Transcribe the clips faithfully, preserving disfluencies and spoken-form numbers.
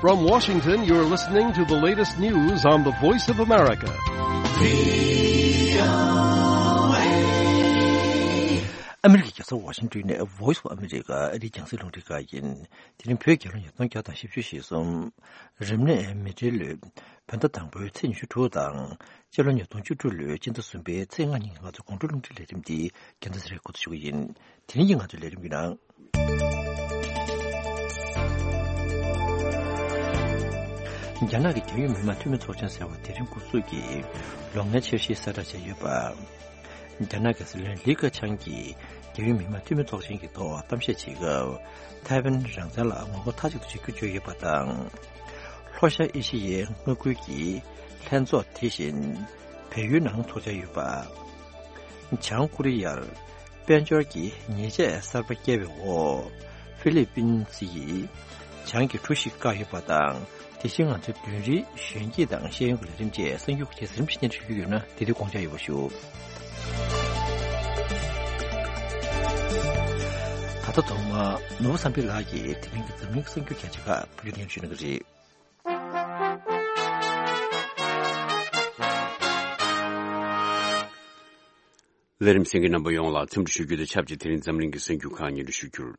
From Washington, you're listening to the latest news on the Voice of America. ཨ་མི་རི་ཀའི་རྒྱལ་ས་ཝ་ཤིང་ཏོན་ནས་Voice of America ཨ་རིའི་རྒྱང་སྲིང་རླུང་འཕྲིན་ཁང་ཡིན། དེ་རིང་བོད་རྒྱལ་ལོ་ཉིས་སྟོང་བརྒྱ་དང་བཞི་བཅུ་ཞེ་གསུམ། རིམས་ནད་མེ་སྤྲེལ་ལོའི་བོད་ཟླ་དང་པོའི་ཚེས་ཉི་ཤུ་དྲུག་དང་། སྤྱི་ལོ་ཉིས་སྟོང་བཅུ་དྲུག་ལོའི་སྤྱི་ཟླ་གསུམ་པའི་ཚེས་ལྔ་ཉིན་ང་ཚོའི་དགོང་དྲོ་རླུང་འཕྲིན་ལས་རིམ་འདི་རྒྱལ་མཚན་ཚེ་རིང་འགོ་འཛུགས་ཞུ་གི་ཡིན། དེ་རིང་གི་ང་ཚོའི་ལས་རིམ་གྱི་ནང་། རྒྱ་ནག་གི་རྒྱལ་ཡོངས་མི་དམངས་འཐུས་མི་ཚོགས་ཆེན་ཟེར་བ་དེ་རིང་འགོ་འཛུགས་ཀྱིས་ལོ་ལྔའི་འཆར་གཞི་གསལ་བསྒྲགས་བྱས་ཡོད་པ། རྒྱ་ནག་གི་སྲིད་བློན་ལི་ཁེ་ཆང་གིས་རྒྱལ་ཡོངས་མི་དམངས་འཐུས་མི་ཚོགས་ཆེན་གྱི་ཐོག་གཏམ་བཤད་བྱེད་སྐབས། ཐའེ་ཝན་རང་བཙན་ལ་ངོ་རྒོལ་མཐའ་གཅིག་ཏུ་བྱེད་རྒྱུ་བརྗོད་ཡོད་པ་དང་། ལྷོ་ཤར་ཨེ་ཤི་ཡའི་མངའ་ཁུལ་གྱི་ལྷན་ཚོགས་དེ་བཞིན་བལ་ཡུལ་ནང་ཚོགས་འཆར་ཡོད་པ། བྱང་ཀོ་རི་ཡར་དཔལ་འབྱོར་གྱི་ཉེས་ཆད་གསར་པ་བཀལ་བའི་འོག་ཧྥི་ལི་པིན་སི་ཡིས་བྱང་གི་གྲུ་ཞིག་བཀག་ཡོད་པ་དང་། དེ་བཞིན་ང་ཚོའི་བདུན་རེའི་གཞོན་སྐྱེས་དང་ཤེས་ཡོན་གྱི་ལས་རིམ་བཅས་གསར་འགྱུར་ཁག་ཅིག་རིམ་བཞིན་སྙན་སྒྲོན་ཞུ་རྒྱུ་ཡོད་ན། དེ་དུས་དགོངས་འཇགས་ཡོད་པ་ཞུ། ད་ལྟ་ཐོག་མར་ནོར་བུ་བསམ་འཕེལ་ལགས་ཀྱིས་དེ་རིང་གི་འཛམ་གླིང་གི་གསར་འགྱུར་རྒྱ་ཆེ་ཁག་བོད་སྐད་སྙན་སྒྲོན་ཞུ་གནང་གི་རེད། ལས་རིམ་གསན་མཁན་རྣམ་པ་ཡོངས་ལ་འཚམས་འདྲི་ཞུ་རྒྱུ་དང་ཆབས་ཅིག་དེ་རིང་འཛམ་གླིང་གི་གསར་འགྱུར་ཁག་སྙན་སྒྲོན་ཞུ་རྒྱུར།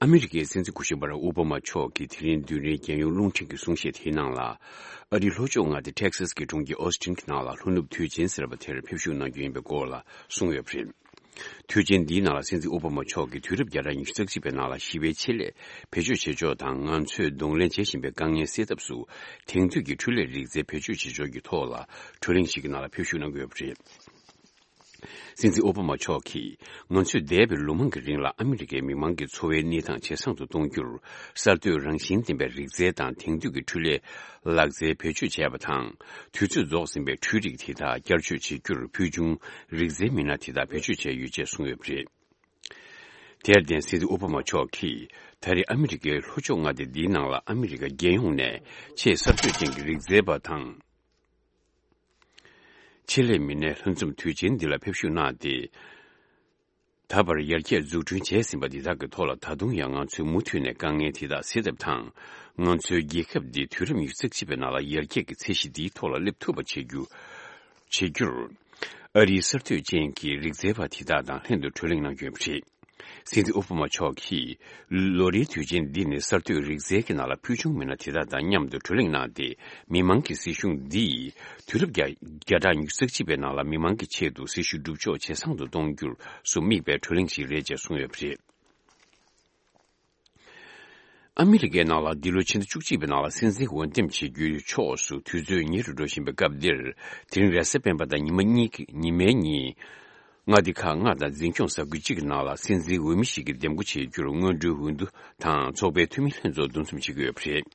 ཨ་མི་རི་ཀའི་སྲིད་འཛིན་སྐུ་ཞབས་བྷ་རག་ཨོ་བྷ་མ་མཆོག་གིས་དེ་རིང་བདུན་རེའི་རྒྱལ་ཡོངས་རླུང་འཕྲིན་གྱི་གསུང་བཤད་དེའི་ནང་ལ། ཨ་རིའི་ལྷོ་ཕྱོགས་མངའ་སྡེ་ཊེག་སཱས་ཀྱི་གྲོང་ཁྱེར་ཨོ་སི་ཊིན་གྱི་ནང་ལ་ལྷོ་ནུབ་དུས་ཆེན་ཟེར་བ་དེར་ཕེབས་བཞུགས་གནང་རྒྱུ་ཡིན་པའི་སྐོར་ལ་གསུངས་ཡོད་པ་རེད། དུས་ཆེན་འདིའི་ནང་ལ་སྲིད་འཛིན་ཨོ་བྷ་མ་མཆོག་གིས་དུས་རབས་བརྒྱ་ཕྲག་ཉི་ཤུ་རྩ་གཅིག་པའི་ནང་ལ་ཞི་བའི་ཆེད་ལས་བེད་སྤྱོད་བྱེད་ཕྱོགས་དང་། ང་ཚོས་གདོང་ལེན་བྱེད་བཞིན་པའི་དཀའ་ངལ་སེལ་ཐབས་སུ་དེང་དུས་ཀྱི་འཕྲུལ་ལས་རིག་རྩལ་བེད་སྤྱོད་བྱེད་ཕྱོགས་ཀྱི་ཐོག་ལ་གྲོས་གླེང་ཞིག་གི་ནང་ལ་ཕེབས་བཞུགས་གནང་གི་ཡོད་པ་རེད། སྲིད་འཛིན་ཨོ་བྷ་མ་མཆོག་གིས། ང་ཚོས་འདས་པའི་ལོ་མང་གི་རིང་ལ་ཨ་མི་རི་ཀའི་མི་མང་གི་འཚོ་བའི་གནས་སྟངས་ཇེ་བཟང་དུ་གཏོང་རྒྱུར། གསར་གཏོད་རང་བཞིན་ལྡན་པའི་རིག་རྩལ་དང་དེང་དུས་ཀྱི་འཕྲུལ་ལས་ལག་རྩལ་བེད་སྤྱོད་བྱས་པ་དང་། དུས་ཚོད་རྫོགས་ཟིན་པའི་འཕྲུལ་རིག་དེ་དག་བསྐྱར་བཅོས་བྱེད་རྒྱུར་ཕུལ་བྱུང་རིག་རྩལ་མི་སྣ་དེ་དག་བེད་སྤྱོད་བྱས་ཡོད་ཅེས་གསུངས་ཡོད་པ་རེད། དེར་བརྟེན་སྲིད་འཛིན་ཨོ་བྷ་མ་མཆོག་གིས། ད་རེས་ཨ་མི་རི་ཀའི་ལྷོ་ཕྱོགས་མངའ་སྡེ་འདིའི་ནང་ལ་ཨ་མི་རི་ཀ་རྒྱལ་ཡོངས་ནས་ཆེས་གསར་གཏོད་ཅན་གྱི་རིག་རྩལ་པ་དང་། ཆེད་ལས་མི་སྣའི་ལྷན་འཛོམས་དུས་ཆེན་འདི་ལ་ཕེབས་བཞུགས་གནང་སྟེ། ད་བར་ཡར་རྒྱས་འཛུགས་སྐྲུན་བྱས་ཟིན་པ་འདི་དག་གི་ཐོག་ལ་ད་དུང་ཡང་ང་ཚོས་མུ་མཐུད་ནས་དཀའ་ངལ་དེ་དག་སེལ་ཐབས་དང་། ང་ཚོའི་རྒྱལ་ཁབ་འདི་དུས་རབས་ཉི་ཤུ་རྩ་གཅིག་པའི་ནང་ལ་ཡར་རྒྱས་ཀྱི་ཚད་གཞི་འདིའི་ཐོག་ལ་སླེབས་ཐུབ་པ་བྱེད་རྒྱུ། བྱེད་རྒྱུར། ཨ་རིའི་གསར་གཏོད་ཅན་གྱི་རིག་རྩལ་པ་དེ་དག་དང་ལྷན་དུ་གྲོས་གླེང་གནང་རྒྱུ་ཡིན་པ་རེད། སྲིད་འཛིན་ཨོ་བྷ་མ་མཆོག་གིས། ལོ་རེའི་དུས་ཆེན་འདི་ནི་གསར་གཏོད་རིག་རྩལ་གྱི་ནང་ལ་ཕུལ་བྱུང་མི་སྣ་དེ་དག་དང་མཉམ་དུ་གྲོས་གླེང་གནང་སྟེ། མི་མང་གི་སྲིད་གཞུང་འདིས་དུས་རབས་བརྒྱ་བརྒྱ་ཕྲག་ཉི་ཤུ་རྩ་གཅིག་པའི་ནང་ལ་མི་མང་གི་ཆེད་དུ་སྲི་ཞུ་སྒྲུབ་ཕྱོགས་ཇེ་བཟང་དུ་གཏོང་རྒྱུར་སུ་དམིགས་པའི་གྲོས་གླེང་ཞིག་རེད་ཅེས་གསུངས་ཡོད་པ་རེད། ཨ་མི་རི་ཀའི་ནང་ལ་འདི་ལོའི་ཕྱི་ཟླ་བཅུ་གཅིག་པའི་ནང་ལ་སྲིད་འཛིན་འོས་འདེམས་བྱེད་རྒྱུའི་ཕྱོགས་སུ་དུས་ཚོད་ཉེ་རུ་འགྲོ་བཞིན་པའི་སྐབས་འདིར། དེ་རིང་རེས་གཟའ་སྤེན་པ་དང་ཉི་མ་གཉིས་ཀྱི་ཉི་མའི་ཉིན། མངའ་སྡེ་ཁག་ལྔ་དང་འཛིན་སྐྱོང་ས་ཁུལ་གཅིག་གི་ནང་ལ་སྲིད་འཛིན་འོས་མི་ཞིག་གི་འདེམས་བསྐོ་བྱེད་རྒྱུར་སྔོན་འགྲོའི་འོས་བསྡུ་དང་ཚོགས་པའི་འཐུས་མི་ལྷན་ཚོགས་འདུ་འཛོམས་བྱེད་ཀྱི་ཡོད་པ་རེད།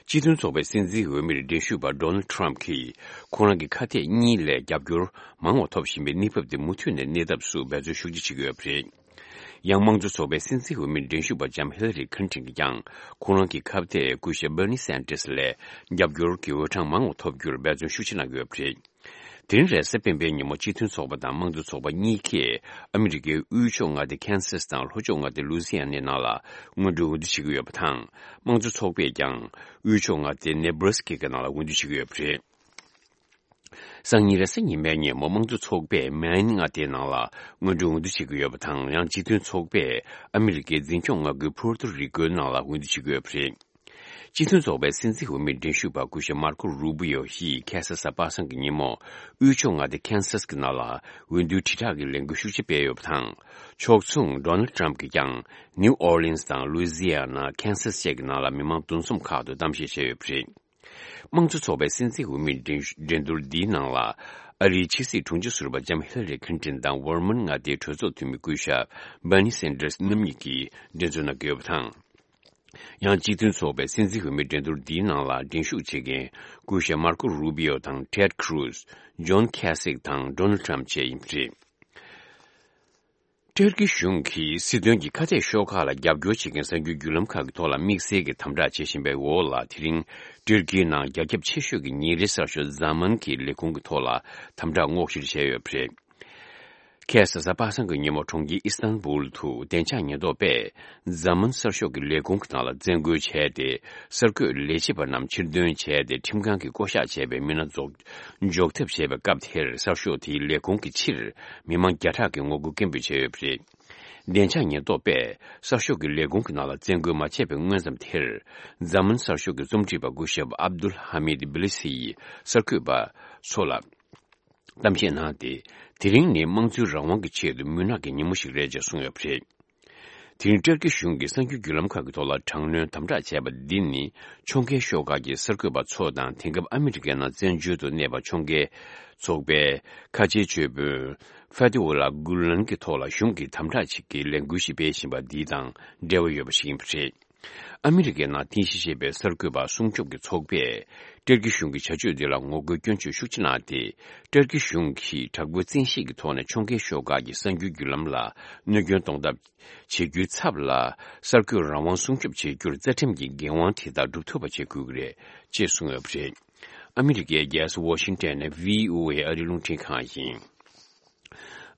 སྤྱི་མཐུན་ཚོགས་པའི་སྲིད་འཛིན་འོས་མིར་འགྲན་ཞུགས་པ་Donald Trump གྱིས་ཁོ་རང་གི་ཁ་གཏད་གཉིས་ལས་རྒྱབ་སྐྱོར་མང་བ་ཐོབ་བཞིན་པའི་གནས་བབ་དེ་མུ་མཐུད་ནས་གནས་ཐབས་སུ་འབད་བརྩོན་ཤུགས་ཆེ་བྱེད་ཀྱི་ཡོད་པ་རེད། ཡང་དམངས་གཙོ་ཚོགས་པའི་སྲིད་འཛིན་འོས་མིར་འགྲན་ཞུགས་པ་ལྕམ་Hillary Clinton གྱིས་ཀྱང་ཁོ་རང་གི་ཁ་གཏད་སྐུ་ཞབས་Bernie Sanders ལས་རྒྱབ་སྐྱོར་གྱི་འོས་གྲངས་མང་བ་ཐོབ་རྒྱུར་འབད་བརྩོན་ཤུགས་ཆེ་གནང་གི་ཡོད་པ་རེད། དེ་རིང་རེས་གཟའ་སྤེན་པའི་ཉིན་མོ་སྤྱི་མཐུན་ཚོགས་པ་དང་དམངས་གཙོ་ཚོགས་པ་གཉིས་ཀས་ཨ་མི་རི་ཀའི་དབུས་ཕྱོགས་མངའ་སྡེ་ཁེན་སཱས་དང་ལྷོ་ཕྱོགས་མངའ་སྡེ་ལུའི་ཛི་ཡ་ནའི་ནང་ལ་སྔོན་འགྲོའི་འོས་བསྡུ་བྱེད་ཀྱི་ཡོད་པ་དང་། དམངས་གཙོ་ཚོགས་པས་ཀྱང་དབུས་ཕྱོགས་མངའ་སྡེ་ནེ་བྷ་ར་སི་ཀའི་ནང་ལ་འོས་བསྡུ་བྱེད་ཀྱི་ཡོད་པ་རེད། སང་ཉིན་རེས་གཟའ་ཉི་མའི་ཉིན་མོ་དམངས་གཙོ་ཚོགས་པས་མེན་མངའ་སྡེའི་ནང་ལ་སྔོན་འགྲོའི་འོས་བསྡུ་བྱེད་ཀྱི་ཡོད་པ་དང་། ཡང་སྤྱི་མཐུན་ཚོགས་པས་ཨ་མི་རི་ཀའི་འཛིན་སྐྱོང་མངའ་ཁུལ་ཕུར་ཏུ་རི་ཀོའི་ནང་ལ་འོས་བསྡུ་བྱེད་ཀྱི་ཡོད་པ་རེད། སྤྱི་མཐུན་ཚོགས་པའི་སྲིད་འཛིན་འོས་མིར་འགྲན་ཞུགས་པ་སྐུ་ཞབས་མར་ཀོ་རུ་བི་ཡོ་ཡིས་ཁ་སང་གཟའ་པ་སངས་ཀྱི་ཉིན་མོ་དབུས་ཕྱོགས་མངའ་སྡེ་ཁེན་སཱས་ཀྱི་ནང་ལ་འོས་བསྡུའི་དྲིལ་བསྒྲགས་ཀྱི་ལས་འགུལ་ཤུགས་ཆེ་སྤེལ་ཡོད་པ་དང་། ཕྱོགས་མཚུངས་Donald Trump གྱིས་ཀྱང་ནིའུ་ཨོར་ལིན་སི་དང་ལུའི་ཛི་ཡ་ན། ཁེན་སཱས་བཅས་ཀྱི་ནང་ལ་མི་མང་འདུ་འཛོམས་ཁག་ཏུ་གཏམ་བཤད་བྱས་ཡོད་པ་རེད། དམངས་གཙོ་ཚོགས་པའི་སྲིད་འཛིན་འོས་མིའི་འགྲན་འགྲན་བསྡུར་འདིའི་ནང་ལ། ཨ་རིའི་ཕྱི་སྲིད་དྲུང་ཆེ་ཟུར་པ་ལྕམ་ཧི་ལ་རི་ཁིན་ཏིན་དང་ཝར་མོན་མངའ་སྡེའི་གྲོས་ཚོགས་འཐུས་མི་སྐུ་ཞབས་བྷར་ནི་སན་ཏྲེས་རྣམ་གཉིས་ཀྱིས་འགྲན་རྩོད་གནང་གི་ཡོད་པ་དང་། ཡང་སྤྱི་མཐུན་ཚོགས་པའི་སྲིད་འཛིན་འོས་མིའི་འགྲན་བསྡུར་འདིའི་ནང་ལ་འགྲན་ཞུགས་བྱེད་མཁན་སྐུ་ཞབས་མར་ཀོ་རུ་བི་ཡོ་དང་ཊེད་ཁུ་རུ་ཛི། ཇོན་ཁེ་སིག་དང་ཌོ་ནལ་ཊམ་བཅས་ཡིན་པ་རེད། ཏུར་ཀི་གཞུང་གིས་སྲིད་དོན་གྱི་ཁ་གཏད་ཤོག་ཁག་ལ་རྒྱབ་སྐྱོར་བྱེད་མཁན་གསར་འགྱུར་བརྒྱུད་ལམ་ཁག་གི་ཐོག་ལ་དམིགས་བསལ་གྱི་དམ་དྲག་བྱེད་བཞིན་པའི་འོག་ལ། དེ་རིང་ཏུར་ཀིའི་ནང་རྒྱ་ཁྱབ་ཆེ་ཤོས་ཀྱི་ཉིན་རེའི་གསར་ཤོག་ཛ་མཱན་གྱི་ལས་ཁུངས་ཀྱི་ཐོག་ལ་དམ་དྲག་སྔོག་བཤེར་བྱས་ཡོད་པ་རེད། ཁ་སང་གཟའ་པ་སངས་ཀྱི་ཉིན་མོ་གྲོང་ཁྱེར་ཨི་སྟན་བུལ་དུ་བདེ་འཇགས་ཉེན་རྟོག་པས་འཛམ་གླིང་གསར་ཤོག་གི་ལས་ཁུངས་ཀྱི་ནང་ལ་བཙན་རྒོལ་བྱས་ཏེ། གསར་འགོད་ལས་བྱེད་པ་རྣམས་ཕྱིར་འདོན་བྱས་ཏེ། ཁྲིམས་ཁང་གིས་བསྐོ་གཞག་བྱས་པའི་མི་སྣ་འཛུགས་འཇོག་ཐབས་བྱས་པའི་སྐབས་དེར། གསར་ཤོག་དེའི་ལས་ཁུངས་ཀྱི་ཕྱིར་མི་མང་བརྒྱ་ཕྲག་གིས་ངོ་རྒོལ་སྐད་འབོད་བྱས་ཡོད་པ་རེད། བདེ་འཇགས་ཉེན་རྟོག་པས་གསར་ཤོག་གི་ལས་ཁུངས་ཀྱི་ནང་ལ་བཙན་རྒོལ་མ་བྱས་པའི་སྔོན་ཙམ་དེར། འཛམ་གླིང་གསར་ཤོག་གི་རྩོམ་སྒྲིག་པ་སྐུ་ཞབས་ཨབ་དུལ་ཧ་མིད་བི་ལི་སི་ཡིས་གསར་འགོད་པ་ཚོ་ལ་གཏམ་བཤད་གནང་སྟེ། དེ་རིང་ནི་དམངས་གཙོའི་རང་དབང་གི་ཆེད་དུ་མུན་ནག་གི་ཉིན་མོ་ཞིག་རེད་ཅེས་གསུངས་ཡོད་པ་རེད། དེ་རིང་ཏུར་ཀི་གཞུང་གིས་གསར་འགྱུར་བརྒྱུད་ལམ་ཁག་གི་ཐོག་ལ་དྲག་གནོན་དམ་དྲག་བྱས་པ་འདི་ནི། ཕྱོགས་འགལ་ཤོག་ཁག་གི་གསར་འགོད་པ་ཚོ་དང་། དེང་སྐབས་ཨ་མི་རི་ཀའི་ནང་བཙན་བྱོལ་དུ་གནས་པ་ཕྱོགས་འགལ་ཚོགས་པའི་ཁ་ཆེའི་ཇུས་འབོན་ཕ་ཏི་ཝ་ལ་གུ་ལན་གྱི་ཐོག་ལ་གཞུང་གིས་དམ་དྲག་ཅིག་གི་ལས་འགུལ་ཞིག་སྤེལ་བཞིན་པ་འདི་དང་འབྲེལ་བ་ཡོད་པ་ཞིག་ཡིན་པ་རེད། ཨ་མི་རི་ཀའི་ནང་རྟེན་གཞི་བྱས་པའི་གསར་འགོད་པ་སྲུང་སྐྱོབ་ཀྱི་ཚོགས་པས། ཏུར་ཀི་གཞུང་གི་བྱ་སྤྱོད་འདི་ལ་ངོ་རྒོལ་སྐྱོན་བརྗོད་ཤུགས་ཆེ་གནང་སྟེ། ཏུར་ཀི་གཞུང་གིས་དྲག་པོའི་བཙན་ཤེད་ཀྱི་ཐོག་ནས་ཕྱོགས་འགལ་ཤོག་ཁག་གི་གསར་འགྱུར་བརྒྱུད་ལམ་ལ་གནོད་སྐྱོན་གཏོང་ཐབས་བྱེད་རྒྱུའི་ཚབ་ལ། གསར་འགོད་རང་དབང་སྲུང་སྐྱོབ་བྱེད་རྒྱུར་རྩ་ཁྲིམས་ཀྱི་འགན་དབང་དེ་དག་སྒྲུབ་ཐུབ་པ་བྱེད་དགོས་ཀྱི་རེད་ཅེས་གསུངས་ཡོད་པ་རེད། ཨ་མི་རི་ཀའི་རྒྱལ་ས་ཝ་ཤིང་ཊོན་ནས་བྷི་ཨོ་ཨེ་ཨ་རིའི་རླུང་འཕྲིན་ཁང་ཡིན།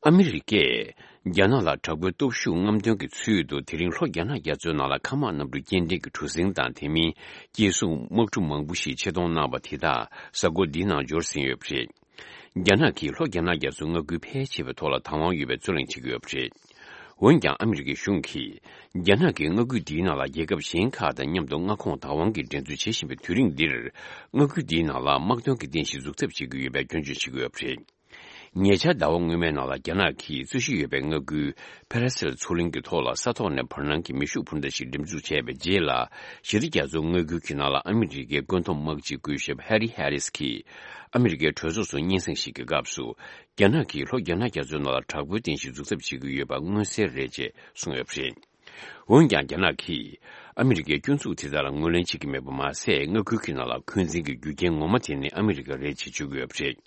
ཨ་མི་རི་ཀས་རྒྱ་ནག་ལ་དྲག་པོའི་སྟོབས་ཤུགས་རྔམ་སྟོན་གྱི་ཚུལ་དུ། དེ་རིང་ལྷོ་རྒྱ་ནག་རྒྱ་མཚོའི་ནང་ལ་མཁའ་དམག་གནམ་གྲུ་སྐྱེལ་འདྲེན་གྱི་གྲུ་གཟིངས་དང་། དེ་མིན་སྐྱེལ་སྲུང་དམག་གྲུ་མང་པོ་ཞིག་ཆེད་གཏོང་གནང་བ་དེ་དག་གཟའ་འཁོར་འདིའི་ནང་འབྱོར་ཟིན་ཡོད་པ་རེད། རྒྱ་ནག་གིས་ལྷོ་རྒྱ་ནག་རྒྱ་མཚོའི་མངའ་ཁུལ་ཕལ་ཆེ་བའི་ཐོག་ལ་བདག་དབང་ཡོད་པའི་རྩོད་གླེང་བྱེད་ཀྱི་ཡོད་པ་རེད། འོན་ཀྱང་ཨ་མི་རི་ཀའི་གཞུང་གིས། རྒྱ་ནག་གིས་མངའ་ཁུལ་འདིའི་ནང་ལ་རྒྱལ་ཁབ་གཞན་ཁག་དང་མཉམ་དུ་མངའ་ཁོངས་བདག་དབང་གི་འགྲན་རྩོད་བྱེད་བཞིན་པའི་དུས་རིང་འདིར། མངའ་ཁུལ་འདིའི་ནང་ལ་དམག་དོན་གྱི་རྟེན་གཞི་འཛུགས་ཐབས་བྱེད་ཀྱི་ཡོད་པའི་སྐྱོན་བརྗོད་བྱེད་ཀྱི་ཡོད་པ་རེད། ཉེ་ཆར་ཟླ་བ་སྔོན་མའི་ནང་ལ། རྒྱ་ནག་གིས་རྩོད་གཞི་ཡོད་པའི་མངའ་ཁུལ་ཕེ་ར་སེལ་མཚོ་གླིང་གི་ཐོག་ལ་ས་ཐོག་ནས་བར་སྣང་གི་མེ་ཤུགས་འཕུར་མདའ་ཞིག་འགྲེམས་འཛུགས་བྱས་པའི་རྗེས་ལ། ཞི་བདེ་རྒྱ་མཚོའི་མངའ་ཁུལ་གྱི་ནང་ལ་ཨ་མི་རི་ཀའི་བཀོད་འདོམས་དམག་སྤྱི་སྐུ་ཞབས་ཧེ་རི་ཧེ་རིས་ཀྱིས་ཨ་མི་རི་ཀའི་གྲོས་ཚོགས་སུ་སྙན་སེང་ཞིག་གི་སྐབས་སུ། རྒྱ་ནག་གིས་ལྷོ་རྒྱ་ནག་རྒྱ་མཚོའི་ནང་ལ་དྲག་པོའི་རྟེན་གཞི་འཛུགས་ཐབས་བྱེད་ཀྱི་ཡོད་པ་མངོན་གསལ་རེད་ཅེས་གསུངས་ཡོད་པ་རེད། འོན་ཀྱང་། རྒྱ་ནག་གིས་ཨ་མི་རི་ཀའི་སྐྱོན་འཛུགས་དེ་དག་ལ་ངོས་ལེན་བྱེད་ཀྱི་མེད་པ་མ་ཟད། མངའ་ཁུལ་གྱི་ནང་ལ་འཁོན་འཛིན་གྱི་རྒྱུ་རྐྱེན་ངོ་མ་དེ་ནི་ཨ་མི་རི་ཀ་རེད་ཅེས་བརྗོད་ཀྱི་ཡོད་པ་རེད།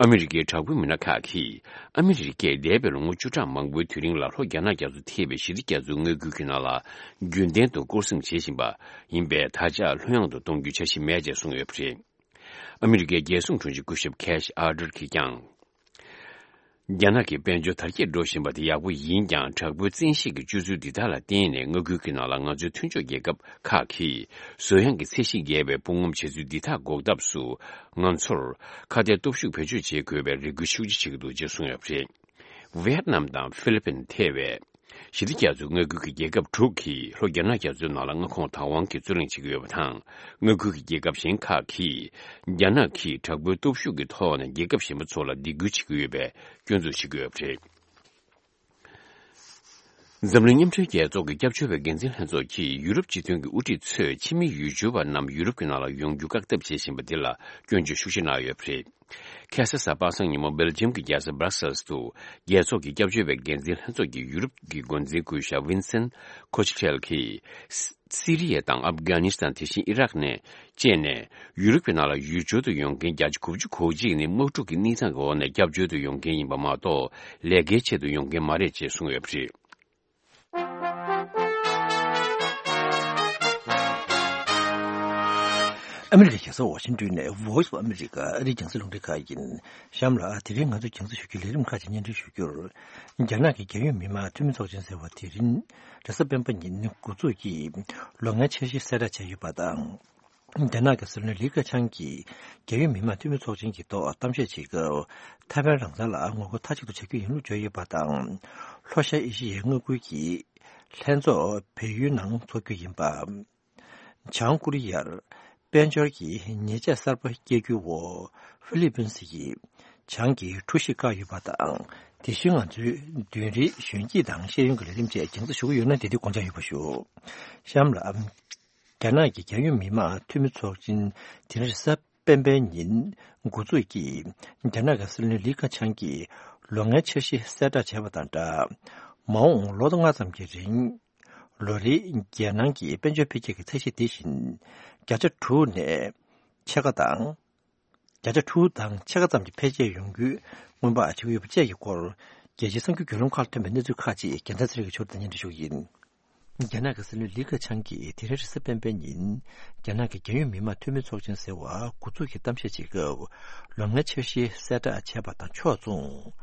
ཨ་མི་རི་ཀའི་དྲག་པོའི་མི་སྣ་ཁག་གིས། ཨ་མི་རི་ཀས་འདས་པའི་ལོ་ངོ་བཅུ་ཕྲག་མང་པོའི་དུས་རིང་ལ་ལྷོ་རྒྱ་ནག་རྒྱ་མཚོ་ཐེ་བའི་ཞི་བདེ་རྒྱ་མཚོའི་མངའ་ཁུལ་གྱི་ནང་ལ་རྒྱུན་ལྡན་དུ་སྐོར་སྲུང་བྱེད་བཞིན་པ་ཡིན་པས། ད་ཆ་ལྷོད་ཡངས་དུ་གཏོང་རྒྱུའི་འཆར་གཞི་མེད་ཅེས་གསུངས་ཡོད་པ་རེད། ཨ་མི་རི་ཀའི་རྒྱལ་སྲུང་དྲུང་ཆེ་སྐུ་ཞབས་ཁེ་ཤི་ཨར་ཏར་གྱིས་ཀྱང་། རྒྱ་ནག་གི་དཔལ་འབྱོར་དར་རྒྱས་འགྲོ་བཞིན་པ་དེ་ཡག་པོ་ཡིན་ཀྱང་། དྲག་པོའི་བཙན་ཤེད་ཀྱི་སྤྱོད་ཚུལ་འདི་དག་ལ་བརྟེན་ནས། མངའ་ཁུལ་གྱི་ནང་ལ་ང་ཚོའི་མཐུན་ཕྱོགས་རྒྱལ་ཁབ་ཁག་གིས་བཟོ་ཡངས་ཀྱི་ཚད་གཞི་བརྒལ་བའི་དཔུང་ངོམ་བྱེད་ཚུལ་འདི་དག་འགོག་ཐབས་སུ། ང་ཚོར་ཁ་གཏད་སྟོབས་ཤུགས་བེད་སྤྱོད་བྱེད་དགོས་པའི་རེ་སྐུལ་ཤུགས་ཆེ་བྱེད་ཀྱི་འདུག་ཅེས་གསུངས་ཡོད་པ་རེད། ཝེ་ཡེད་ནམ་དང་ཧྥི་ལི་པིན་ཐེ་བའི་ཞི་བདེ་རྒྱ་མཚོའི་མངའ་ཁུལ་གྱི་རྒྱལ་ཁབ་དྲུག་གིས་ལྷོ་རྒྱ་ནག་རྒྱ་མཚོའི་ནང་ལ་མངའ་ཁོངས་བདག་དབང་གི་རྩོད་གླེང་བྱེད་ཀྱི་ཡོད་པ་དང་། མངའ་ཁུལ་གྱི་རྒྱལ་ཁབ་གཞན་ཁག་གིས་རྒྱ་ནག་གིས་དྲག་པོའི་སྟོབས་ཤུགས་ཀྱི་ཐོག་ནས་རྒྱལ་ཁབ་གཞན་པ་ཚོ་ལ་སྡིགས་སྐུལ་བྱེད་ཀྱི་ཡོད་པའི་སྐྱོན་འཛུགས་བྱེད་ཀྱི་ཡོད་པ་རེད། འཛམ་གླིང་མཉམ་འབྲེལ་རྒྱལ་ཚོགས་ཀྱི་སྐྱབས་བཅོལ་བའི་འགན་འཛིན་ལྷན་ཚོགས་ཀྱིས་ཡུ་རོབ་སྤྱི་མཐུན་གྱི་དབུ་ཁྲིད་ཚོས་ཕྱི་མི་ཡུལ་སྐྱོར་བ་རྣམས་ཡུ་རོབ་ཀྱི་ནང་ལ་ཡོང་རྒྱུ་བཀག་ཐབས་བྱེད་བཞིན་པ་འདི་ལ་སྐྱོན་བརྗོད་ཤུགས་ཆེ་གནང་ཡོད་པ་རེད། ཁ་སང་གཟའ་པ་སངས་ཉིན་མོ་སྦེལ་ཇམ་གྱི་རྒྱལ་ས་སྦྲག་སེལ་དུ། རྒྱལ་ཚོགས་ཀྱི་སྐྱབས་བཅོལ་བའི་འགན་འཛིན་ལྷན་ཚོགས་ཀྱི་ཡུ་རོབ་ཀྱི་འགོ་འཛིན་སྐུ་ཞབས་ཝིན་སེན་ཁོ་ཆི་ཁྲེལ་གྱིས། སི་རི་ཡ་དང་ཨབ་གྷ་ནི་སི་ཐན། དེ་བཞིན་ཨི་རག་ནས་བཅས་ནས། ཡུ་རོབ་ཀྱི་ནང་ལ་ཡུལ་སྐྱོར་དུ་ཡོང་མཁན་བརྒྱ་ཆ་དགུ་བཅུ་གོ་གཅིག་ནི་དམག་འཁྲུག་གི་གནས་སྟངས་ཀྱི་འོག་ནས་སྐྱབས་བཅོལ་དུ་ཡོང་མཁན་ཡིན་པ་མ་གཏོགས། ལས་ཀའི་ཆེད་དུ་ཡོང་མཁན་མ་རེད་ཅེས་གསུངས་ཡོད་པ་རེད། ཨ་མི་རི་ཀའི་རྒྱལ་ས་ཝ་ཤིང་ཏོན་ནས་Voice of America ཨ་རིའི་རྒྱང་སྲིང་རླུང་འཕྲིན་ཁང་ཡིན། གཤམ་ལ་དེ་རིང་ང་ཚོས་རྒྱང་སྲིང་ཞུ་རྒྱུའི་ལས་རིམ་ཁག་ཅིག་སྙན་སྒྲོན་ཞུ་རྒྱུར། རྒྱ་ནག་གི་རྒྱལ་ཡོངས་མི་དམངས་འཐུས་མི་ཚོགས་ཆེན་ཟེར་བ་དེ་རིང་རེས་གཟའ་སྤེན་པ་ཉིན་འགོ་འཛུགས་ཀྱིས་ལོ་ལྔའི་འཆར་གཞི་གསལ་བསྒྲགས་བྱས་ཡོད་པ་དང་། རྒྱ་ནག་གི་སྲིད་བློན་ལི་ཁེ་ཆང་གིས་རྒྱལ་ཡོངས་མི་དམངས་འཐུས་མི་ཚོགས་ཆེན་གྱི་ཐོག་གཏམ་བཤད་བྱེད་སྐབས། ཐའེ་ཝན་རང་བཙན་ལ་ངོ་རྒོལ་མཐའ་གཅིག་ཏུ་བྱ་རྒྱུ་ཡིན་ལུགས་བརྗོད་ཡོད་པ་དང་། ལྷོ་ཤར་ཨེ་ཤི་ཡའི་མངའ་ཁུལ་གྱི་ལྷན་ཚོགས་བལ་ཡུལ་ནང་འཚོགས་རྒྱུ་ཡིན་པ། བྱང་ཀོ་རི་ཡར་དཔལ་འབྱོར་གྱི་ཉེས་ཆད་གསར་པ་བཀལ་རྒྱུའི་འོག་ཧྥི་ལི་པིན་སི་ཡིས་བྱང་གི་གྲུ་ཞིག་བཀག་ཡོད་པ་དང་། དེ་བཞིན་ང་ཚོའི་མདུན་རིའི་གཞོན་སྐྱེས་དང་ཤེས་ཡོན་གྱི་ལས་རིམ་བཅས་རྒྱང་སྲིང་ཞུ་གི་ཡོད་ན། དེ་དུས་དགོངས་འཇགས་ཡོད་པ་ཞུ། གཤམ་ལ། རྒྱ་ནག་གི་རྒྱལ་ཡོངས་མི་དམངས་འཐུས་མི་ཚོགས་ཆེན་དེ་རིང་རེས་གཟའ་སྤེན་པའི་ཉིན་འགོ་འཛུགས་ཀྱིས། རྒྱ་ནག་གི་སྲིད་བློན་ལི་ཁེ་ཆང་གིས་ལོ་ལྔའི་འཆར་གཞི་གསལ་བསྒྲགས་བྱས་པ་དང་སྦྲགས། མ་འོངས་ལོ་ལྔ་ཙམ་གྱི་རིང་ལོ་རེའི་རྒྱལ་ནང་གི་དཔལ་འབྱོར་འཕེལ་རྒྱས་ཀྱི་ཚད་གཞི་དེ་བཞིན་བརྒྱ་ཆ་དྲུག་ནས་ཕྱེད་ཀ་དང་། བརྒྱ་ཆ་དྲུག་དང་ཕྱེད་ཀ་ཙམ་གྱི་འཕེལ་རྒྱས་ཡོང་རྒྱུའི་སྔོན་དཔག་བྱེད་ཀྱི་ཡོད་པ་བཅས་ཀྱི་སྐོར། རྒྱལ་སྤྱིའི་གསར་འགྱུར་བརྒྱུད་ལམ་ཁག་ལ་ཐོན་པའི་གནས་ཚུལ་ཁག་ཅིག་རྒྱལ་མཚན་ཚེ་རིང་གིས་ཕྱོགས་སྒྲིག་ནས་སྙན་སྒྲོན་ཞུ་གི་ཡིན། རྒྱ་ནག་གི་སྲིད་བློན་ལི་ཁེ་ཆང་གིས་དེ་རིང་རེས་གཟའ་སྤེན་པའི་ཉིན། རྒྱ་ནག་གི་རྒྱལ་ཡོངས་མི་དམངས་འཐུས་མི་ཚོགས་ཆེན་ཟེར་བ་འགོ་འཛུགས་ཀྱིས་གཏམ་བཤད་བྱེད་སྐབས། ལོ་ལྔའི་འཆར་གཞི་གསལ་བསྒྲགས་བྱས་པ་དང་ཕྱོགས་མཚུངས།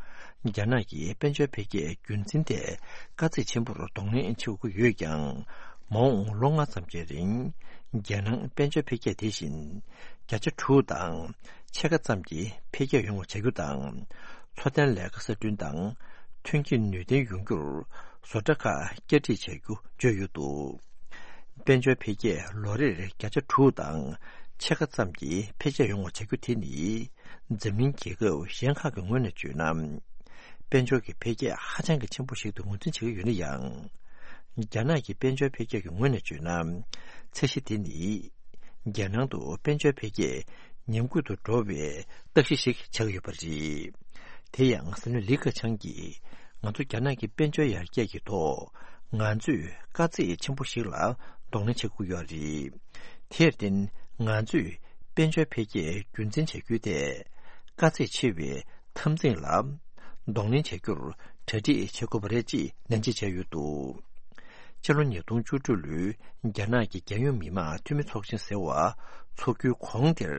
རྒྱ་ནག་གི་དཔལ་འབྱོར་འཕེལ་རྒྱས་རྒྱུན་འཛིན་ཐད་དཀའ་ཚེགས་ཆེན་པོར་གདོང་ལེན་བྱེད་དགོས་ཀྱི་ཡོད་ཀྱང་། མ་འོངས་ལོ་ལྔ་ཙམ་གྱི་རིང་རྒྱལ་ནང་དཔལ་འབྱོར་འཕེལ་རྒྱས་དེ་བཞིན་བརྒྱ་ཆ་དྲུག་དང་ཕྱེད་ཀ་ཙམ་གྱི་འཕེལ་རྒྱས་ཡོང་བ་བྱ་རྒྱུ་དང་། འཚོ་རྟེན་ལས་ཀ་གསར་སྐྲུན་དང་ཐོན་སྐྱེད་ནུས་ལྡན་ཡོང་རྒྱུར་བཟོ་གྲྭ་ཁག་བསྐྱར་སྒྲིག་བྱ་རྒྱུ་བརྗོད་ཡོད་འདུག་དཔལ་འབྱོར་འཕེལ་རྒྱས་ལོ་རེར་བརྒྱ་ཆ་དྲུག་དང་ཕྱེད་ཀ་ཙམ་གྱི་འཕེལ་རྒྱས་ཡོང་བ་བྱ་རྒྱུ་དེ་ནི། འཛམ་གླིང་རྒྱལ་ཁབ་གཞན་ཁག་གི་ངོས་ནས་བརྗོད་ན། དཔལ་འབྱོར་གྱི་འཕེལ་རྒྱས་ཧ་ཅང་གི་ཆེན་པོ་ཞིག་ཏུ་ངོས་འཛིན་བྱེད་ཀྱི་ཡོད་ན་ཡང་། རྒྱ་ནག་གི་དཔལ་འབྱོར་འཕེལ་རྒྱས་ཀྱི་ངོས་ནས་བརྗོད་ན། ཚད་གཞི་དེ་ནི། རྒྱལ་ནང་དུ་དཔལ་འབྱོར་འཕེལ་རྒྱས་ཉམས་རྒུད་དུ་འགྲོ་བའི་རྟགས་གཞི་ཞིག་ཆགས་ཀྱི་ཡོད་པ་རེད། དེ་ཡང་སྲིད་བློན་ལི་ཁེ་ཆང་གིས་ང་ཚོ་རྒྱ་ནག་གི་དཔལ་འབྱོར་ཡར་རྒྱས་ཀྱི་ཐོག་ང་ཚོས་དཀའ་ཚེགས་ཆེན་པོ་ཞིག་ལ་གདོང་ལེན་བྱེད་དགོས་ཡོད་རེད། དེར་བརྟེན་ང་ཚོས་དཔལ་འབྱོར་འཕེལ་རྒྱས་རྒྱུན་འཛིན་བྱ་རྒྱུའི་ཐད་དཀའ་ཚེགས་ཆེ་བའི་འཐབ་འཛིང་ལ་གདོང་ལེན་བྱ་རྒྱུར་གྲ་སྒྲིག་བྱེད་དགོས་པ་རེད་ཅེས་ནན་བརྗོད་བྱས་ཡོད་འདུག་སྤྱི་ལོ་ཉིས་སྟོང་བཅུ་དྲུག་ལོའི་རྒྱ་ནག་གི་རྒྱལ་ཡོངས་མི་དམངས་འཐུས་མི་ཚོགས་ཆེན་ཟེར་བ་འཚོགས་རྒྱུའི་གོང་དེར།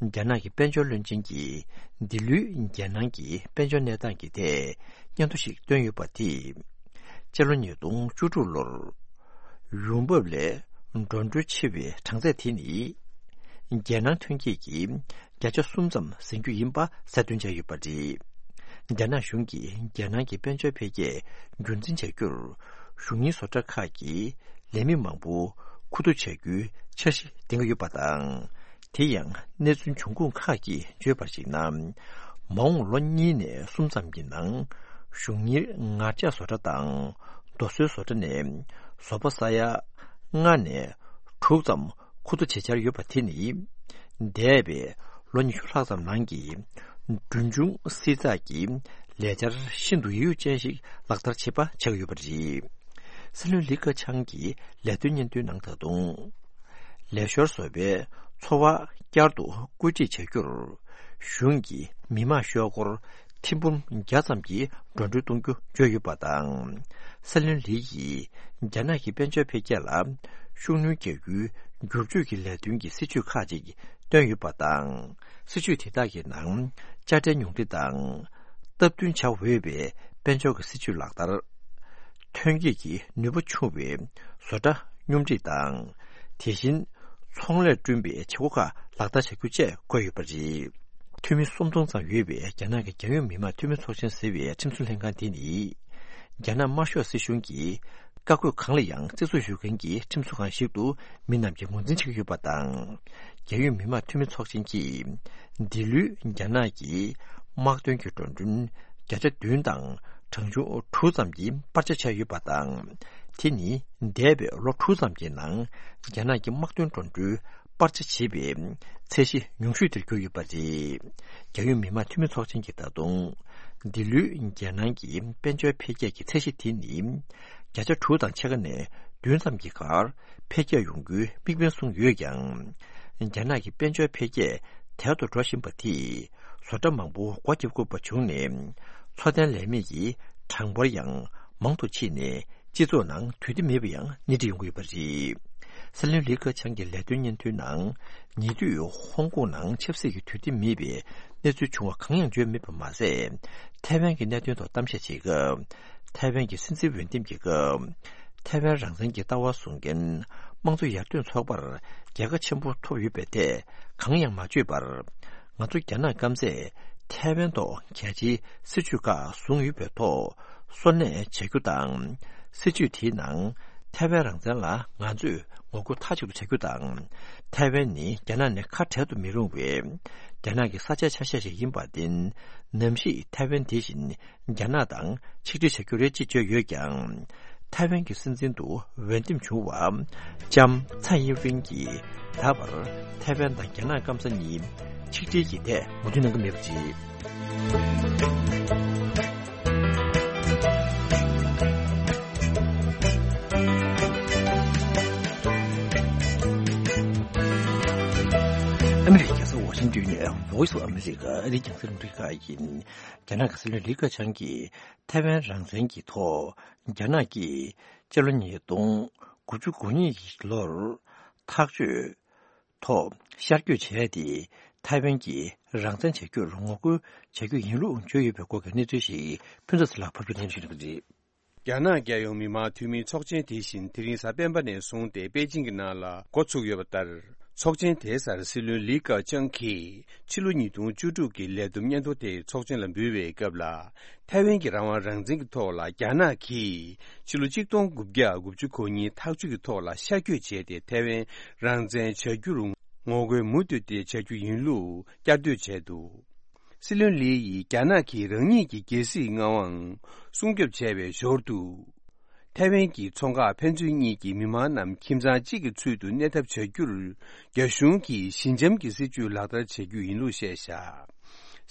རྒྱ་ནག་གི་དཔལ་འབྱོར་བློན་ཆེན་གྱིས་འདི་ལོའི་རྒྱལ་ནང་གི་དཔལ་འབྱོར་གནས་སྟངས་ཀྱི་ཐད་སྙན་ཐོ་ཞིག་བཏོན་ཡོད་པ་དེས། སྤྱི་ལོ་ཉིས་སྟོང་བཅུ་དྲུག་ལོར། ཡོང་འབབ་ལས་འགྲོ་གྲོན་ཆེ་བའི་གྲངས་ཚད་དེ་ནི། རྒྱལ་ནང་ཐོན་སྐྱེད་ཀྱི་བརྒྱ་ཆ་གསུམ་ཙམ་ཟིན་རྒྱུ་ཡིན་པ་གསལ་སྟོན་བྱས་ཡོད་པ་རེད། རྒྱ་ནག་གཞུང་གིས་རྒྱལ་ནང་གི་དཔལ་འབྱོར་འཕེལ་རྒྱས་རྒྱུན་འཛིན་བྱ་རྒྱུར། གཞུང་གཉེར་བཟོ་གྲྭ་ཁག་གི་ལས་མི་མང་པོ་མཁོ་བསྡུ་བྱ་རྒྱུའི་འཆར་གཞི་འདིང་གི་ཡོད་པ་དང་། དེ་ཡང་གནས་ཚུལ་འབྱུང་ཁུངས་ཁག་གིས་བརྗོད་པར་གཞིགས་ན། མ་འོངས་ལོ་གཉིས་ནས་གསུམ་ཙམ་གྱི་ནང་གཞུང་གཉེར་ངར་ལྕགས་བཟོ་གྲྭ་དང་རྡོ་སོལ་བཟོ་གྲྭ་ནས་བཟོ་པ་ས་ཡ་ལྔ་ནས་དྲུག་ཙམ་མཁོ་བསྡུ་བྱེད་འཆར་ཡོད་པ་དེ་ནི། འདས་པའི་ལོ་ཉི་ཤུ་ལྷག་ཙམ་ནང་གི་གྲོན་ཆུང་བསྲི་ཚགས་ཀྱི་ལས་འཆར་ཤིན་ཏུ་ཡིད་ཡུལ་ཅན་ཞིག་ལག་བསྟར་བྱེད་པ་ཆགས་ཡོད་པ་རེད། སྲིད་བློན་ལི་ཁེ་ཆང་གིས་ལས་དོན་སྙན་ཐོའི་ནང་ད་དུང་། ལས་ཤོར་བཟོ་བའི་འཚོ་བ་བསྐྱར་དུ་བཀོད་སྒྲིག་བྱ་རྒྱུར། གཞུང་གིས་མི་དམངས་ཤོག་སྒོར་ཐེར་འབུམ་བརྒྱ་ཙམ་གྱི་འགྲོ་གྲོན་གཏོང་རྒྱུ་བརྗོད་ཡོད་པ་དང་། སྲིད་བློན་ལི་ཡིས་རྒྱ་ནག་གི་དཔལ་འབྱོར་འཕེལ་རྒྱས་ལ་ཤུགས་སྣོན་རྒྱག་རྒྱུའི་བསྒྱུར་བཅོས་ཀྱི་ལས་དོན་གྱི་སྲིད་ཇུས་ཁག་ཅིག་བཏོན་ཡོད་པ་དང་། སྲིད་ཇུས་དེ་དག་གི་ནང་དཔྱ་ཁྲལ་ཉུང་འཕྲི་དང་། སྟབས་བསྟུན་བྱ་འོས་པའི་དཔལ་འབྱོར་གྱི་སྲིད་ཇུས་ལག་བསྟར། ཐོན་སྐྱེད་ཀྱི་ནུས་པ་ཆུང་བའི་བཟོ་གྲྭ་སྙོམས་སྒྲིག་དང་། དེ་བཞིན་ཚོང་ལས་བསྐྲུན་པའི་བྱེད་སྒོ་ཁག་ལག་བསྟར་བྱ་རྒྱུ་བཅས་བཀོད་ཡོད་པ་རེད། འཐུས་མི་སུམ་སྟོང་ཙམ་ཡོད་པའི་རྒྱ་ནག་གི་རྒྱལ་ཡོངས་མི་དམངས་འཐུས་མི་ཚོགས་ཆེན་ཟེར་བའི་ཁྲིམས་བཟོ་ལྷན་ཁང་དེ་ནི། རྒྱ་ནག་དམར་ཤོག་སྲིད་གཞུང་གིས་བཀའ་བཀོད་གང་ལ་ཡང་བརྩི་སྲུང་ཞུ་མཁན་གྱི་ཁྲིམས་བཟོ་ཁང་ཞིག་ཏུ་མི་རྣམས་ཀྱིས་ངོས་འཛིན་བྱེད་ཀྱི་ཡོད་པ་དང་། རྒྱལ་ཡོངས་མི་དམངས་འཐུས་མི་ཚོགས་ཆེན་གྱིས་འདི་ལོའི་རྒྱ་ནག་གི་དམག་དོན་གྱི་འགྲོ་གྲོན་བརྒྱ་ཆ་བདུན་དང་གྲངས་ཆུང་དྲུག་ཙམ་གྱི་སྤར་ཆ་བྱས་ཡོད་པ་དང་། དེ་ནི་འདས་པའི་ལོ་དྲུག་ཙམ་གྱི་ནང་རྒྱ་ནག་གི་དམག་དོན་འགྲོ་གྲོན་སྤར་ཆ་བྱེད་པའི་ཚད་གཞི་ཉུང་ཤོས་དེར་གྱུར་ཡོད་པ་རེད། རྒྱལ་ཡོངས་མི་དམངས་འཐུས་མི་ཚོགས་ཆེན་གྱིས་ད་དུང་། འདི་ལོའི་རྒྱལ་ནང་གི་དཔལ་འབྱོར་འཕེལ་རྒྱས་ཀྱི་ཚད་གཞི་དེ་ནི། བརྒྱ་ཆ་དྲུག་དང་ཕྱེད་ཀ་ནས་བདུན་ཙམ་གྱི་བར་འཕེལ་རྒྱས་ཡོང་རྒྱུའི་དམིགས་འབེན་བཟུང་ཡོད་ཀྱང་། རྒྱ་ནག་གི་དཔལ་འབྱོར་འཕེལ་རྒྱས་དལ་དུ་འགྲོ་བཞིན་པ་དེས་བཟོ་གྲྭ་མང་པོ་སྒོ་བརྒྱབ་དགོས་པ་བྱུང་ནས། འཚོ་རྟེན་ལས་མེད་ཀྱི་གྲངས་འབོར་ཡང་མང་དུ་ཕྱིན་ནས། སྤྱི་ཚོགས་ནང་དུས་བདེ་མེད་པ་ཡང་སྣེ་ཁྲིད་ཡོང་གི་ཡོད་པ་རེད། སྲིད་བློན་ལི་ཁེ་ཆང་གི་ལས་དོན་སྙན་ཐོའི་ནང་། ཉེ་དུས་ཧོང་ཀོང་ནང་ཆབ་སྲིད་ཀྱི་དུས་བདེ་མེད་པའི་གནས་ཚུལ་བྱུང་བ་གང་ཡང་བརྗོད་མེད་པ་མ་ཟད། ཐའེ་ཝན་གྱི་གནད་དོན་ཐོག་གཏམ་བཤད་བྱེད་སྐབས། ཐའེ་ཝན་གྱི་སྲིད་འཛིན་འོས་འདེམས་ཀྱི་སྐབས། ཐའེ་ཝན་རང་བཙན་གྱི་ལྟ་བ་བཟུང་མཁན་དམངས་གཙོ་ཡར་ཐོན་ཚོགས་པར་རྒྱལ་ཁ་ཆེན་པོ་ཐོབ་ཡོད་པའི་ཐད་གང་ཡང་མ་བརྗོད་པར། ང་ཚོ་རྒྱ་ནག་སྐམ་སས་ཐའེ་ཝན་ཐོག་གལ་ཆེའི་སྲིད་ཇུས་ཁག་བཟུང་ཡོད་པའི་ཐོག་སོར་གནས་བྱ་རྒྱུ་དང་། སྲིད་ཇུས་དེའི་ནང་ཐའེ་ཝན་རང་བཙན་ལ་ང་ཚོས་ངོ་རྒོལ་མཐའ་གཅིག་ཏུ་བྱ་རྒྱུ་དང་། ཐའེ་ཝན་ནི་རྒྱ་ནག་ནས་ཁ་བྲལ་དུ་མི་རུང་བའི་རྒྱ་ནག་གི་ས་ཆའི་ཆ་ཤས་ཤིག་ཡིན་པར་བརྟེན། ནམ་ཞིག་ཐའེ་ཝན་དེ་བཞིན་རྒྱ་ནག་དང་ཆིག་སྒྲིལ་བྱ་རྒྱུ་རེད་ཅེས་བརྗོད་ཡོད་ཀྱང་། ཐའེ་ཝན་གྱི་སྲིད་འཛིན་དུ་འོས་འདེམས་བྱུང་བ་ལྕམ་ཚའེ་ཡིན་ཝེན་གྱིས་ད་བར་ཐའེ་ཝན་དང་རྒྱ་ནག་སྐམ་ས་གཉིས་ཆིག་སྒྲིལ་གྱི་ཐད་ངོ་སྤྲོད་གནང་གི་མེད་པ་རེད། ཨ་མི་རི་ཀའི་རྒྱལ་ས་ཝ་ཤིང་ཏོན་ནས་Voice of America ཨ་རིའི་རྒྱང་སྲིང་རླུང་འཕྲིན་ཁང་ཡིན། རྒྱ་ནག་གི་སྲིད་བློན་ལི་ཁེ་ཆང་གིས་ཐའེ་ཝན་རང་བཙན་གྱི་ཐོག་རྒྱ་ནག་གིས་སྤྱི་ལོ་ཉིས་སྟོང་དགུ་བཅུ་གོ་གཉིས་ཀྱི་ལོར་ཐག་གཅོད་ཐོག་ཤར་བསྐྱོད་བྱས་ཏེ། ཐའེ་ཝན་གྱིས་རང་བཙན་བྱ་རྒྱུར་ངོ་རྒོལ་བྱ་རྒྱུ་ཡིན་ལུགས་བརྗོད་ཡོད་པའི་སྐོར་གྱི་གནས་ཚུལ་ཞིག་ཕུན་ཚོགས་ལགས་ཕབ་སྒྱུར་གནང་ཞུ་གནང་གི་རེད། རྒྱ་ནག་རྒྱལ་ཡོངས་མི་དམངས་འཐུས་མིའི་ཚོགས་ཆེན་དེ་བཞིན་དེ་རིང་གཟའ་སྤེན་པ་ནས་བཟུང་སྟེ་པེ་ཅིང་གི་ནང་ལ་འགོ་ཚུགས་ཡོད་པ་ལྟར། ཚོགས་ཆེན་དེའི་སར་སྲིད་བློན་ལི་ཀ་ཅང་གིས་ཕྱི་ལོ་ཉིས་སྟོང་བཅུ་དྲུག་གི་ལས་བསྡོམས་སྙན་ཐོ་དེ་ཚོགས་ཆེན་ལ་འབུལ་བའི་སྐབས་ལ། ཐའེ་ཝན་གྱི་རང་དབང་རང་བཙན་གྱི་ཐོག་ལ་རྒྱ་ནག་གིས་ཕྱི་ལོ་གཅིག་སྟོང་དགུ་བརྒྱ་དགུ་བཅུ་གོ་གཉིས་ཐག་གཅོད་ཀྱི་ཐོག་ལ་ཤར་བསྐྱོད་བྱས་ཏེ་ཐའེ་ཝན་རང་བཙན་བྱ་རྒྱུར་ངོ་རྒོལ་མུ་མཐུད་དེ་བྱ་རྒྱུ་ཡིན་ལུགས་བསྐྱར་ཟློས་བྱས་འདུག། སྲིད་བློན་ལི་ཡིས་རྒྱ་ནག་གིས་རང་ཉིད་ཀྱི་རྒྱལ་སྲིད་མངའ་དབང་སྲུང་སྐྱོབ་བྱས་པའི་ཞོར་དུ། ཐའེ་ཝན་གྱི་མཚོ་འགག་ཕན་ཚུན་གཉིས་ཀྱི་མི་མང་རྣམས་ཁྱིམ་ཚང་གཅིག་གི་ཚུལ་དུ་གནས་ཐབས་བྱ་རྒྱུར། རྒྱ་གཞུང་གིས་ཞི་འཇམ་གྱི་སྲིད་བྱུས་ལག་བསྟར་བྱ་རྒྱུ་ཡིན་ལུགས་བཤད་བཞག།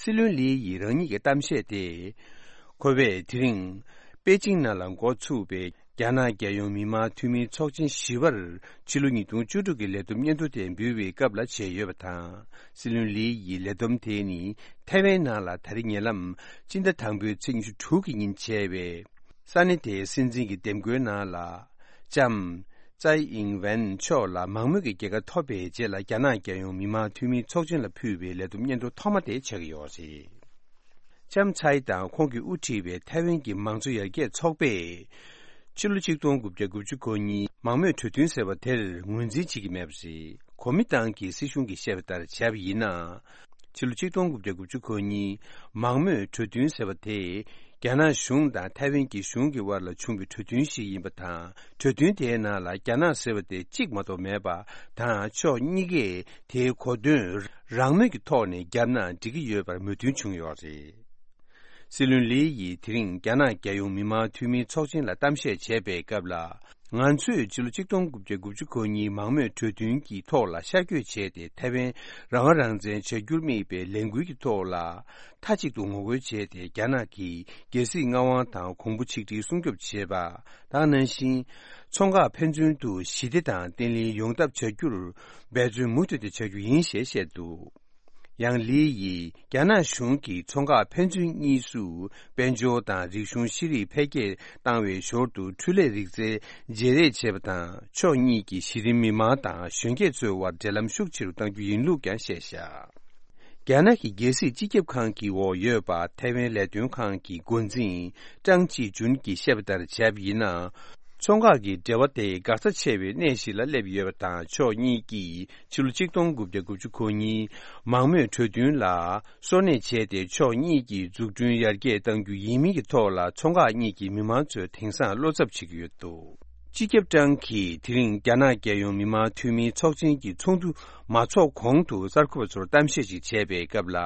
སྲིད་བློན་ལི་ཡིས་རང་ཉིད་ཀྱི་གཏམ་བཤད་དེ། ཁོ་བས་དེ་རིང་པེ་ཅིང་ནང་ལ་འགོ་ཚུགས་པའི་རྒྱ་ནག་རྒྱལ་ཡོངས་མི་དམངས་འཐུས་མིའི་ཚོགས་ཆེན་བཞི་པར་ཕྱི་ལོ་ཉིས་སྟོང་བཅུ་དྲུག་གི་ལས་བསྡོམས་སྙན་ཐོ་དེ་འབུལ་བའི་སྐབས་ལ་བྱས་ཡོད་པ་དང་། སྲིད་བློན་ལི་ཡི་ལས་བསྡོམས་དེ་ནི་ཐའེ་ཝན་ནང་ལ་ད་རེས་ཉེ་ལམ་སྤྱི་ཟླ་དང་པོའི་ཚེས་ཉི་ཤུ་དྲུག་གི་ཉིན་བྱས་པའི་ས་གནས་དེའི་སྲིད་འཛིན་གྱི་འདེམས་བསྐོའི་ནང་ལ་ལྕམ་ཙའེ་ཨིང་ཝེན་མཆོག་ལ་མང་མོས་ཀྱི་རྒྱལ་ཁ་ཐོབ་པའི་རྗེས་ལ་རྒྱ་ནག་རྒྱལ་ཡོངས་མི་དམངས་འཐུས་མིའི་ཚོགས་ཆེན་ལ་ཕུལ་བའི་ལས་བསྡོམས་སྙན་ཐོ་ཐོག་མ་དེ་ཆགས་ཀྱི་ཡོད་རེད། ལྕམ་ཚའེ་དང་ཁོང་གིས་དབུ་ཁྲིད་པའི་ཐའེ་ཝན་གྱི་མང་གཙོ་ཡར་རྒྱས་ཚོགས་པས། ཕྱི་ལོ་ཆིག་སྟོང་དགུ་བརྒྱ་དགུ་བཅུ་གོ་གཉིས་མང་མོས་གྲོས་མཐུན་ཟེར་བ་དེར་ངོས་འཛིན་བྱེད་ཀྱི་མེད་པ་རེད། གོ་མིན་ཏང་གི་སྲིད་གཞུང་གིས་བཤད་པ་ལྟར་བྱས་པ་ཡིན་ན། ཕྱི་ལོ་ཆིག་སྟོང་དགུ་བརྒྱ་དགུ་བཅུ་གོ་གཉིས་མང་མོས་གྲོས་མཐུན་ཟེར་བ་དེ། རྒྱ་ནག་གཞུང་དང་ཐའེ་ཝན་གྱི་གཞུང་གི་དབར་ལ་བྱུང་བའི་གྲོས་མཐུན་ཞིག་ཡིན་པ་དང་། གྲོས་མཐུན་དེའི་ནང་ལ་རྒྱ་ནག་ཟེར་བ་དེ་གཅིག་མ་གཏོགས་མེད་པ་དང་། ཕྱོགས་གཉིས་ཀས་དེའི་གོ་དོན་རང་མོས་ཀྱི་ཐོག་ནས་བརྒྱབ་ན་འགྲིག་གི་ཡོད་པར་མོས་མཐུན་བྱུང་ཡོད་རེད། སྲིད་བློན་ལི་ཡིས་དེ་རིང་རྒྱ་ནག་རྒྱལ་ཡོངས་མི་དམངས་འཐུས་མིའི་ཚོགས་ཆེན་ལ་གཏམ་བཤད་བྱས་པའི་སྐབས་ལ། ང་ཚོས་ཕྱི་ལོ་ཆིག་སྟོང་དགུ་བརྒྱ་དགུ་བཅུ་གོ་གཉིས་མང་མོས་གྲོས་མཐུན་གྱི་ཐོག་ལ་ཤར་བསྐྱོད་བྱས་ཏེ། ཐའེ་ཝན་རང་དབང་རང་བཙན་བྱ་རྒྱུར་དམིགས་པའི་ལས་འགུལ་གྱི་ཐོག་ལ་མཐའ་གཅིག་ཏུ་ངོ་རྒོལ་བྱས་ཏེ། རྒྱ་ནག་གིས་རྒྱལ་སྲིད་མངའ་དབང་དང་གོང་བུ་ཆིག་སྒྲིལ་སྲུང་སྐྱོབ་བྱེད་པ་དང་། ནང་བཞིན་མཚོ་འགག་ཕན་ཚུན་དུ་ཞི་བདེ་དང་བརྟན་ལྷིང་ཡོང་ཐབས་བྱ་རྒྱུར་འབད་བརྩོན་མུ་མཐུད་དེ་བྱ་རྒྱུ་ཡིན་ཞེས་བཤད་འདུག། ཡང་ལི་ཡིས་རྒྱ་ནག་གཞུང་གིས་མཚོ་འགག་ཕན་ཚུན་གཉིས་སུ་དཔལ་འབྱོར་དང་རིག་གཞུང་ཤེས་རིག་འཕེལ་རྒྱས་བཏང་བའི་ཞོར་དུ། འཕྲུལ་ལས་རིག་རྩལ་བརྗེ་རེས་བྱེད་པ་དང་། ཕྱོགས་གཉིས་ཀྱི་གཞི་རིམ་མི་མང་དང་གཞོན་སྐྱེས་ཚོའི་དབར་འབྲེལ་ལམ་ཤུགས་ཆེ་རུ་གཏང་རྒྱུ་ཡིན་ལུགས་ཀྱང་བཤད་བཞག། རྒྱ་ནག་གི་རྒྱལ་སྲིད་སྤྱི་ཁྱབ་ཁང་གི་འོག་ཡོད་པ། ཐའེ་ཝན་ལས་དོན་ཁང་གི་འགོ་འཛིན་ཀྲང་ཅི་ཅུན་གྱིས་བཤད་པ་ལྟར་བྱས་པ་ཡིན་ན། མཚོ་འགག་གི་འབྲེལ་བ་དེ་འགག་རྩ་ཆེ་བའི་གནས་ཤིག་ལ་སླེབས་ཡོད་པ་དང་། ཕྱོགས་གཉིས་ཀྱིས་ཕྱི་ལོ་ཆིག་སྟོང་དགུ་བརྒྱ་དགུ་བཅུ་གོ་གཉིས་མང་མོས་གྲོས་མཐུན་ལ་སོར་གནས་བྱས་ཏེ། ཕྱོགས་གཉིས་ཀྱིས་འཛུགས་སྐྲུན་ཡར་རྒྱས་གཏང་རྒྱུ་ཡིན་མིན་གྱི་ཐོག་ལ། མཚོ་འགག་གཉིས་ཀྱི་མི་མང་ཚོས་དེང་སང་བློ་འཚབ་བྱེད་ཀྱི་ཡོད་འདུག། སྤྱི་ཁྱབ་ཀྲང་གིས་དེ་རིང་རྒྱ་ནག་རྒྱལ་ཡོངས་མི་དམངས་འཐུས་མིའི་ཚོགས་ཆེན་གྱི་ཚོགས་འདུ་མ་ཚོགས་གོང་དུ་གསར་འགོད་པ་ཚོར་གཏམ་བཤད་ཅིག་བྱས་པའི་སྐབས་ལ།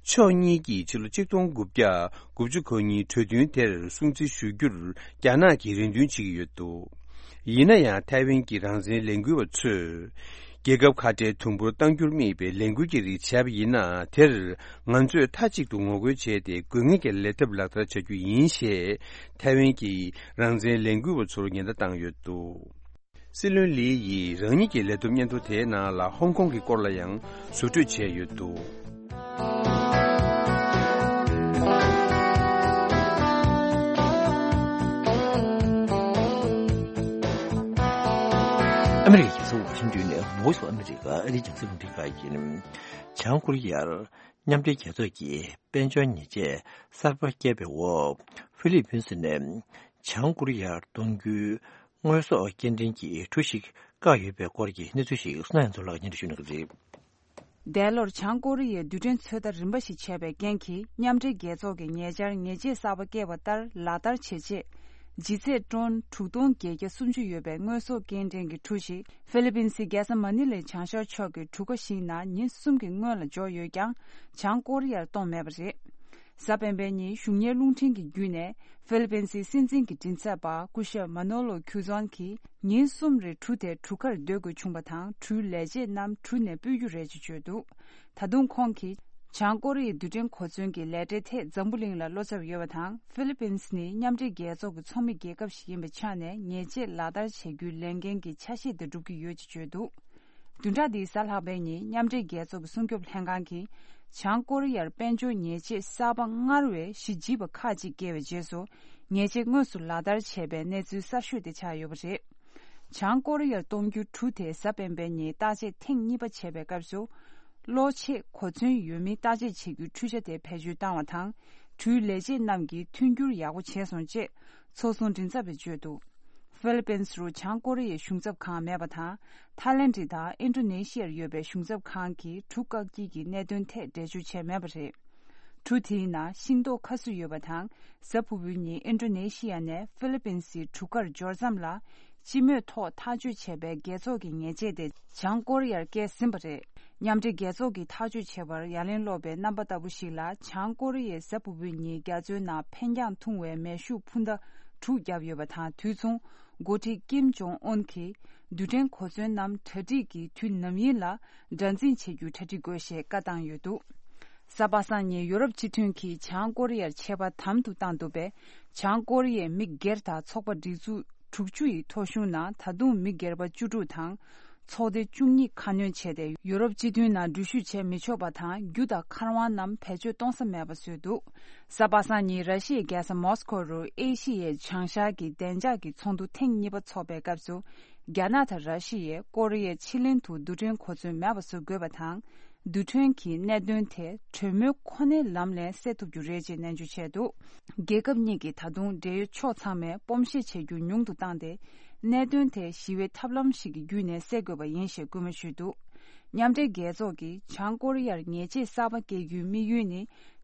ཕྱོགས་གཉིས་ཀྱིས་ཕྱི་ལོ་ཆིག་སྟོང་དགུ་བརྒྱ་དགུ་བཅུ་གོ་གཉིས་གྲོས་མཐུན་དེར་སྲུང་བརྩི་ཞུ་རྒྱུར་རྒྱ་ནག་གིས་རེ་འདུན་བྱེད་ཀྱི་ཡོད་འདུག། ཡིན་ན་ཡང་ཐའེ་ཝན་གྱི་རང་བཙན་ལས་འགུལ་བ་ཚོས། རྒྱལ་ཁབ་ཁ་བྲལ་དུམ་བུར་གཏང་རྒྱུར་དམིགས་པའི་ལས་འགུལ་གྱི་རིགས་བྱས་པ་ཡིན་ན། དེར་ང་ཚོས་མཐའ་གཅིག་ཏུ་ངོ་རྒོལ་བྱས་ཏེ། དགོས་ངེས་ཀྱི་ལས་ཐབས་ལག་བསྟར་བྱ་རྒྱུ་ཡིན་ཞེས། ཐའེ་ཝན་གྱི་རང་བཙན་ལས་འགུལ་བ་ཚོར་ཉེན་བརྡ་བཏང་ཡོད་འདུག། སྲིད་བློན་ལི་ཡིས་རང་ཉིད་ཀྱི་ལས་བསྡོམས་སྙན་ཐོ་དེའི་ནང་ལ་ཧོང་ཀོང་གི་སྐོར་ལ་ཡང་ཟུར་འཕྲོས་བྱས་ཡོད་འདུག། ཨ་མི་རི་ཀའི་རྒྱལ་ས་ཝ་ཤིང་ཏོན་ནས་Voice of America ཨ་རིའི་རྒྱང་སྲིང་རླུང་འཕྲིན་ཁང་ཡིན། བྱང་ཀོ་རི་ཡར་མཉམ་འབྲེལ་རྒྱལ་ཚོགས་ཀྱིས་དཔལ་འབྱོར་ཉེས་ཆད་གསར་པ་བཀལ་བའི་འོག་ཧྥི་ལི་པིན་སི་ནས་བྱང་ཀོ་རི་ཡར་གཏོང་རྒྱུའི་དངོས་ཟོག་སྐྱེལ་འདྲེན་གྱི་གྲུ་ཞིག་བཀག་ཡོད་པའི་སྐོར་གྱི་གནས་ཚུལ་ཞིག་བསོད་ནམས་ཚོ་ལགས་སྙན་སྒྲོན་ཞུ་གནང་གི་རེད། འདས་ལོར་བྱང་ཀོ་རི་ཡས་རྡུལ་ཕྲན་ཚོད་ལྟ་རིམ་པ་ཞིག་བྱས་པའི་རྐྱེན་གྱིས། མཉམ་འབྲེལ་རྒྱལ་ཚོགས་ཀྱི་ཉེ་ཆར་ཉེས་ཆད་གསར་པ་བཀལ་བ་ལྟར་ལག་བསྟར་བྱེད་ཆེད། ལྗིད་ཚད་ཊོན་དྲུག་སྟོང་བརྒྱད་བརྒྱ་སུམ་ཅུ་ཡོད་པའི་དངོས་ཟོག་སྐྱེལ་འདྲེན་གྱི་གྲུ་ཞིག་ཧྥི་ལི་པིན་སི་རྒྱལ་ས་མ་ནི་ལའི་བྱང་ཤར་ཕྱོགས་ཀྱི་གྲུ་ཁ་ཞིག་ནང་ཉིན་གསུམ་གྱི་སྔོན་ལ་འབྱོར་ཡོད་ཀྱང་། བྱང་ཀོ་རི་ཡར་གཏོང་མེད་པ་རེད། གཟའ་སྤེན་པའི་ཉིན་གཞུང་གཉེར་རླུང་འཕྲིན་གྱི་བརྒྱུད་ནས། ཧྥི་ལི་པིན་སི་སྲིད་འཛིན་གྱི་མགྲིན་ཚབ་པ་སྐུ་ཞབས་མ་ནོ་ལོ་ཁྱུ་ཛོན་གྱིས། ཉིན་གསུམ་རིང་གྲུ་དེ་གྲུ་ཁར་སྡོད་དགོས་བྱུང་བ་དང་། གྲུའི་ལས་བྱེད་རྣམས་གྲུ་ནས་སྤོས་རྒྱུ་རེད་ཅེས་བརྗོད་འདུག། ད་དུང་ཁོང་གིས། བྱང་ཀོ་རི་ཡའི་རྡུལ་ཕྲན་གོ་མཚོན་གྱི་ལས་གྲྭའི་ཐད་འཛམ་བུ་གླིང་ལ་བློ་འཚབ་ཡོད་པ་དང་། ཧྥི་ལི་པིན་སི་ནི་མཉམ་འབྲེལ་རྒྱལ་ཚོགས་ཀྱི་ཚོགས་མི་རྒྱལ་ཁབ་ཞིག་ཡིན་པའི་ཆ་ནས། ཉེས་ཆད་ལག་བསྟར་བྱ་རྒྱུའི་ལས་འགན་གྱི་ཆ་ཤས་དེ་སྒྲུབ་ཀྱི་ཡོད་ཅེས་བརྗོད་འདུག། བདུན་ཕྲག་འདིའི་གཟའ་ལྷག་པའི་ཉིན། མཉམ་འབྲེལ་རྒྱལ་ཚོགས་ཀྱི་སྲུང་སྐྱོབ་ལྷན་ཁང་གིས། བྱང་ཀོ་རི་ཡར་དཔལ་འབྱོར་ཉེས་ཆད་གསར་པ་སྔར་བས་གཞི་ལྗིད་པ་ཁག་ཅིག་བཀལ་བའི་རྗེས་སུ། ཉེས་ཆད་དངོས་སུ་ལག་བསྟར་བྱས་པའི་གནས་ཚུལ་གསར་ཤོས་དེ་ཆགས་ཡོད་པ་རེད། བྱང་ཀོ་རི་ཡར་གཏོང་རྒྱུའི་གྲུ་དེ་གཟའ་སྤེན་པའི་ཉིན་བརྟག་དཔྱད་ཐེངས་གཉིས་པ་བྱས་པའི་སྐབས་སུ། གློ་ཆེད་གོ་མཚོན་ཡོད་མིན་བརྟག་དཔྱད་བྱེད་རྒྱུའི་འཕྲུལ་ཆ་དེ་བེད་སྤྱོད་བཏང་བ་དང་། འཕྲུལ་ལས་བྱེད་རྣམས་ཀྱིས་མཐུན་འགྱུར་ཡག་པོ་བྱས་སོང་ཅེས་ཚོགས་ཟུང་མགྲིན་ཚབ་པས་བརྗོད་འདུག་ཧྥི་ལི་པིན་སི་རུ་བྱང་ཀོ་རི་ཡའི་གཞུང་ཚབ་ཁང་མེད་པ་དང་། ཐའི་ལེན་ཌི་དང་ཨིན་ཌོ་ནེ་ཤི་ཡར་ཡོད་པའི་གཞུང་ཚབ་ཁང་གིས་གྲུ་བཀག་དཀྱིལ་གྱི་གནད་དོན་ཐད་འགྲེལ་བརྗོད་བྱས་མེད་པ་རེད། གྲུ་དེའི་ནང་ཤིང་ཏོག་ཁ་གསོ་ཡོད་པ་དང་། གཟའ་ཕུར་བུའི་ཉིན་ཨིན་ཌོ་ནེ་ཤི་ཡ་ནས་ཧྥི་ལི་པིན་སིའི་གྲུ་ཁར་འབྱོར་ཙམ་ལ། སྤྱི་མོས་ཐོག་ཐག་གཅོད་བྱས་པའི་རྒྱལ་ཚོགས་ཀྱི་ཉེས་ཆད་དེ་བྱང་ཀོ་རི་ཡར་བཀལ་ཟིན་པ་རེད། མཉམ་འབྲེལ་རྒྱལ་ཚོགས་ཀྱིས་ཐག་གཅོད་བྱས་པར་ཡ་ལན་སློག་པའི་རྣམ་པ་ལྟ་བུ་ཞིག་ལ། བྱང་ཀོ་རི་ཡས་གཟའ་ཕུར་བུའི་ཉིན་རྒྱ་མཚོའི་ནང་འཕེན་རྒྱང་ཐུང་བའི་མེ་ཤུགས་འཕུར་མདའ་དྲུག་བརྒྱབ་ཡོད་པ་དང་། དུས་མཚུངས་འགོ་ཁྲིད་ཀིམ་ཇོང་ཨུན་གྱིས་རྡུལ་ཕྲན་གོ་མཚོན་ནམ་གྲ་སྒྲིག་གི་དུས་ནམ་ཡིན་ལ་དགྲར་འཛིན་བྱེད་རྒྱུའི་གྲ་སྒྲིག་དགོས་ཞེས་བཀའ་བཏང་ཡོད་འདུག་གཟའ་པ་སངས་ཉིན་ཡོ་རོབ་སྤྱི་མཐུན་གྱིས་བྱང་ཀོ་རི་ཡར་ཆད་པ་དམ་དུ་བཏང་འདུག་པས། བྱང་ཀོ་རི་ཡའི་མི་སྒེར་དང་ཚོགས་པ་སྒྲིག་འཛུགས་དྲུག་ཅུ་ཡི་ཐོ་གཞུང་ནང་ད་དུང་མི་སྒེར་པ་བཅུ་དྲུག་དང་། ཚོགས་སྡེ་བཅུ་གཉིས་ཁ་སྣོན་བྱས་ཏེ། ཡོ་རོབ་སྤྱི་མཐུན་ནང་འགྲུལ་བཞུད་བྱས་མི་ཆོག་པ་དང་། རྒྱུ་དང་མཁར་དབང་རྣམས་བེད་སྤྱོད་གཏོང་ས་མེད་པ་བཟོས་འདུག་གཟའ་པ་སངས་ཉིན་ར་ཤི་ཡའི་རྒྱལ་ས་མོ་སི་ཁོ་རུ་ཨེ་ཤི་ཡའི་བྱང་ཤར་གྱི་བདེ་འཇགས་ཀྱི་ཚོགས་འདུ་ཐེངས་གཉིས་པ་འཚོགས་པའི་སྐབས་སུ། རྒྱ་ནག་དང་ར་ཤི་ཡས་ཀོ་རི་ཡའི་ཕྱེད་གླིང་དུ་རྡུལ་ཕྲན་གོ་མཚོན་མེད་པ་བཟོ་དགོས་པ་དང་། རྡུལ་ཕྲན་གྱི་གནད་དོན་དེ་གྲོས་མོལ་ཁོ་ནའི་ལམ་ནས་སེལ་ཐུབ་རྒྱུ་རེད་ཅེས་ནན་བརྗོད་བྱས་འདུག་རྒྱལ་ཁབ་གཉིས་ཀྱིས་ད་དུང་འབྲེལ་ཡོད་ཕྱོགས་ཚང་མས་སྤོམ་བཤད་བྱེད་རྒྱུ་ཉུང་དུ་བཏང་སྟེ། གནད་དོན་དེ་ཞི་བའི་ཐབས་ལམ་ཞིག་གི་བརྒྱུད་ནས་སེལ་དགོས་པ་ཡིན་ཞེས་སྐུལ་མ་ཞུས་འདུག་མཉམ་འབྲེལ་རྒྱལ་ཚོགས་ཀྱིས་བྱང་ཀོ་རི་ཡར་ཉེས་ཆད་གསར་པ་བཀལ་རྒྱུའི་དམིགས་ཡུལ་ནི།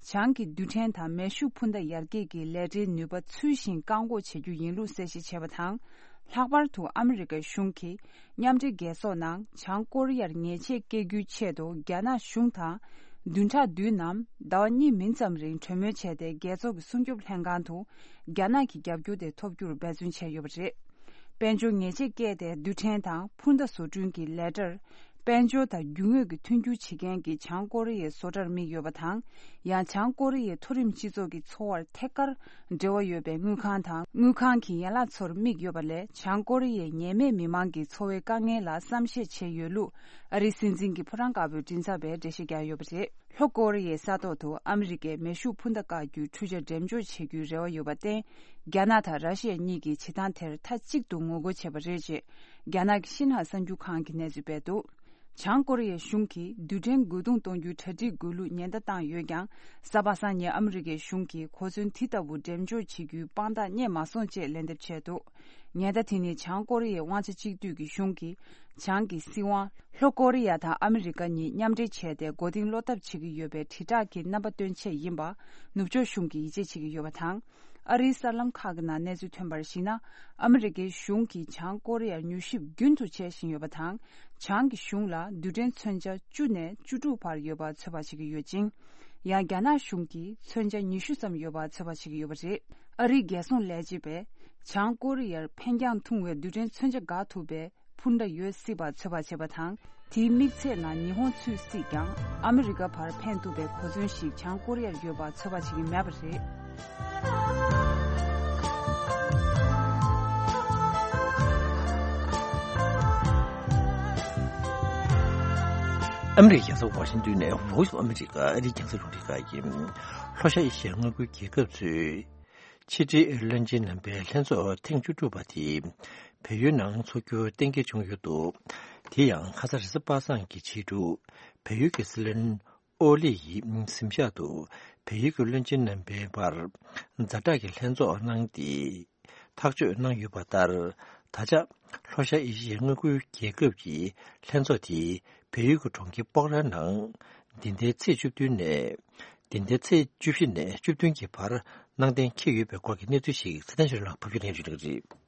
བྱང་གི་རྡུལ་ཕྲན་དང་མེ་ཤུགས་འཕུར་མདའ་ཡར་རྒྱས་ཀྱི་ལས་གྲྭའི་ནུས་པ་ཚུལ་བཞིན་བཀག་འགོག་བྱེད་རྒྱུ་ཡིན་ལུགས་གསལ་བཤད་བྱས་པ་དང་། ལྷག་པར་དུ་ཨ་མི་རི་ཀའི་གཞུང་གིས་མཉམ་འབྲེལ་རྒྱལ་ཚོགས་ནང་བྱང་ཀོ་རི་ཡར་ཉེས་ཆད་བཀལ་རྒྱུའི་ཆེད་དུ་རྒྱ་ནག་གཞུང་དང་བདུན་ཕྲག་བདུན་ནམ་ཟླ་བ་གཉིས་མིན་ཙམ་རིང་གྲོས་མོལ་བྱས་ཏེ། རྒྱལ་ཚོགས་ཀྱི་སྲུང་སྐྱོབ་ལྷན་ཁང་དུ་རྒྱ་ནག་གི་རྒྱབ་སྐྱོར་དེ་ཐོབ་རྒྱུར་འབད་བརྩོན་བྱས་ཡོད་པ་རེད། དཔལ་འབྱོར་ཉེས་ཆད་བཀལ་ཏེ་རྡུལ་ཕྲན་དང་འཕུར་མདའ་བཟོ་སྐྲུན་གྱི་ལས་གྲྭར། དཔལ་འབྱོར་དང་རྒྱུ་དངོས་ཀྱི་མཐུན་འགྱུར་བྱེད་མཁན་གྱི་བྱང་ཀོ་རི་ཡའི་བཟོ་གྲྭར་དམིགས་ཡོད་པ་དང་། ཡང་བྱང་ཀོ་རི་ཡའི་མཐོ་རིམ་སྤྱི་ཚོགས་ཀྱི་འཚོ་བར་ཐད་ཀར་འབྲེལ་བ་ཡོད་པའི་དངུལ་ཁང་དང་། དངུལ་ཁང་གི་ཡན་ལག་ཚོར་དམིགས་ཡོད་པ་ལས། བྱང་ཀོ་རི་ཡའི་ཉེས་མེད་མི་མང་གི་འཚོ་བའི་དཀའ་ངལ་ལ་བསམ་ཤེས་བྱས་ཡོད་ལུགས། ཨ་རིའི་སྲིད་འཛིན་གྱི་ཕོ་བྲང་དཀར་པོའི་མགྲིན་ཚབ་པས་འགྲེལ་བཤད་བརྒྱབ་ཡོད་པ་རེད། ལྷོ་ཀོ་རི་ཡའི་ས་ཐོག་ཏུ་ཨ་མི་རི་ཀས་མེ་ཤུགས་འཕུར་མདའ་བཀག་རྒྱུའི་འཕྲུལ་ཆ་འགྲེམས་འཇོག་བྱེད་རྒྱུའི་རེ་བ་ཡོད་པར་བརྟེན། རྒྱ་ནག་དང་ར་ཤི་ཡ་གཉིས་ཀྱིས་བྱེད་སྟངས་དེར་མཐའ་གཅིག་ཏུ་ངོ་རྒོལ་བྱས་པ་རེད་ཅེས། རྒྱ་ནག་གི་ཤིན་ཧྭ་གསར་འགྱུར་ཁང་གིས་གནས་ཚུལ་སྤེལ་འདུག་བྱང་ཀོ་རི་ཡའི་གཞུང་གིས་རྡུལ་ཕྲན་རྒོལ་རྡུང་གཏོང་རྒྱུའི་གྲ་སྒྲིག་དགོས་ལུགས་ཉེན་བརྡ་བཏང་ཡོད་ཀྱང་། གཟའ་པ་སངས་ཉིན་ཨ་མི་རི་ཀའི་གཞུང་གིས་གོ་མཚོན་དེ་ལྟ་བུ་འགྲེམས་འཇོག་བྱེད་རྒྱུའི་དཔང་རྟགས་རྙེད་མ་སོང་ཅེས་ལན་འདེབས་བྱས་འདུག་ཉེན་བརྡ་དེ་ནི་བྱང་ཀོ་རི་ཡའི་དབང་ཆ་གཅིག་སྡུད་ཀྱི་གཞུང་གིས། བྱང་གི་སྲིད་དབང་། ལྷོ་ཀོ་རི་ཡ་དང་ཨ་མི་རི་ཀ་གཉིས་མཉམ་འབྲེལ་བྱས་ཏེ། མགོ་རྟིང་སློག་ཐབས་བྱེད་ཀྱི་ཡོད་པའི་དྲིལ་བསྒྲགས་ཀྱི་རྣམ་པ་སྟོན་ཆེད་ཡིན་པ། ནུབ་ཕྱོགས་གཞུང་གིས་ཡིད་ཆེས་བྱེད་ཀྱི་ཡོད་པ་དང་། ཨ་རིའི་གསར་ལམ་ཁག་གི་ནང་གནས་ཚུལ་ཐོན་པར་གཞིགས་ན། ཨ་མི་རི་ཀའི་གཞུང་གིས་བྱང་ཀོ་རི་ཡར་མྱུལ་ཞིབ་རྒྱུན་དུ་བྱེད་བཞིན་ཡོད་པ་དང་། བྱང་གི་གཞུང་ལ་རྡུལ་ཕྲན་མཚོན་ཆ་བཅུ་ནས་བཅུ་དྲུག་བར་ཡོད་པ་ཚོད་དཔག་བྱེད་ཀྱི་ཡོད་ཅིང་། ཡང་རྒྱ་ནག་གཞུང་གིས་མཚོན་ཆ་ཉི་ཤུ་ཙམ་ཡོད་པ་ཚོད་དཔག་བྱེད་ཀྱི་ཡོད་པ་རེད། ཨ་རིའི་རྒྱལ་སྲུང་ལས་བྱེད་པས། བྱང་ཀོ་རི་ཡར་འཕེན་རྒྱང་ཐུང་བའི་རྡུལ་ཕྲན་མཚོན་ཆ་འགག་ཐུབ་པའི་འཕུར་མདའ་ཡོད་སྲིད་པ་ཚོད་དཔག་བྱས་པ་དང་། དེའི་དམིགས་ཚད་ནང་ཉི་ཧོང་ཚུད་སྲིད་ཀྱང་། ཨ་མི་རི་ཀ་བར་འཕེན་ཐུབ་པའི་གོ་མཚོན་ཞིག་བྱང་ཀོ་རི་ཡར་ཡོད་པ་ཚོད་དཔག་བྱེད་ཀྱི་མེད་པ་རེད། ཨ་མི་རི་ཀའི་རྒྱལ་ས་ཝ་ཤིང་ཏོན་ནས་Voice of America ཨ་རིའི་རྒྱང་སྲིང་རླུང་འཕྲིན་ཁང་ཡིན། ལྷོ་ཤར་ཨེ་ཤི་ཡའི་མངའ་ཁུལ་རྒྱལ་ཁབ་ཚོས། ཕྱི་དྲིལ་བློན་ཆེན་རྣམ་པའི་ལྷན་ཚོགས་ཐེངས་བཅུ་དྲུག་པ་དེ་བལ་ཡུལ་ནང་འཚོགས་རྒྱུ་གཏན་འཁེལ་བྱུང་ཡོད་འདུག་དེ་ཡང་ཁ་སང་རེས་གཟའ་པ་སངས་ཀྱི་ཕྱི་དྲོ་བལ་ཡུལ་གྱི་སྲིད་བློན་ཨོ་ལི་ཡིས་གཟིམ་ཤག་ཏུ་བལ་ཡུལ་གྱི་བློན་ཆེན་རྣམ་པའི་བར་ཛ་དྲག་གི་ལྷན་ཚོགས་གནང་སྟེ་ཐག་གཅོད་གནང་ཡོད་པ་ལྟར། ད་ཆ་ལྷོ་ཤར་ཨེ་ཤི་ཡའི་མངའ་ཁུལ་རྒྱལ་ཁབ་ཀྱི་ལྷན་ཚོགས་དེ་བལ་ཡུལ་གྱི་གྲོང་ཁྱེར་སྤོག་ར་ནང་འདི་ཟླའི་ཚེས་བཅུ་བདུན་ནས། འདི་ཟླའི་ཚེས་བཅུ་བཞི་ནས་བཅུ་བདུན་གྱི་བར་གནང་གཏན་འཁེལ་ཡོད་པའི་སྐོར་གྱི་གནས་ཚུལ་ཞིག་ཚེ་བརྟན་ཆོས་ལགས་ཕབ་སྒྱུར་ལེན་ཞུ་གནང་གི་རེད།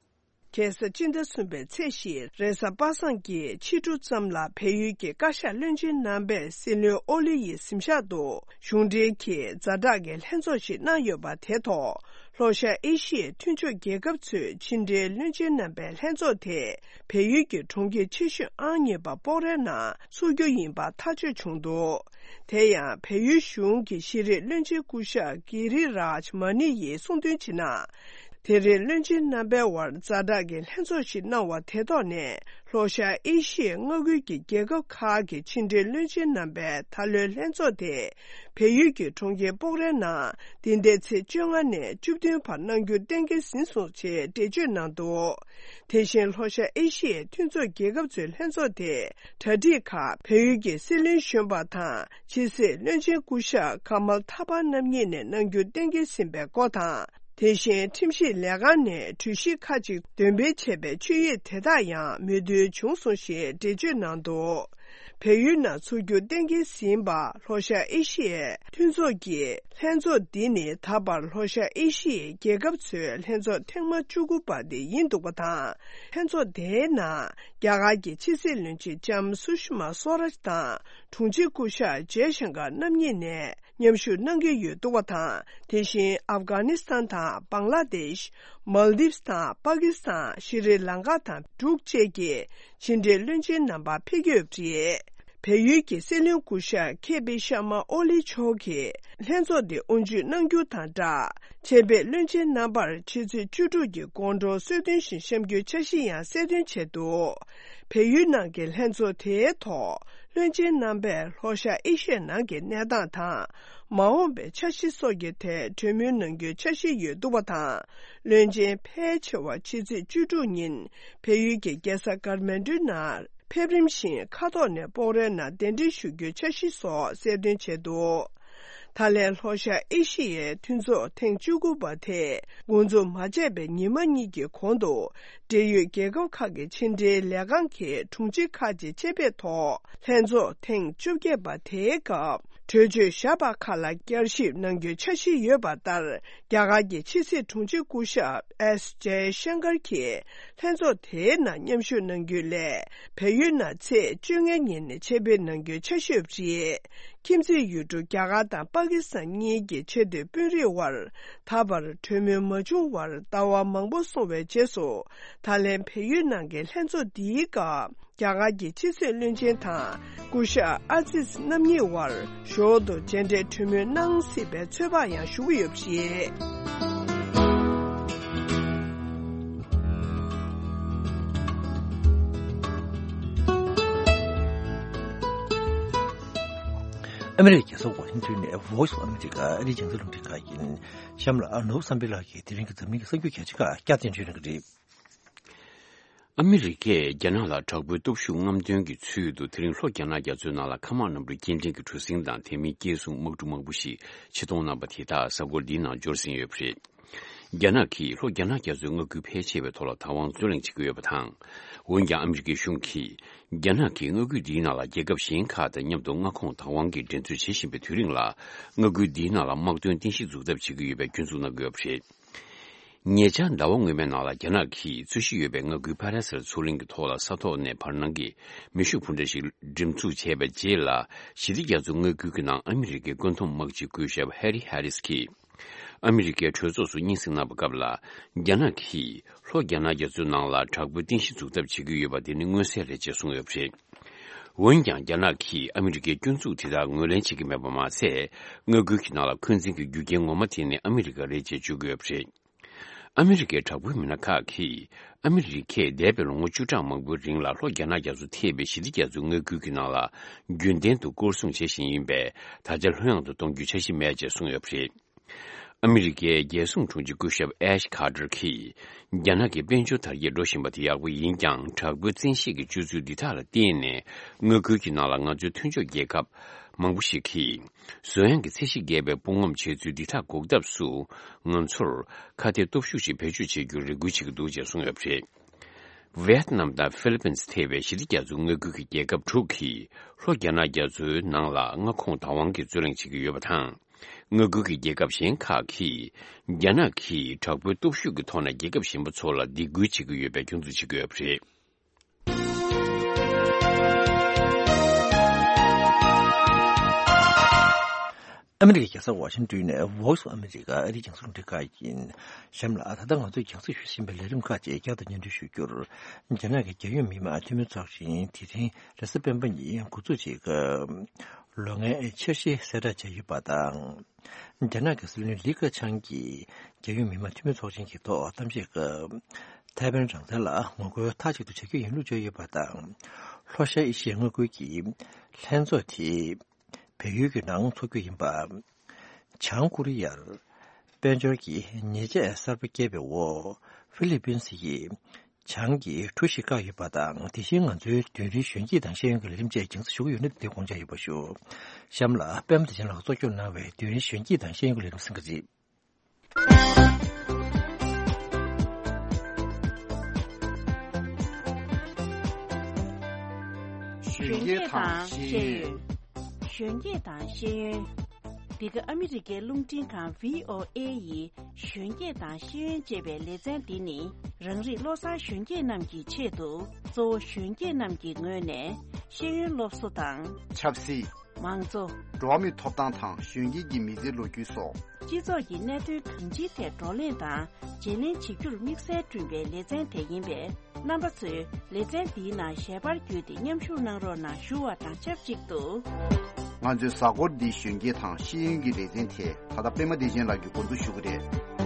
ཁ་སང་སྤྱི་ཟླ་གསུམ་པའི་ཚེས་བཞི་རེས་གཟའ་པ་སངས་ཀྱི་ཕྱི་དྲོ་ཙམ་ལ་བལ་ཡུལ་གྱི་བཀའ་ཤག་བློན་ཆེན་རྣམ་པས་སྲིད་བློན་ཨོ་ལི་ཡི་གཟིམ་ཤག་ཏུ་གཞུང་འབྲེལ་གྱི་ཛ་དྲག་གི་ལྷན་ཚོགས་ཤིག་གནང་ཡོད་པ་དེ་ཐོག་ལྷོ་ཤར་ཨེ་ཤི་ཡའི་མཐུན་ཕྱོགས་རྒྱལ་ཁབ་ཚོའི་ཕྱི་འབྲེལ་བློན་ཆེན་རྣམ་པའི་ལྷན་ཚོགས་དེ་བལ་ཡུལ་གྱི་གྲོང་ཁྱེར་ཆེ་ཤོས་ཨང་གཉིས་པ་སྤོག་རའི་ནང་འཚོགས་རྒྱུ་ཡིན་པ་ཐག་གཅོད་བྱུང་འདུག་དེ་ཡང་བལ་ཡུལ་གཞུང་གི་ཤེས་རིག་བློན་ཆེན་སྐུ་ཞབས་གྷི་རི་རཱཇ་མ་ནི་ཡིས་གསུངས་དོན་བྱས་ན། དེ་རིང་བློན་ཆེན་རྣམ་པའི་དབར་ཛ་དྲག་གི་ལྷན་ཚོགས་ཤིག་གནང་བ་དེ་ཐོག་ནས། ལྷོ་ཤར་ཨེ་ཤི་ཡའི་མངའ་ཁུལ་གྱི་རྒྱལ་ཁབ་ཁག་གི་ཕྱི་འབྲེལ་བློན་ཆེན་རྣམ་པའི་ད་ལོའི་ལྷན་ཚོགས་དེ་བལ་ཡུལ་གྱི་གྲོང་ཁྱེར་སྤོག་རའི་ནང་འདི་ཟླའི་ཚེས་བཅོ་ལྔ་ནས་བཅུ་བདུན་བར་གནང་རྒྱུ་གཏན་འཁེལ་ཟིན་སོང་ཞེས་འགྲེལ་བརྗོད་གནང་འདུག་དེ་བཞིན་ལྷོ་ཤར་ཨེ་ཤི་ཡའི་མཐུན་ཚོགས་རྒྱལ་ཁབ་ཚོའི་ལྷན་ཚོགས་དེ་གྲ་སྒྲིག་ཁག་བལ་ཡུལ་གྱི་སྲིད་བློན་གཞོན་པ་དང་ཕྱི་སྲིད་བློན་ཆེན་སྐུ་ཞབས་ཀ་མལ་ཐ་པར་རྣམ་གཉིས་ནས་གནང་རྒྱུ་གཏན་འཁེལ་ཟིན་པའི་སྐོར་དང་། དེ་བཞིན་ཁྲིམས་ཞིབ་ལས་ཁང་ནས་གྲོས་གཞི་ཁག་ཅིག་འདོན་སྤེལ་བྱས་པའི་ཆོད་ཡིག་དེ་དག་ཡང་མོས་མཐུན་བྱུང་སོང་ཞེས་འགྲེལ་བརྗོད་གནང་འདུག་བལ་ཡུལ་ནང་འཚོགས་རྒྱུ་གཏན་འཁེལ་ཟིན་པ་ལྷོ་ཤར་ཨེ་ཤི་ཡའི་མཐུན་ཚོགས་ཀྱི་ལྷན་ཚོགས་འདི་ནི་ད་བར་ལྷོ་ཤར་ཨེ་ཤི་ཡའི་རྒྱལ་ཁབ་ཚོའི་ལྷན་ཚོགས་ཐེངས་མ་བཅུ་དགུ་པ་དེ་ཡིན་འདུག་པ་དང་། ལྷན་ཚོགས་དེའི་ནང་རྒྱ་གར་གྱི་ཕྱི་སྲིད་བློན་ཆེན་ལྕམ་སུ་ཤི་མ་སོ་རཱཇ་དང་དྲུང་ཆེ་སྐུ་ཞབས་ཇེ་ཤང་ཀར་རྣམ་གཉིས་ནས་མཉམ་ཞུགས་གནང་གི་ཡོད་འདུག་པ་དང་། དེ་བཞིན་ཨབ་གྷ་ནི་སི་ཐན་དང་བང་ལ་དེཤ། མལ་དིབ་དང་པ་ཀི་སི་ཐན། ཤྲི་ལང་ཀ་དང་འབྲུག་བཅས་ཀྱི་ཕྱི་འབྲེལ་བློན་ཆེན་རྣམ་པ་ཕེབས་ཀྱི་ཡོད་པ་རེད། བལ་ཡུལ་གྱི་སྲིད་བློན་སྐུ་ཞབས་ཁེ་པི་ཤར་མ་ཨོ་ལི་མཆོག་གིས་ལྷན་ཚོགས་འདི་དབུ་འབྱེད་གནང་རྒྱུ་དང་སྦྲགས། ཆེད་ཕེབས་བློན་ཆེན་རྣམ་པར་ཆུ་ཚོད་བཅུ་དྲུག་གི་དགོང་དྲོ་གསོལ་སྟོན་ཞིག་བཤམས་རྒྱུའི་འཆར་གཞི་ཡང་གསལ་སྟོན་བྱས་འདུག་བལ་ཡུལ་ནང་གི་ལྷན་ཚོགས་དེའི་ཐོག་བློན་ཆེན་རྣམ་པས་ལྷོ་ཤར་ཨེ་ཤི་ཡ་ནང་གི་གནས་སྟངས་དང་། མ་འོངས་པའི་འཆར་གཞི་སོགས་ཀྱི་ཐད་གྲོས་མོལ་གནང་རྒྱུའི་འཆར་གཞི་ཡོད་འདུག་པ་དང་། བློན་ཆེན་ཕལ་ཆེ་བ་ཕྱི་ཚེས་བཅུ་དྲུག་ཉིན་བལ་ཡུལ་གྱི་རྒྱལ་ས་ཀར་མན་ཌུའི་ནང་ཕེབས་རིམ་བཞིན་མཁའ་ཐོག་ནས་སྤོག་རའི་ནང་གདན་འདྲེན་ཞུ་རྒྱུའི་འཆར་གཞི་སོགས་གསལ་སྟོན་བྱས་འདུག་ད་ལན་ལྷོ་ཤར་ཨེ་ཤི་ཡའི་མཐུན་ཚོགས་ཐེངས་བཅུ་དགུ་པ་དེ་འགོ་འཛུགས་མ་བྱས་པའི་ཉི་མ་གཉིས་ཀྱི་གོང་དུ། འབྲེལ་ཡོད་རྒྱལ་ཁབ་ཁག་གི་ཕྱི་འབྲེལ་ལས་ཁང་གི་དྲུང་ཆེ་ཁག་ཅིག་ཆེད་ཕེབས་ཐོག་ལྷན་ཚོགས་ཐེངས་བཅོ་བརྒྱད་པ་དེའི་སྐབས་གྲོས་ཆོད་བཞག་པ་ཁག་ལ་བསྐྱར་ཞིབ་གནང་རྒྱུའི་འཆར་གཞི་ཡོད་པ་ལྟར། རྒྱ་གར་གྱི་ཕྱི་སྲིད་དྲུང་ཆེ་སྐུ་ཞབས་ཨེས་ཇེ་ཤང་ཀར་གྱིས་ལྷན་ཚོགས་དེའི་ནང་མཉམ་ཞུགས་གནང་རྒྱུའི་སླད། བལ་ཡུལ་ནང་ཚེས་བཅོ་ལྔ་ཉིན་ཆེད་ཕེབས་གནང་རྒྱུའི་འཆར་གཞི་ཡོད་པ་རེད། ཁྱིམ་མཚེས་ཡུལ་གྲུ་རྒྱ་གར་དང་པ་ཀི་སི་ཐན་གཉིས་ཀྱི་ཆེས་མཐོའི་དཔོན་རིགས་དབར་ད་བར་གྲོས་མོལ་མ་བྱུང་བར་ཟླ་བ་མང་པོ་སོང་བའི་རྗེས་སུ། ད་ལན་བལ་ཡུལ་ནང་གི་ལྷན་ཚོགས་འདིའི་སྐབས། རྒྱ་གར་གྱི་ཕྱི་སྲིད་བློན་ཆེན་དང་སྐུ་ཞབས་ཨ་ཛིཛ་རྣམ་གཉིས་དབར་ཞོར་དུ་མཇལ་འཕྲད་གྲོས་མོལ་གནང་སྲིད་པའི་ཚོད་དཔག་ཡང་ཞུ་གི་ཡོད་པ་རེད། ཨ་མི་རི་ཀའི་རྒྱལ་ས་ཝ་ཤིང་ཊོན་ནས་Voice of America ཨ་རིའི་རྒྱང་སྲིང་རླུང་འཕྲིན་ཁང་ཡིན། གཤམ་ལ་ནོར་བུ་བསམ་འཕེལ་ལགས་ཀྱིས་དེ་རིང་གི་འཛམ་གླིང་གི་གསར་འགྱུར་གལ་ཆེ་ཁག་བསྐྱར་དུ་སྙན་སྒྲོན་གནང་གི་རེད། ཨ་མི་རི་ཀས་རྒྱ་ནག་ལ་དྲག་པོའི་སྟོབས་ཤུགས་རྔམ་སྟོན་གྱི་ཚུལ་དུ་དེ་རིང་ལྷོ་རྒྱ་ནག་རྒྱ་མཚོའི་ནང་ལ་མཁའ་དམག་གནམ་གྲུ་སྐྱེལ་འདྲེན་གྱི་གྲུ་གཟིངས་དང་དེ་མིན་སྐྱེལ་གཟུགས་དམག་གྲུ་མང་པོ་ཞིག་ཕྱིར་གཏོང་གནང་པ་དེ་དག་གཟའ་འཁོར་འདིའི་ནང་འབྱོར་ཟིན་ཡོད་པ་རེད། རྒྱ་ནག་གིས་ལྷོ་རྒྱ་ནག་རྒྱ་མཚོའི་མངའ་ཁུལ་ཕལ་ཆེ་བའི་ཐོག་ལ་བདག་དབང་རྩོད་ལེན་བྱེད་ཀྱི་ཡོད་པ་དང་། འོན་ཀྱང་ཨ་མི་རི་ཀའི་གཞུང་གིས་རྒྱ་ནག་གིས་མངའ་ཁུལ་འདིའི་ནང་ལ་རྒྱལ་ཁབ་གཞན་ཁག་དང་མཉམ་དུ་མངའ་ཁོངས་བདག་དབང་གི་འགྲན་རྩོད་བྱེད་བཞིན་པའི་དུས་རིང་ལ། མངའ་ཁུལ་འདིའི་ནང་ལ་དམག་དོན་རྟེན་གཞི་འཛུགས་ཐབས་བྱེད་ཀྱི་ཡོད་པའི་སྐྱོན་འཛུགས་གནང་གི་ཡོད་པ་རེད། ཉེ་ཆར་ཟླ་བ་སྔོན་མའི་ནང་ལ་རྒྱ་ནག་གིས་རྩོད་གཞི་ཡོད་པའི་མངའ་ཁུལ་ཕ་ར་སེལ་མཚོ་གླིང་གི་ཐོག་ལ་ས་ཐོག་ནས་བར་སྣང་གི་མེ་ཤུགས་འཕུར་མདའ་ཞིག་འགྲེམས་འཛུགས་བྱས་པའི་རྗེས་ལ། ཞི་བདེ་རྒྱ་མཚོའི་མངའ་ཁུལ་གྱི་ནང་ཨ་མི་རི་ཀའི་བཀོད་འདོམས་དམག་སྤྱི་སྐུ་ཞབས་ཧེ་རི་ཧེ་རིས་ཀྱིས། ཨ་མི་རི་ཀའི་གྲོས་ཚོགས་སུ་སྙན་སེང་གནང་བའི་སྐབས་ལ། རྒྱ་ནག་གིས་ལྷོ་རྒྱ་ནག་རྒྱ་མཚོའི་ནང་ལ་དྲག་པོའི་རྟེན་གཞི་འཛུགས་ཐབས་བྱེད་ཀྱི་ཡོད་པ་དེ་ནི་མངོན་གསལ་རེད་ཅེས་གསུངས་ཡོད་པ་རེད། འོན་ཀྱང་། རྒྱ་ནག་གིས་ཨ་མི་རི་ཀའི་སྐྱོན་འཛུགས་དེ་དག་ངོས་ལེན་བྱེད་ཀྱི་མེད་པ་མ་ཟད། མངའ་ཁུལ་གྱི་ནང་ལ་འཁོན་འཛིན་གྱི་རྒྱུ་རྐྱེན་ངོ་མ་དེ་ནི་ཨ་མི་རི་ཀ་རེད་ཅེས་བརྗོད་ཀྱི་ཡོད་པ་རེད། ཨ་མི་རི་ཀའི་དྲག་པོའི་མི་སྣ་ཁག་གིས། ཨ་མི་རི་ཀས་འདས་པའི་ལོ་ངོ་བཅུ་ཕྲག་མང་པོའི་རིང་ལ་ལྷོ་རྒྱ་ནག་རྒྱ་མཚོ་ཐེ་བའི་ཞི་བདེ་རྒྱ་མཚོའི་མངའ་ཁུལ་གྱི་ནང་ལ། རྒྱུན་ལྡན་དུ་སྐོར་སྲུང་བྱེད་བཞིན་ཡིན་པས། ད་ཆ་ལྷོད་ཡངས་དུ་གཏོང་རྒྱུའི་འཆར་གཞི་མེད་ཅེས་གསུངས་ཡོད་པ་རེད། ཨ་མི་རི་ཀའི་རྒྱལ་སྲུང་དྲུང་ཆེ་སྐུ་ཞབས་ཨེཤ་ཁ་ཏར་གྱིས། རྒྱ་ནག་གི་དཔལ་འབྱོར་དར་རྒྱས་འགྲོ་བཞིན་པ་དེ་ཡག་པོ་ཡིན་ཀྱང་། དྲག་པོའི་བཙན་ཤེད་ཀྱི་སྤྱོད་ཚུལ་འདི་དག་ལ་བརྟེན་ནས། མངའ་ཁུལ་གྱི་ནང་ལ་ང་ཚོའི་མཐུན་ཕྱོགས་རྒྱལ་ཁབ་མང་པོ་ཞིག་གིས། བཟོ་ཡངས་ཀྱི་ཚད་གཞི་བརྒལ་བའི་དཔུང་ངོམ་བྱེད་ཚུལ་འདི་དག་འགོག་ཐབས་སུ། ང་ཚོར་ཁ་གཏད་སྟོབས་ཤུགས་ཤིག་བེད་སྤྱོད་བྱེད་རྒྱུར་རེ་སྐུལ་བྱེད་ཀྱི་འདུག་ཅེས་གསུངས་ཡོད་པ་རེད། ཝེ་ཏི་ནམ་དང་ཧྥི་ལི་པིན་ཐེ་བའི་ཞི་བདེ་རྒྱ་མཚོའི་མངའ་ཁུལ་གྱི་རྒྱལ་ཁབ་དྲུག་གིས་ལྷོ་རྒྱ་ནག་རྒྱ་མཚོའི་ནང་ལ་མངའ་ཁོངས་བདག་དབང་གི་རྩོད་གླེང་བྱེད་ཀྱི་ཡོད་པ་དང་། མངའ་ཁུལ་གྱི་རྒྱལ་ཁབ་གཞན་ཁག་གིས་རྒྱ་ནག་གིས་དྲག་པོའི་སྟོབས་ཤུགས་ཀྱི་ཐོག་ནས་རྒྱལ་ཁབ་གཞན་པ་ཚོ་ལ་སྡིགས་སྐུལ་བྱེད་ཀྱི་ཡོད་པའི་སྐྱོན་འཛུགས་བྱེད་ཀྱི་ཡོད་པ་རེད། ཨ་མི་རི་ཀའི་རྒྱལ་ས་ཝ་ཤིང་ཏོན་ནས་Voice of America ཨ་རིའི་རྒྱང་སྲིང་རླུང་འཕྲིན་ཁང་ཡིན། གཤམ་ལ་ད་ལྟ་ང་ཚོས་རྒྱང་སྲིང་ཞུ་བཞིན་པའི་ལས་རིམ་ཁག་ཅིག་བསྐྱར་དུ་སྙན་སྒྲོན་ཞུ་རྒྱུར། རྒྱ་ནག་གི་རྒྱལ་ཡོངས་མི་དམངས་འཐུས་མི་ཚོགས་ཆེན་དེ་རིང་རེས་གཟའ་སྤེན་པ་ཉིན་འགོ་འཛུགས་བྱེད་སྐབས། ལོ་ལྔའི་འཆར་གཞི་གསལ་བསྒྲགས་བྱས་ཡོད་པ་དང་། རྒྱ་ནག་གི་སྲིད་བློན་ལི་ཁེ་ཆང་གིས་རྒྱལ་ཡོངས་མི་དམངས་འཐུས་མི་ཚོགས་ཆེན་གྱི་ཐོག་གཏམ་བཤད་སྐབས། ཐའེ་ཝན་རང་བཙན་ལ་ངོ་རྒོལ་མཐའ་གཅིག་ཏུ་བྱ་རྒྱུ་ཡིན་ལུགས་བརྗོད་ཡོད་པ་དང་། ལྷོ་ཤར་ཨེ་ཤི་ཡའི་མངའ་ཁུལ་གྱི་ལྷན་ཚོགས་དེ་བལ་ཡུལ་གྱི་ནང་འཚོགས་རྒྱུ་ཡིན་པ། བྱང་ཀོ་རི་ཡར་དཔལ་འབྱོར་གྱི་ཉེས་ཆད་གསར་པ་བཀལ་བའི་འོག་ཧྥི་ལི་པིན་སི་ཡིས་བྱང་གི་གྲུ་ཞིག་བཀག་ཡོད་པ་དང་། དེ་བཞིན་ང་ཚོའི་རྡུལ་ཕྲན་གཞོན་སྐྱེས་དང་ཤེས་ཡོན་གྱི་ལས་རིམ་བཅས་རྒྱང་སྲིང་ཞུ་གི་ཡོད་ན་དེ་དགོངས་འཇགས་ཡོད་པ་ཞུ། གཤམ་ལ་པད་མ་བདེ་ཆེན་ལགས་གཙོ་སྐྱོང་གནང་བའི་རྡུལ་ཕྲན་གཞོན་སྐྱེས་དང་ཤེས་ཡོན་གྱི་ལས་རིམ་གསན་གྱི་རེད། གཞོན་སྐྱེས་དང་ཤེས་ཡོན། གཞོན་སྐྱེས་དང་ཤེས་ཡོན། འདི་ག་ཨ་མི་རི་ཀའི་རླུང་འཕྲིན་ཁང་བྷི་ཨོ་ཨེ་ཡི་གཞོན་སྐྱེས་དང་ཤེས་ཡོན་ཅེས་པའི་ལེ་ཚན་འདི་ནི། རང་རིགས་བློ་བཟང་གཞོན་སྐྱེས་རྣམས་ཀྱི་ཆེད་དུ། གཙོ་བོ་གཞོན་སྐྱེས་རྣམས་ཀྱི་ངོས་ནས་ཤེས་ཡོན་སློབ་གསོ་དང་། ཆབ་སྲིད། མང་གཙོ། འགྲོ་བ་མིའི་ཐོབ་ཐང་དང་གཞོན་སྐྱེས་ཀྱི་མི་ཚེའི་ལོ་རྒྱུས་སོགས། སྤྱི་ཚོགས་ཀྱི་གནད་དོན་གང་ཅིའི་ཐད་བགྲོ་གླེང་དང་བརྗེ་ལེན་བྱེད་རྒྱུར་དམིགས་བསལ་བསྐྲུན་པའི་ལེ་ཚན་དེ་ཡིན་པས། རྣམ་པ་ཚོས་ལེ་ཚན་འདིའི་ནང་ཞལ་པར་བརྒྱུད་དེ་མཉམ་ཞུགས་གནང་རོགས་གནང་ཞུ་བ་དང་ཆབས་ཅིག་ཏུ། ང་ཚོའི་གཟའ་འཁོར་འདིའི་གཞོན་སྐྱེས་དང་ཤེས་ཡོན་གྱི་ལེ་ཚན་དེ་ད་ལྟ་པད་མ་བདེ་ཆེན་ལགས་ཀྱིས་འགོ་འཛུགས་ཞུ་གི་རེད།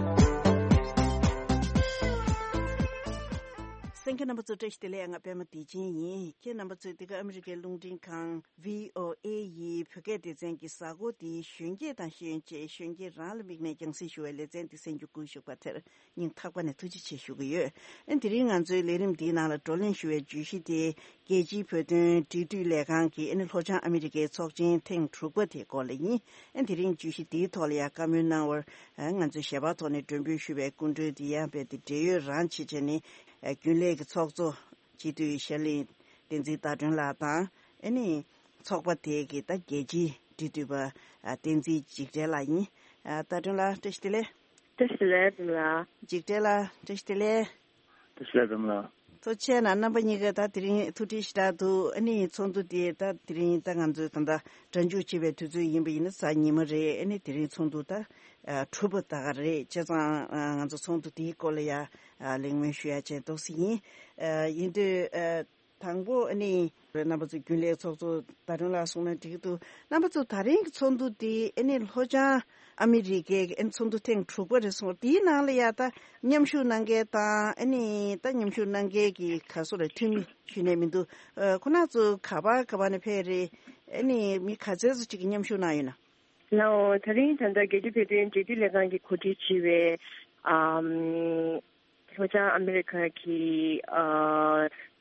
གསན་མཁན་རྣམ་པ་ཚོ་བཀྲ་ཤིས་བདེ་ལེགས། ང་པད་མ་བདེ་ཆེན་ཡིན། ཁྱེད་རྣམ་པ་ཚོས་འདི་ག་ཨ་མི་རི་ཀའི་རླུང་འཕྲིན་ཁང་བྷི་ཨོ་ཨེ་ཡི་བོད་སྐད་སྡེ་ཚན་གྱི་གཟའ་འཁོར་འདིའི་གཞོན་སྐྱེས་དང་ཤེས་ཡོན་ཅེས་གཞོན་སྐྱེས་རང་ལ་དམིགས་ནས་རྒྱང་སྲིང་ཞུ་བའི་ལེ་ཚན་འདི་གསན་རྒྱུ་བསྐུལ་ཞུས་པ་དེར་སྙིང་ཐག་པ་ནས་ཐུགས་རྗེ་ཆེ་ཞུ་གི་ཡོད། ཨ་ནི་དེ་རིང་ང་ཚོའི་ལས་རིམ་འདིའི་ནང་ལ་བགྲོ་གླེང་ཞུ་བའི་བརྗོད་གཞི་དེ། རྒྱལ་སྤྱིའི་བོད་དོན་འབྲེལ་མཐུད་ལས་ཁང་གི་ཨ་ནི་ལྷོ་བྱང་ཨ་མི་རི་ཀའི་ཚོགས་ཆེན་ཐེངས་དྲུག་པ་དེའི་སྐོར་ལ་ཡིན། ཨ་ནི་དེ་རིང་བརྗོད་གཞི་འདིའི་ཐོག་ལ་ཡང་བཀའ་མོལ་གནང་བར། ཨ་ང་ཚོའི་ཞལ་པར་ཐོག་ནས་མགྲོན་འབོད་ཞུ་བའི་སྐུ་མགྲོན་དེ་ཡང་རྦད་དེ་འབྲེལ་ཡོད་རང་བྱེད་བྱས་ནས། ཨ་རྒྱུན་ལས་ཀྱི་ཚོགས་གཙོ་སྤྱི་འཐུས་ཤར་གླིང་བསྟན་འཛིན་ཟླ་སྒྲོན་ལགས་དང་། ཨ་ནི་ཚོགས་པ་དེ་གི་ད་རྒྱལ་སྤྱིའི་འབྲེལ་མཐུད་པ། ཨ་བསྟན་འཛིན་འཇིགས་བྲལ་ལགས་ཡིན། ཨ་ཟླ་སྒྲོན་ལགས་བཀྲ་ཤིས་བདེ་ལེགས། བཀྲ་ཤིས་བདེ་ལེགས་ལགས། འཇིགས་བྲལ་ལགས་བཀྲ་ཤིས་བདེ་ལེགས། བཀྲ་ཤིས་བདེ་ལེགས་ལགས། ཐུགས་རྗེ་གནང་། རྣམ་པ་གཉིས་ཀ་ད་དེ་རིང་ཐུགས་འཕྲད་ཞེ་དྲག་འདུག་ཨ་ནི་ཚོགས་འདུ་དེ་ད་དེ་རིང་ད་ང་ཚོའི་ད་ལྟ་སྒྲ་འཇུག་བྱེད་པའི་དུས་ཚོད་ཡིན་པ་ཡིན་ན་གཟའ་ཉི་མ་རེད། ཨ་ནི་དེ་རིང་ཚོགས་འདུ་ད་ཨ་གྲུབ་པ་ད་ག་རེད། བྱས་ཙང་ཨ་ང་ཚོ་ཚོགས་འདུ་དེའི་སྐོར་ལ་ཡ་ཨ་གླེང་མོལ་ཞུ་ཡ་བྱས་འདུག་སེ་ཡིན། ཨ་ཡིན་དུས་ཨ་དང་པོ་ཨ་ནི་རྣམ་པ་ཚོའི་རྒྱུན་ལས་ཚོགས་གཙོ་ཟླ་སྒྲོན་ལགས་གསུངས་ན་འགྲིག་གི་འདུག་རྣམ་པ་ཚོ་ད་རིང་གི་ཚོགས་འདུ་འདི་ཨ་ནི་ལྷོ་བྱང་ཨ་མི་རི་ཀའི་ཨ་ནི་ཚོགས་འདུ་ཐེངས་དྲུག་པ་རེད་གསུངས། དེའི་ནང་ལ་ཡ་ད་མཉམ་ཞུགས་གནང་མཁན་དང་། ཨ་ནི་ད་མཉམ་ཞུགས་གནང་མཁན་གྱི་ག་སོ་རེད། འཐུས་མི་ཞུས་ནས་མི་འདུག་ཨ་ཁོ་རང་ཚོ་ག་པར་ག་པར་ནས་ཕེབས་རེད། ཨ་ནི་མི་ག་ཚད་ཙམ་ཅིག་གིས་མཉམ་ཞུགས་གནང་ཡོད་ན། ལགས་འོང་། ད་རིང་ད་ལྟ་རྒྱལ་སྤྱིའི་བོད་དོན་འབྲེལ་མཐུད་ལས་ཁང་གིས་གོ་སྒྲིག་བྱས་པའི་ཨམ། ལྷོ་བྱང་ཨ་མི་རི་ཁ་གི་ཨ་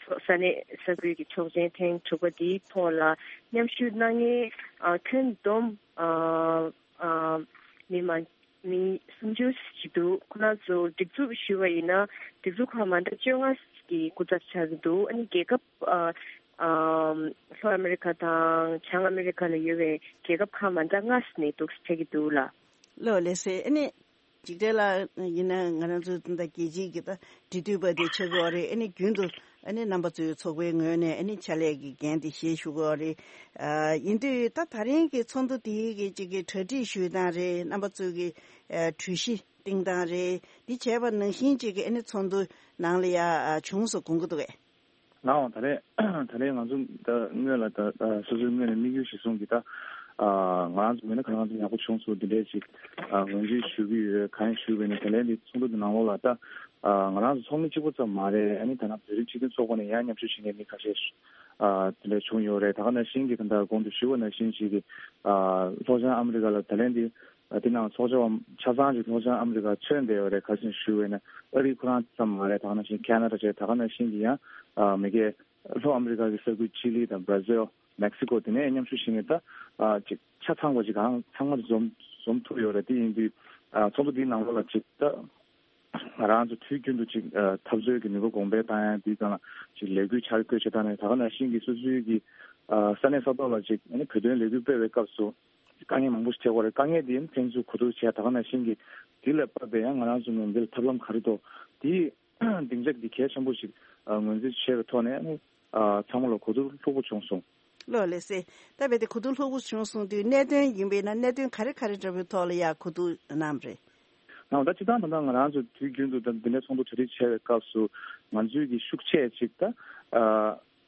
ཚོ་ས་གནས་ས་ཁུལ་གྱི་ཚོགས་ཆེན་ཐེངས་དྲུག་པ་འདིའི་ཐོག་ལ་མཉམ་ཞུགས་གནང་མཁན་ཨ་ཁྱོན་བསྡོམས་ཨ་ཨ་མི་མང་མི་སུམ་ཅུ་ཞིག་འདུག་ཁོ་རང་ཚོ་སྒྲིག་འཛུགས་ཞུས་པ་ཡིན་ན་སྒྲིག་འཛུགས་ཁག་མ་འདྲ་བཅོ་ལྔ་གི་སྐུ་ཚབ་ཆགས་ཀྱི་འདུག་ཨ་ནི་རྒྱལ་ཁབ་ཨ་ཨ་ལྷོ་ཨ་མི་རི་ཁ་དང་བྱང་ཨ་མི་རི་ཁ་ལ་ཡོད་པའི་རྒྱལ་ཁབ་ཁག་མ་འདྲ་ལྔ་ནས་འདུག་ཕེབས་ཀྱི་འདུག་ལགས། ལགས་ལགས་སེ། ཨ་ནི། འཇིགས་བྲལ་ལགས་ཡིན་ན་ང་རང་ཚོ་ད་རྒྱལ་སྤྱིའི་གི་ད་འབྲེལ་མཐུད་པ་དེ་ཆགས་ཀྱི་ཡོད་རེད། ཨ་ནི་རྒྱུན་དུ་ཨ་ནི་རྣམ་པ་ཚོའི་ཚོགས་པའི་ངོས་ནས་ཨ་ནི་ཕྱག་ལས་ཀྱི་འགན་དེ་བཞེས་བཞུགས་ཀྱི་ཡོད་རེད། ཨ་ཡིན་དུས་ད་ད་རིང་གི་ཚོགས་འདུ་དེའི་གི་ཅིག་གི་གྲ་སྒྲིག་ཞུས་སྟངས་རེད། རྣམ་པ་ཚོའི་གི་ཨ་གྲོས་གཞི་བཏིང་སྟངས་རེད། འདི་བྱས་པ་ནང་བཞིན་ཅིག་གི་ཨ་ནི་ཚོགས་འདུ་ནང་ལ་ཡ་ཨ་བྱུང་སོང་དགོངས་ཀྱི་འདུག་གས། ལགས་འོང་། ད་རེས་ད་རེས་ང་ཚོ་ད་སྔོན་ལ་ད་ད་སོ་སོའི་ངོས་ནས་དམིགས་ཡུལ་གཞིར་བཟུང་གིས་ད་ཨ་ང་རང་ཚོ་མིན་ན་ག་རེ་ང་ཚོ་ཡག་པོ་བྱུང་སོང་འདི་འདྲའི་ཅིག་ཨ་ངོས་འཛིན་ཞུ་གི་ཡོད། གང་ཡིན་ཞུས་པ་ཡིན་ན་དེ་ལན་འདི་ཚོགས་འདུ་འདི་ནང་ལོགས་ལ་ད་ཨ་ང་རང་ཚོ་ཚོགས་མི་གཅིག་པོ་ཙམ་མ་རེད། ཨ་ནི་ད་ནང་བོད་རིགས་སྤྱི་མཐུན་ཚོགས་པ་ནས་ཡང་མཉམ་ཞུགས་བྱེད་མཁན་མི་ཁ་ཤས་ཨ་དེ་འདྲ་བྱུང་ཡོད་རེད། ད་ག་ནང་བཞིན་གྱི་ད་ལྟ་གོང་དུ་ཞུས་པ་ནང་བཞིན་ཅིག་གི་ཨ་ལྷོ་བྱང་ཨ་མི་རི་ཀ་ལ་ད་ལན་འདི། ཨ་དེ་ནང་ཚོགས་བཅར་བ་ཆ་ཚང་ཅིག་ལྷོ་བྱང་ཨ་མི་རི་ཀར་ཐོན་བསྡད་ཡོད་རེད། ག་རེ་ཞུ་བས་ན་ཨ་རི་ཁོ་རང་ཙམ་མ་རེད། ད་ག་ནང་བཞིན་ཁེ་ན་ཌ་བྱས། ད་ག་ནང་བཞིན་གྱི་ཡང་ཨ་མི་སྒེར་ལྷོ་ཨ་མི་རི་ཀ་གི་ས་ཁུལ་ཅི་ལི་དང་བྷ་ར་ཟིལ། མེག་སི་ཀོ་དེ་ནས་མཉམ་ཞུགས་བྱེད་མཁན་ད་ཨ་ཅིག་ཆ་ཚང་པ་ཅིག་གང་ཚང་མ་འཛོམས་འཛོམས་ཐུབ་ཡོད་རེད། དེ་ཡིན་དུས་ཨ་ཚོགས་འདུ་འདིའི་ནང་ལོགས་ལ་ཅིག་ད་ང་རང་ཚོ་དུས་རྒྱུན་དུ་ཅིག་ཨ་འཐབ་རྩོད་ཀྱི་ནུས་པ་གོང་འཕེལ་བཏང་ཡ་འདིའི་སྒང་ལ་ཅིག་ལས་འགུལ་འཆར་འགོད་བྱེད་སྟངས་ནས། ད་ག་ནང་བཞིན་གྱི་སོ་སོའི་གི་ཨ་ས་གནས་ས་ཐོག་ལ་ཅིག་ཨ་ནི་བོད་དོན་ལས་འགུལ་སྤེལ་བའི་སྐབས་སུ། དཀའ་ངལ་མང་པོ་ཞིག་འཕྲད་ཀྱི་ཡོད་རེད། དཀའ་ངལ་དེ་ཡང་ཕན་ཚུན་གོ་བསྡུར་བྱས། ད་ག་ནང་བཞིན་གྱི་དེ་ལ་དཔག་པའི་ཡང་ང་རང་ཚོ་ངོས་འདི་ལ་ཐབས་ལམ་ག་རེ་འདུག་དེའི་སྡིངས་ཆ་འདི་གལ་ཆེན་པོ་ཞིག་ཨ་ངོས་འཛིན་བྱས་པའི་ཐོག་ནས་ཨ་ནི་ཨ་ཚང་མ་ལ་གོ་བསྡུར་ལྷུག་པོ་བྱུང་སོང་། ལགས་ལགས་སེ། ད་རྦད་དེ་གོ་བསྡུར་ལྷུག་པོ་བྱུང་སོང་དུས་གནད་དོན་ཡིན་པས་ན་གནད་དོན་ག་རེ་ག་རེ་འདྲ་པོའི་ཐོག་ལ་ཡ་གོ་བསྡུར་གནང་བ་རེད། ནའང་ད་སྤྱིར་བཏང་ད་ལྟ་ང་རང་ཚོ་དུས་རྒྱུན་དུ་ད་འདི་འདྲའི་ཚོགས་འདུ་གྲ་སྒྲིག་བྱས་པའི་སྐབས་སུ་ང་ཚོའི་གི་ཤུགས་ཆེ་ཅིག་ད་ཨ།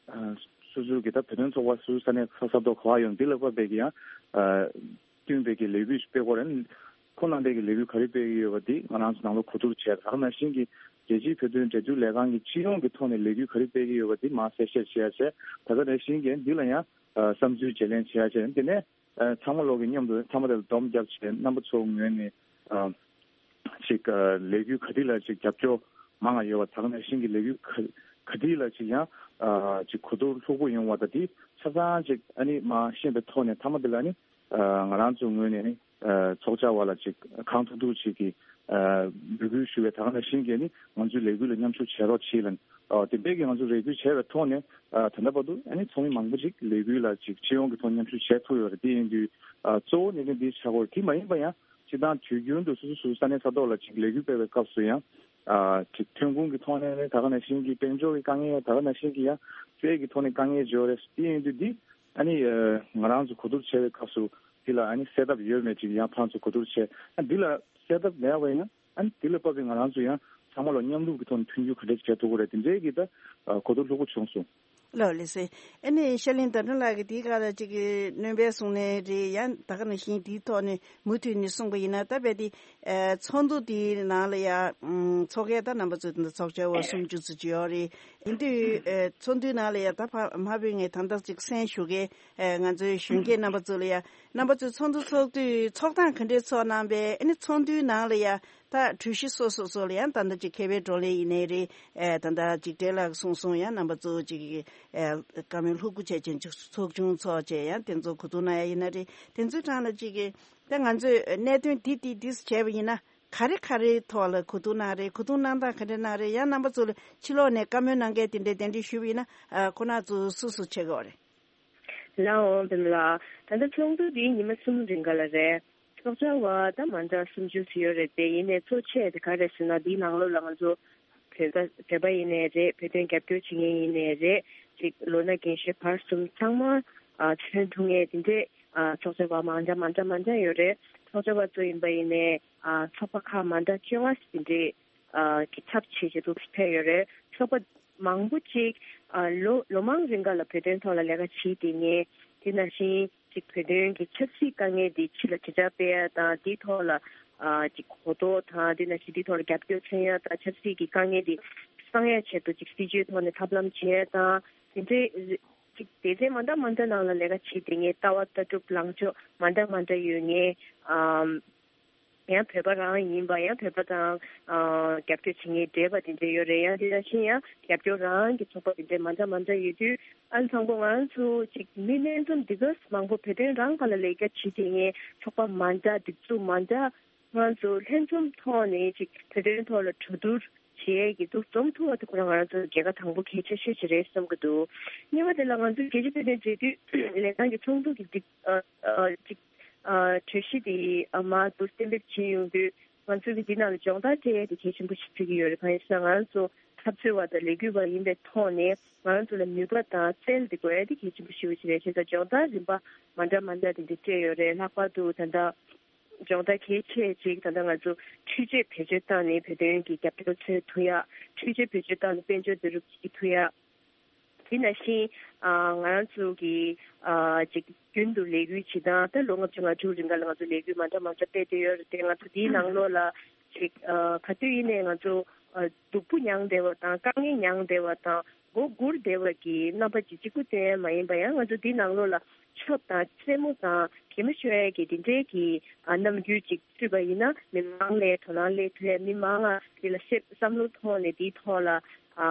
ཨ་ སོ་སོའི་གི་ད་བོད་དོན་ཚོགས་པ་སོ་སོའི་ས་གནས་ས་ས་ཐོག་ག་བ་ཡོང་འདི་ལ་དཔག་པའི་གི་ཡང་ཨ་བསྟུན་པའི་གི་ལས་འགུལ་ཞིག་སྤེལ་དགོས་རེད། ཁོང་རྣམ་པས་ཀྱི་ལས་འགུལ་ག་རེ་སྤེལ་གྱི་ཡོད་པ་འདི་ང་རང་ཚོ་ནང་ལོགས་གོ་བསྡུར་བྱས། ད་ག་ནང་བཞིན་གྱི་རྒྱལ་སྤྱིའི་བོད་དོན་འབྲེལ་མཐུད་ལས་ཁང་གི་སྤྱི་ཡོངས་ཀྱི་ཐོག་ནས་ལས་འགུལ་ག་རེ་སྤེལ་གྱི་ཡོད་པ་འདི་མར་གསལ་བཤད་བྱེད་ཡ་བྱས། ད་ག་ནང་བཞིན་གྱི་འདི་ལ་ཡང་ཨ་བསམ་ཚུལ་བརྗེ་ལེན་བྱེད་ཡ་བྱས། དེ་ནས་ཨ་ཚང་མ་ལོག་གི་མཉམ་དུ་ཚང་མ་དེ་ལ་སྡོམ་རྒྱབ་བྱས། རྣམ་པ་ཚོའི་ངོས་ནས་ཨ་ཅིག་ཨ་ལས་འགུལ་ག་དེ་ལ་ཅིག་རྒྱབ་སྐྱོར་མང་བ་ཡོད་པ། ད་ག་ནང་བཞིན་གྱི་ལས་འགུལ་ག་ག་དེ་ལ་ཅིག་ཡང་ཨ་ཅིག་གོ་བསྡུར་ལྷུག་པོ་ཡོང་བ་དང་། དེ་ཆ་ཚང་ཅིག་ཨ་ནི་མར་ཤེས་པའི་ཐོག་ནས་མཐའ་མ་དེ་ལ་ཨ་ནི་ཨ་ང་རང་ཚོའི་ངོས་ནས་ནི་ཨ་ཚོགས་བཅར་བ་ལ་ཅིག་གང་ཐུབ་ཐུབ་ཅིག་གིས་ཨ་འབོད་སྐུལ་ཞུ་བའི། ད་ག་ནང་བཞིན་གྱི་ནི་ང་ཚོའི་ལས་འགུལ་ལ་མཉམ་ཞུགས་བྱེད་རོགས་བྱེད་ལབ། ཨ་དེ་འདྲའི་གི་ང་ཚོ་རེ་སྐུལ་བྱས་པའི་ཐོག་ནས་ཨ་ད་ལྟ་བར་དུ་ཨ་ནི་ཚོགས་མི་མང་པོ་ཅིག་ལས་འགུལ་ལ་ཅིག་སྤྱི་ཡོངས་ཀྱི་ཐོག་མཉམ་ཞུགས་བྱས་ཐུབ་ཡོད་རེད། དེ་ཡིན་དུས་ཨ་གཙོ་བོ་གནད་དོན་འདི་ཆགས་ཀྱི་ཡོད་རེད། དེ་མ་ཡིན་པ་ཡང་སྤྱིར་བཏང་དུས་རྒྱུན་དུ་སོ་སོ་སོ་སོའི་ས་གནས་ས་ཐོག་ལ་ཅིག་ལས་འགུལ་སྤེལ་བའི་སྐབས་སུ་ཡང་ཨ་ཅིག་ཐོན་ཁུངས་ཀྱི་ཐོག་ནས་ནི་ད་ག་ནང་བཞིན་གྱི་དཔལ་འབྱོར་གྱི་དཀའ་ངལ། ད་ག་ནང་བཞིན་གྱི་ཡང་སྤྱོད་ཡག་གི་ཐོག་ནས་དཀའ་ངལ་ཅིག་ཡོད་རེད། དེ་ཡིན་དུས་འདི་ཨ་ནི་ཨ་ང་རང་ཚོ་གོ་བསྡུར་བྱས་པའི་སྐབས་སུ་འདི་ལ་ཨ་ནི་སེལ་ཐབས་ཡོད་མེད་ཅིག་ཡང་ཕར་ཚུར་གོ་བསྡུར་བྱས། ཨ་འདི་ལ་སེལ་ཐབས་མེད་པ་ཡང་ཨ་ནི་འདི་ལ་བབས་པའི་ང་རང་ཚོ་ཡང་ཚང་མ་ལ་མཉམ་རུབ་ཀྱི་ཐོག་ནས་མཐུན་འགྱུར་ག་འདྲས་བྱེད་ཐུབ་ཀྱི་རེད། དེ་འདྲའི་གི་ད་ཨ་གོ་བསྡུར་ལྷུག་པོ་བྱུང་སོང་། ལགས་ལགས་སེ། ཨ་ནི་ཤར་གླིང་ཟླ་སྒྲོན་ལགས་ཀྱིས་དེའི་སྒང་ལ་ཅིག་གི་སྣོན་པ་གསུངས་ནའི་རེད། ཡང་ད་ག་ནང་བཞིན་དེའི་ཐོག་ནས་མུ་མཐུད་ནས་གསུངས་པ་ཡིན་ན། ད་རྦད་དེ་ཨ་ཚོགས་འདུ་དེའི་ནང་ལ་ཡང་ཚོགས་མཁན་ད་རྣམ་པ་ཚོ་དེ་འདྲ་ཚོགས་བཅར་བ་སུམ་ཅུ་ཙམ་ཅིག་ཡོད་རེད། ཡིན་དུས་ཨ་ཚོགས་འདུའི་ནང་ལ་ཡང་ད་ཕ་མ་ཕུད་ངས་ད་ལྟ་ཅིག་གསན་ཞུ་མཁན་ཨ་ང་ཚོའི་གཞོན་སྐྱེས་རྣམ་པ་ཚོ་ལ་ཡང་། རྣམ་པ་ཚོས་ཚོགས་འདུ་ཚོགས་དུས་ཚོགས་སྟངས་ག་འདྲས་ཚོགས་གནང་པས། ཨ་ནི་ཚོགས་འདུའི་ནང་ལ་ཡང་ད་གྲོས་གཞི་སོ་སོ་སོ་ལ་ཡང་ད་ལྟ་ཅིག་མཁས་པའི་བགྲོ་གླེང་ཡིན་ནའི་རེད། ཨ་ད་ལྟ་འཇིགས་བྲལ་ལགས་གསུངས་སོང་། ཡང་རྣམ་པ་ཚོ་ཅིག་ཨ་བཀའ་མོལ་ལྷུག་པོ་བྱས་ཅན་ཅིག་ཚོགས་ཆུང་ཚོགས་བྱས་ཡང་དེ་ཚོ་གོ་བསྡུར་གནང་ཡ་ཡིན་ན་རེད། དེ་ཚོའི་གྲས་ལ་ཅིག་གི་ད་ང་ཚོས་གནད་དོན་འདི་འདི་འདི་བྱས་པ་ཡིན་ན་ག་རེ་ག་རེའི་ཐོག་ལ་གོ་བསྡུར་གནང་རེད། གོ་བསྡུར་གནང་སྟངས་ག་འདྲ་གནང་རེད། ཡང་རྣམ་པ་ཚོ་ལ་ཕྱི་ལོགས་ནས་བཀའ་མོལ་གནང་མཁན་དེ་འདྲས་གདན་འདྲེན་ཞུས་པ་ཡིན་ན་ཨ་ཁོང་རྣམ་ཚོ་སུ་སུ་བྱེད་དགོས་རེད། ལགས་འོང་། བདེ་མོ་ལགས། ད་ལྟ་ཚོགས་འདུ་འདི་ཉི་མ་གསུམ་རིང་ག་ལ་རེད། ཚོགས་བཅར་བ་ད་མ་འདྲ་སུམ་ཅུ་ཙམ་ཡོད་རེད་དེ། ཡིན་ནའི་གཙོ་ཆེ་དེ་ག་རེ་ཟེར་ན་འདིའི་ནང་ལོགས་ལ་ང་ཚོ་བོད་པ་བོད་པ་ཡིན་ནའི་རེད། བོད་དོན་རྒྱབ་སྐྱོར་བྱེད་མཁན་ཡིན་ནའི་རེད། ཅིག་ལོ་ན་རྒན་གཞོན་བར་གསུམ་ཚང་མ་ཨ་ཐོན་ཐུབ་མཁན་དེ་འདྲས་ཨ་ཚོགས་བཅར་བ་མ་འདྲ་མ་འདྲ་མ་འདྲ་ཡོད་རེད། ཚོགས་བཅར་བ་ཚོ་ཡིན་པ་ཡིན་ནའི་ཨ་ཚོགས་པ་ཁག་མ་འདྲ་བཅོ་ལྔ་ཙམ་དེ་འདྲས་ཨ་གི་ཚབ་བྱེད་བྱེད་དུ་ཕེབས་ཡོད་རེད། ཚོགས་པ་མང་པོ་ཅིག་ཨ་ལོ་ལོ་མང་རིང་ག་ལ་བོད་དོན་ཐོག་ལ་ལས་ཀ་བྱེད་བསྡད་མཁན། དེ་ནང་བཞིན་ཅིག་བོད་དོན་གྱི་ཆབ་སྲིད་དཀའ་ངལ་འདི་ཕྱི་ལ་དྲིལ་བསྒྲགས་སྤེལ་ཡ་དང་། འདིའི་ཐོག་ལ་ཨ་ཅིག་གོ་རྟོགས་དང་། དེ་ནང་བཞིན་འདིའི་ཐོག་ལ་རྒྱབ་སྐྱོར་མཚོན་ཡ་དང་། ཆབ་སྲིད་ཀྱི་དཀའ་ངལ་འདི་སངས་ཡ་ཆེད་དུ་ཅིག་སྲིད་བྱུས་ཐོག་ནས་ཐབས་ལམ་བྱེད་ཡ་དང་། དེ་འདྲའི་ཅིག་སྡེ་ཚན་མ་འདྲ་མ་འདྲ་ནང་ལ་ལས་ཀ་བྱེད་བསྡད་མཁན། ལྟ་བ་ལྟ་གྲུབ་ལངས་ཕྱོགས་མ་འདྲ་མ་འདྲ་ཡོད་མཁན། ཨམ། ཡང་བོད་པ་རང་ཡིན་པ། ཡང་བོད་པ་དང་ཨ་རྒྱབ་སྐྱོར་བྱེད་མཁན་བགྲེས་པ་དེ་འདྲ་ཡོད་རེད། ཡང་དེ་ནང་བཞིན་ཡང་རྒྱབ་སྐྱོར་རང་གི་ཚོགས་པ་དེ་འདྲ་མ་འདྲ་མ་འདྲ་ཡོད་དུས། ཨ་ནི་དང་པོ་ང་རང་ཚོ་ཅིག་མི་ལྷན་འཛོམས་འདི་ག་མང་པོ་བོད་དོན་རང་སྒང་ལ་ལས་ཀ་བྱེད་བསྡད་མཁན་ཚོགས་པ་མ་འདྲ་སྒྲིག་འཛུགས་མ་འདྲ། ང་ཚོ་ལྷན་འཛོམས་ཐོག་ནས་ཅིག་བོད་དོན་ཐོག་ལ་གྲོས་བསྡུར་བྱེད་ཡས་ཀྱི་འདུ་འཛོམས་ཐུབ་པ་དེ་ཁོ་རང་ང་རང་ཚོ་རྒྱལ་ཁ་དང་པོ་གལ་ཆེ་ཤོས་ཅིག་རེད་བསམ་གྱི་འདུག་གཉིས་པ་དེ་ལ་ང་ཚོ་རྒྱལ་སྤྱིའི་བོད་དོན་འབྲེལ་མཐུད་ལས་ཁང་གི་ཚོགས་འདུ་གི་སྒྲིག་ཨ་ཨ་ཅིག་ཨ་གྲོས་གཞི་དེ་ཨ་མར་འདུག་གཏན་འབེབས་བྱས་ཡོང་དུས། ང་ཚོ་གི་འདི་ནང་ལ་སྦྱོང་བརྡར་སྤྲད་ཡས་དེ་གལ་ཆེན་པོ་ཞིག་ཆགས་ཀྱི་ཡོད་རེད། གང་ཡིན་ཟེར་ན་ང་རང་ཚོ་འཐབ་རྩོད་པ་དང་ལས་འགུལ་བ་ཡིན་པའི་ཐོག་ནས་ང་རང་ཚོ་ལ་ནུས་པ་དང་རྩལ་དེ་དགོས་ཡས་དེ་གལ་ཆེན་པོ་ཞེ་པོ་ཅིག་རེད། བྱས་ཙང་སྦྱོང་བརྡར་རིམ་པ་མ་འདྲ་མ་འདྲ་དེ་འདྲ་སྤྲད་ཡོད་རེད། ལྷག་པར་དུ་ད་ལྟ་སྦྱོང་བརྡར་གལ་ཆེ་ཅིག་ད་ལྟ་ང་ཚོ་འཕྲུལ་ཆས་བེད་སྤྱོད་བཏང་ནས་བོད་དོན་གྱི་རྒྱབ་སྐྱོར་འཚོལ་ཐུབ་ཡ། འཕྲུལ་ཆས་བེད་སྤྱོད་བཏང་ནས་དཔལ་འབྱོར་བསྡུ་རུབ་བྱེད་ཐུབ་ཡ། དེ་ནང་བཞིན་ཨ་ང་རང་ཚོ་གི་ཨ་ཅིག་རྒྱུན་དུ་ལས་འགུལ་བྱེད་སྟངས། ད་ལོ་ལྔ་བཅུ་ང་དྲུག་རིང་ག་ལ་ང་ཚོ་ལས་འགུལ་མ་འདྲ་མ་འདྲ་སྤེལ་བསྡད་ཡོད་རེད་དེ། ང་ཚོ་དེའི་ནང་ལོགས་ལ་ཅིག་ཨ་ག་དུས་ཡིན་ནའི་ང་ཚོ་ཨ་སྡུག་པོ་མྱངས་བསྡད་པ་དང་། དཀའ་ངལ་མྱངས་བསྡད་པ་དང་། མགོ་སྒུར་བསྡད་པ་གི་རྣམ་པ་ཅིག་གཅིག་པུ་ཙམ་མ་ཡིན་པ། ཡང་ང་ཚོ་དེའི་ནང་ལོགས་ལ་ཆོབ་དང་རྩེད་མོ་དང་གད་མོ་ཤོར་ཡས་ཀྱི་དེ་འདྲའི་གི་ཨ་རྣམ་འགྱུར་ཅིག་ཚུད་པ་ཡིན་ན། མི་མང་ལ་དོ་སྣང་སླེབས་ཐུབ་ཡ། མི་མང་ང་དེ་ལ་ཤེས་བསམ་བློ་ཐོག་ནས་དེའི་ཐོག་ལ་ཨ་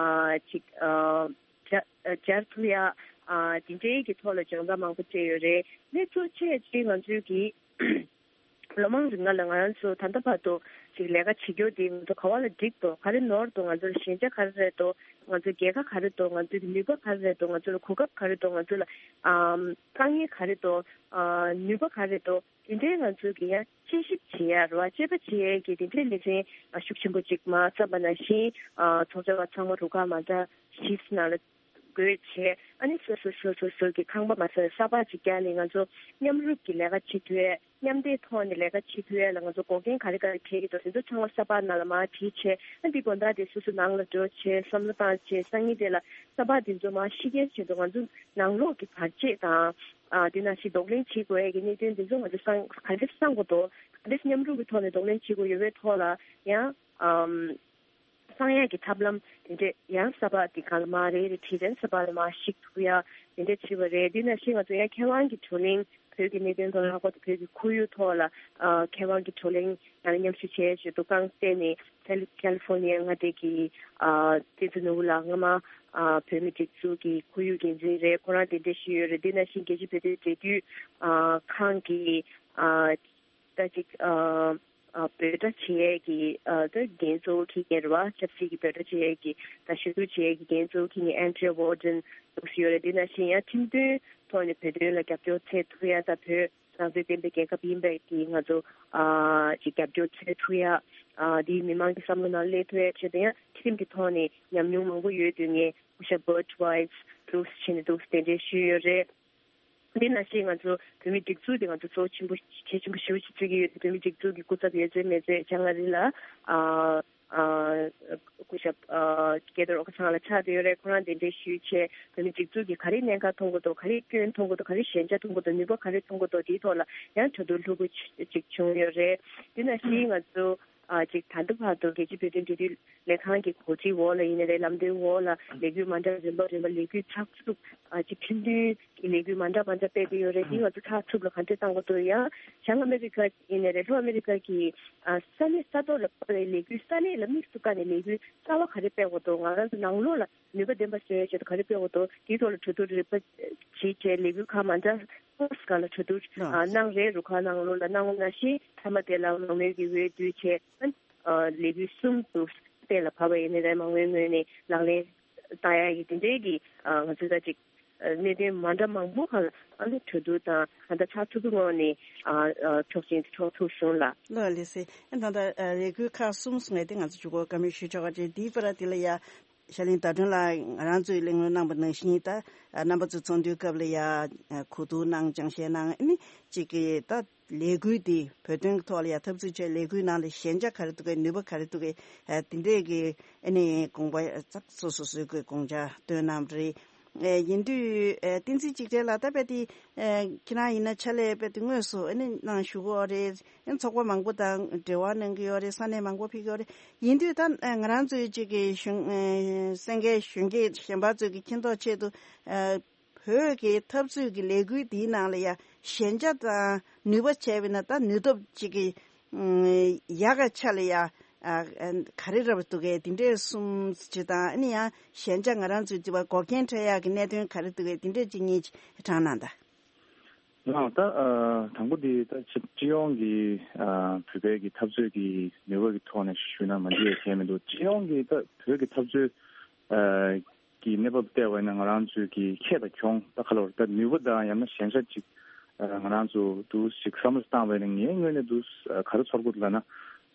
ཅིག་ཨ། སྦྱར་སྦྱར་ཐུབ་ཡ། ཨ་དེ་འདྲའི་གི་ཐོག་ལ་སྦྱོང་བརྡར་མང་པོ་སྤྲད་ཡོད་རེད། ལས་གཙོ་ཆེ་ཅིག་ང་ཚོའི་གི་ལོ་མང་རིང་ལ་ང་རང་ཚོ་ད་ལྟ་བར་དུ་ཅིག་ལས་ཀ་བྱེད་རྒྱུ་དེ་ང་ཚོ་ག་བ་ལ་འགྲིག་འདུག་ག་རེ་ནོར་འདུག་ང་ཚོ་ལ་ཞན་ཆ་ག་རེ་རེད་འདུག་ང་ཚོ་རྒྱལ་ཁ་ག་རེ་འདུག་ང་ཚོའི་གི་ནུས་པ་ག་རེ་རེད་འདུག་ང་ཚོ་ལ་གོ་སྐབས་ག་རེ་འདུག་ང་ཚོ་ལ་ཨམ་དཀའ་ངལ་ག་རེ་འདུག་ཨ་ནུས་པ་ག་རེ་འདུག་དེ་འདྲའི་ང་ཚོ་གི་ཡང་དཔྱད་ཞིབ་བྱེད་ཡ་རེད་བ། དཔྱད་པ་བྱེད་ཡས་ཀྱི་དེ་འདྲའི་ལེ་ཚན་ཤུགས་ཆེན་པོ་ཅིག་མ་བརྩམས་པ་ནང་བཞིན། ཨ་ཚོགས་བཅར་བ་ཚང་མ་རུ་ཁག་མ་འདྲ་བཞི་ནང་ལ་བགོས་བྱས། ཨ་ནི་སོ་སོ་སོ་སོ་སོ་གི་ཁང་པ་མ་ཟ་བའི་ས་ཕག་ཅིག་བརྒྱབ་ནས་ང་ཚོ་མཉམ་རུབ་ཀྱི་ལས་ཀ་བྱེད་ཐུབ་ཡས་ མཉམ་འདེགས་ཐོག་ནས་ལས་ཀ་བྱེད་ཐུབ་ཡ་ལ་ང་ཚོ་འགོག་རྐྱེན་ག་རེ་ག་རེ་འཕྲད་ཀྱི་འདུག་དེ་ཚོ་ཚང་མ་ས་པ་ནང་ལ་མར་བྲིས་བྱས། ཨ་འདི་དགོན་བདག་དེ་སོ་སོ་ནང་ལ་འགྲོ་བྱས་བསམ་བློ་བཏང་བྱས། སང་ཉིན་དེ་ལ་ས་པ་དེ་ཚོ་མར་ཤི་རྐྱེན་བྱེད་དུས་ང་ཚོ་ནང་ལོགས་ཀྱི་བར་ཆད་དང་། ཨ་དེ་ནང་བཞིན་གདོང་ལེན་བྱེད་དགོས་ཡ་གི་གནད་དོན་དེ་ཚོ་ང་ཚོ་སང་ག་འདྲས་སང་དགོས་འདུག་ག་འདྲས་མཉམ་རུབ་ཀྱི་ཐོག་ནས་གདོང་ལེན་བྱེད་དགོས་ཡོད་པའི་ཐོག་ལ་ཡང་། ཨམ། གསང་ཡག་གི་ཐབས་ལམ་དེ་འདྲས་ཡང་ས་པ་དེ་ག་ལ་མ་རེ་རེ་བྲིས་ཙང་ས་པ་ལ་མ་ཞིག་ཐུག་ཡ་དེ་འདྲས་བྱས་པ་རེད། དེ་ནང་བཞིན་ང་ཚོ་ཡང་མཁས་དབང་གི་བགྲོ་གླེང་། བོད་ཀྱི་གནད་དོན་ཐོག་ལ་ལྷག་པར་དུ་བོད་ཀྱི་ཁོར་ཡུག་ཐོག་ལ་ཨ་མཁས་དབང་གི་བགྲོ་གླེང་ཡང་མཉམ་ཞུགས་བྱས་བྱས་འདུག་རྐང་སྟེང་ནས་ཁལ་ཁལ་ལི་ཧྥོར་ནི་ཡ་མངའ་སྡེ་གི་ཨ་བསྟན་འཛིན་ནོར་བུ་ལགས་སྔ་མ་ཨ་བོད་མི་སྒྲིག་འཛུགས་ཀྱི་ཁོར་ཡུག་འགན་འཛིན་རེད། ཁོ་རང་དེ་འདྲས་ཞུས་ཡོད་རེད། དེ་ནང་བཞིན་རྒྱལ་སྤྱིའི་བོད་དོན་འབྲེལ་མཐུད་ཨ་ཁང་གི་ཨ། ད་ཅིག་ཨ་ཨ་འབོད་སྒྲ་བྱེད་ཡས་ཀྱི་ཨ་ད་འགན་གཙོ་བོ་འཁྱེར་མཁན་རེད་བ། ཆབ་སྲིད་ཀྱི་འབོད་སྒྲ་བྱེད་ཡས་ཀྱི་ད་ཞུ་གཏུག་བྱེད་ཡས་ཀྱི་འགན་གཙོ་བོ་འཁྱེར་མཁན་ཨན་ཌི་རི་ཡ་ཝོར་ཌེན་འདུག་སེ་ཡོད་རེད། དེ་ནང་བཞིན་ཡང་ཁྲིམས་དོན་ཐོག་ནས་བོད་དོན་ལ་རྒྱབ་སྐྱོར་འཚོལ་ཐུབ་ཡ། ད་བོད་རང་བཙན་ལྡན་པའི་རྒྱལ་ཁབ་ཡིན་པའི་གི་ང་ཚོ་ཨ་ཅིག་རྒྱབ་སྐྱོར་འཚོལ་ཐུབ་ཡ། ཨ་དེའི་མི་མང་གི་བསམ་བློ་ནང་སླེབས་ཐུབ་ཡ་ཆེད་དུ་ཡང་ཁྲིམས་ཀྱི་ཐོག་ནས་ཉམས་མྱོང་མང་པོ་ཡོད་དུས་ངས་སྐུ་ཞབས་བར་ཊི་ཝའི་སི་འདུག་སེ་བྱས་ནས་འདུག་སེ་དེ་འདྲའི་ཞུས་ཡོད་རེད། འདི་ནང་བཞིན་ང་ཚོ་བོད་མི་སྒྲིག་འཛུགས་དེ་ང་ཚོ་གཙོ་བོ་ཆེན་པོ་གལ་ཆེན་པོ་ཞེ་པོ་ཅིག་བརྩི་གི་ཡོད་དེ། བོད་མི་སྒྲིག་འཛུགས་ཀྱི་སྐུ་ཚབ་འོད་ཟེར་མེ་བཙའ་ལྕང་ང་རི་ལགས་ཨ་ཨ་སྐུ་ཞབས་ཨ་སྐལ་རྡོར་ཨོ་ཁ་ཚང་ལགས་ཆགས་བསྡད་ཡོད་རེད། ཁོ་རང་གདན་འདྲེན་ཞུས་བྱས་བོད་མི་སྒྲིག་འཛུགས་ཀྱིས་ག་རེ་གནད་འགག་མཐོང་གི་འདུག་ག་རེ་སྐྱོན་མཐོང་གི་འདུག་ག་རེ་ཞན་ཆ་མཐོང་གི་འདུག་ནུས་པ་ག་རེ་མཐོང་གི་འདུག་དེའི་ཐོག་ལ་ཡང་གྲོས་བསྡུར་ལྷུག་པོ་ཅིག་བྱུང་ཡོད་རེད། འདི་ནང་བཞིན་ང་ཚོ། ཨ་ཅིག་ད་ལྟ་བར་དུ་རྒྱལ་སྤྱིའི་བོད་དོན་འབྲེལ་མཐུད་ལས་ཁང་གི་གོ་སྒྲིག་འོག་ལ་ཡིན་ནའི་རེད། ལམ་སྟོན་འོག་ལ་ལས་འགུལ་མ་འདྲ་རིམ་པ་རིམ་པ་ལས་འགུལ་ཚགས་ཚུད། ཨ་ཅིག་ཁྲིམས་མཐུན་གྱི་ལས་འགུལ་མ་འདྲ་མ་འདྲ་སྤེལ་གྱི་ཡོད་རེད། དེ་ང་ཚོ་ཚགས་ཚུད་ལ་ག་འདྲས་བཏང་དགོས་འདུག་ཡང་བྱང་ཨ་མེ་རི་ཀ་ཡིན་ནའི་རེད། ལྷོ་ཨ་མེ་རི་ཀ་གི་ཨ་ས་གནས་ས་ཐོག་ལ་ཕར་བའི་ལས་འགུལ་ས་གནས་ལ་དམིགས་སུ་བཀར་ནས་ལས་འགུལ་རྩ་བ་ག་རེ་སྤེལ་དགོས་འདུག་ང་རང་ཚོ་ནང་ལོགས་ལ་ནུས་པ་ལྡན་པ་བཟོ་ཡའི་ཆེད་དུ་ག་རེ་སྤེལ་དགོས་འདུག་དེའི་ཐོག་ལ་གྲོས་བསྡུར་རིམ་པ་བྱེད་བྱས་ལས་འགུལ་ཁག་མ་འདྲ་ཁག་ལ་གྲོས་བསྡུར་ཨ་གནང་རེད། རུ་ཁག་ནང་ལོགས་ལ་གནང་བ་ནང་བཞིན་མཐའ་མ་དེ་ལ་མང་མོས་ཀྱི་འོས་བསྡུ་བྱས། ཨ་ལས་འགུལ་གསུམ་དུ་གཏན་ལ་ཕབ་པ་ཡིན་ནའི་རེད། མང་མོས་ངོས་ནས་ལག་ལེན་བསྟར་ཡ་གི་དེ་འདྲའི་གི་ཨ་ང་ཚོས་ད་ཅིག་ཨ་གནད་དོན་མ་འདྲ་མང་པོ་ཁག་ལ་ཨ་ནི་གྲོས་བསྡུར་དང་ད་ལྟ་ཚགས་ཚུད་པོའི་ངང་ནས་ཨ་ཨ་ཆོག་མཆན་དེ་འཕྲོག་ཐུབ་སོང་ལ། ལགས་ལགས་སེ། ཨ་ད་ལྟ་ཨ་ལས་འགུལ་ཁག་གསུམ་གསུངས་ཡ་དེ་ང་ཚོ་མཇུག་གོ་བཀའ་མོལ་ཞུ་ཆོག་ག་ཅེས། དེའི་བར་དེ་ལ་ཡ། ཤར་གླིང་ཟླ་སྒྲོན་ལགས་ང་རང་ཚོས་གླེང་སློང་གནང་པ་ནང་བཞིན་ད་རྣམ་པ་ཚོ་ཚོགས་འདུའི་སྐབས་ལ་ཡ་གོ་བསྡུར་གནང་། སྦྱང་བཤད་གནང་། ཨ་ནི་གཅིག་གི་ད་ལས་འགུལ་འདི་བོད་དོན་གྱི་ཐོག་ལ་ཡ་འཐབ་རྩོད་བྱས་ལས་འགུལ་ནང་ལ་ཞན་ཆ་ག་རེ་འདུག་གས། ནུས་པ་ག་རེ་འདུག་གས། ཨ་དེ་འདྲས་ཀྱི་ཨ་ནི་དགོངས་པ་ཙག་སོ་སོ་སོའི་གི་དགོངས་འཆར་བཏོན་གནང་བ་རེད། ཨ་ཡིན་དུས་ཨ་བསྟན་འཛིན་གཅིག་སྒྲིལ་ལགས་ད་དཔེ་དེ་ཨ་ཁྱེད་རང་ཡིན་ན་ཕྱག་ལས་དཔེ་དེ་དངོས་སུ་ཨ་ནི་གནང་བཞུགས་ཀྱི་ཡོད་རེད། ཚོགས་པ་མང་པོ་དང་འབྲེལ་བ་གནང་གི་ཡོད་རེད། ས་གནས་མང་པོ་ཕེབས་ཀྱི་ཡོད་རེད། ཡིན་དུས་ད་ང་རང་ཚོའི་གཅིག་གི་གཞོན་གསན་མཁན་གཞོན་སྐྱེས་གཞན་པ་ཚོས་ཀྱི་མཁྱེན་རྟོགས་ཆེད་དུ་བོད་ཀྱི་འཐབ་རྩོད་ཀྱི་ལས་འགུལ་འདིའི་ནང་ལ་ཡ་ཞན་ཆ་དང་ནུས་པ་བྱས་པ་ཡིན་ན་ད་ནུས་སྟོབས་གཅིག་གི་ཡག་ག་ཆ་ལ་ཡ་ག་རེ་རབ་འདུག་གས། འདི་འདྲས་གསུམ་ཅིག་དང་ཨ་ནི་ཡང་ཞན་ཆ་ང་རང་ཚོའི་འདི་བ་འགོག་རྐྱེན་འཕྲད་ཡག་གི་གནད་དོན་ག་རེ་འདུག་གས། འདི་འདྲས་གཅིག་གཉིས་ཅིག་དྲངས་གནང་དང་། ལགས་ད་ཨ་དང་པོ་འདི་ད་སྤྱི་སྤྱི་ཡོངས་ཀྱི་ཨ་བོད་པའི་གི་འཐབ་རྩོད་ཀྱི་ནུས་པ་གི་ཐོག་ནས་ཞུས་ན་མ་འགྲིག་ཡ་གང་མི་འདུག་སྤྱི་ཡོངས་ཀྱི་ད་བོད་ཀྱི་འཐབ་རྩོད་ཨ་གི་གནས་བབ་བལྟས་པ་ཡིན་ན་ང་རང་ཚོའི་གི་ཁྱད་དང་གྱོང་ད་ག་ལ་བར་ད་ནུས་པ་དང་ཡང་ན་ཞན་ཆ་ཅིག་ཨ་ང་རང་ཚོ་འདུག་ཅིག་བསམ་བློ་བཏང་བ་ཡིན་ན་ངའི་ངོས་ནས་འདུག་ཨ་ག་རེ་ཚོར་གི་འདུག་ལབ་ན།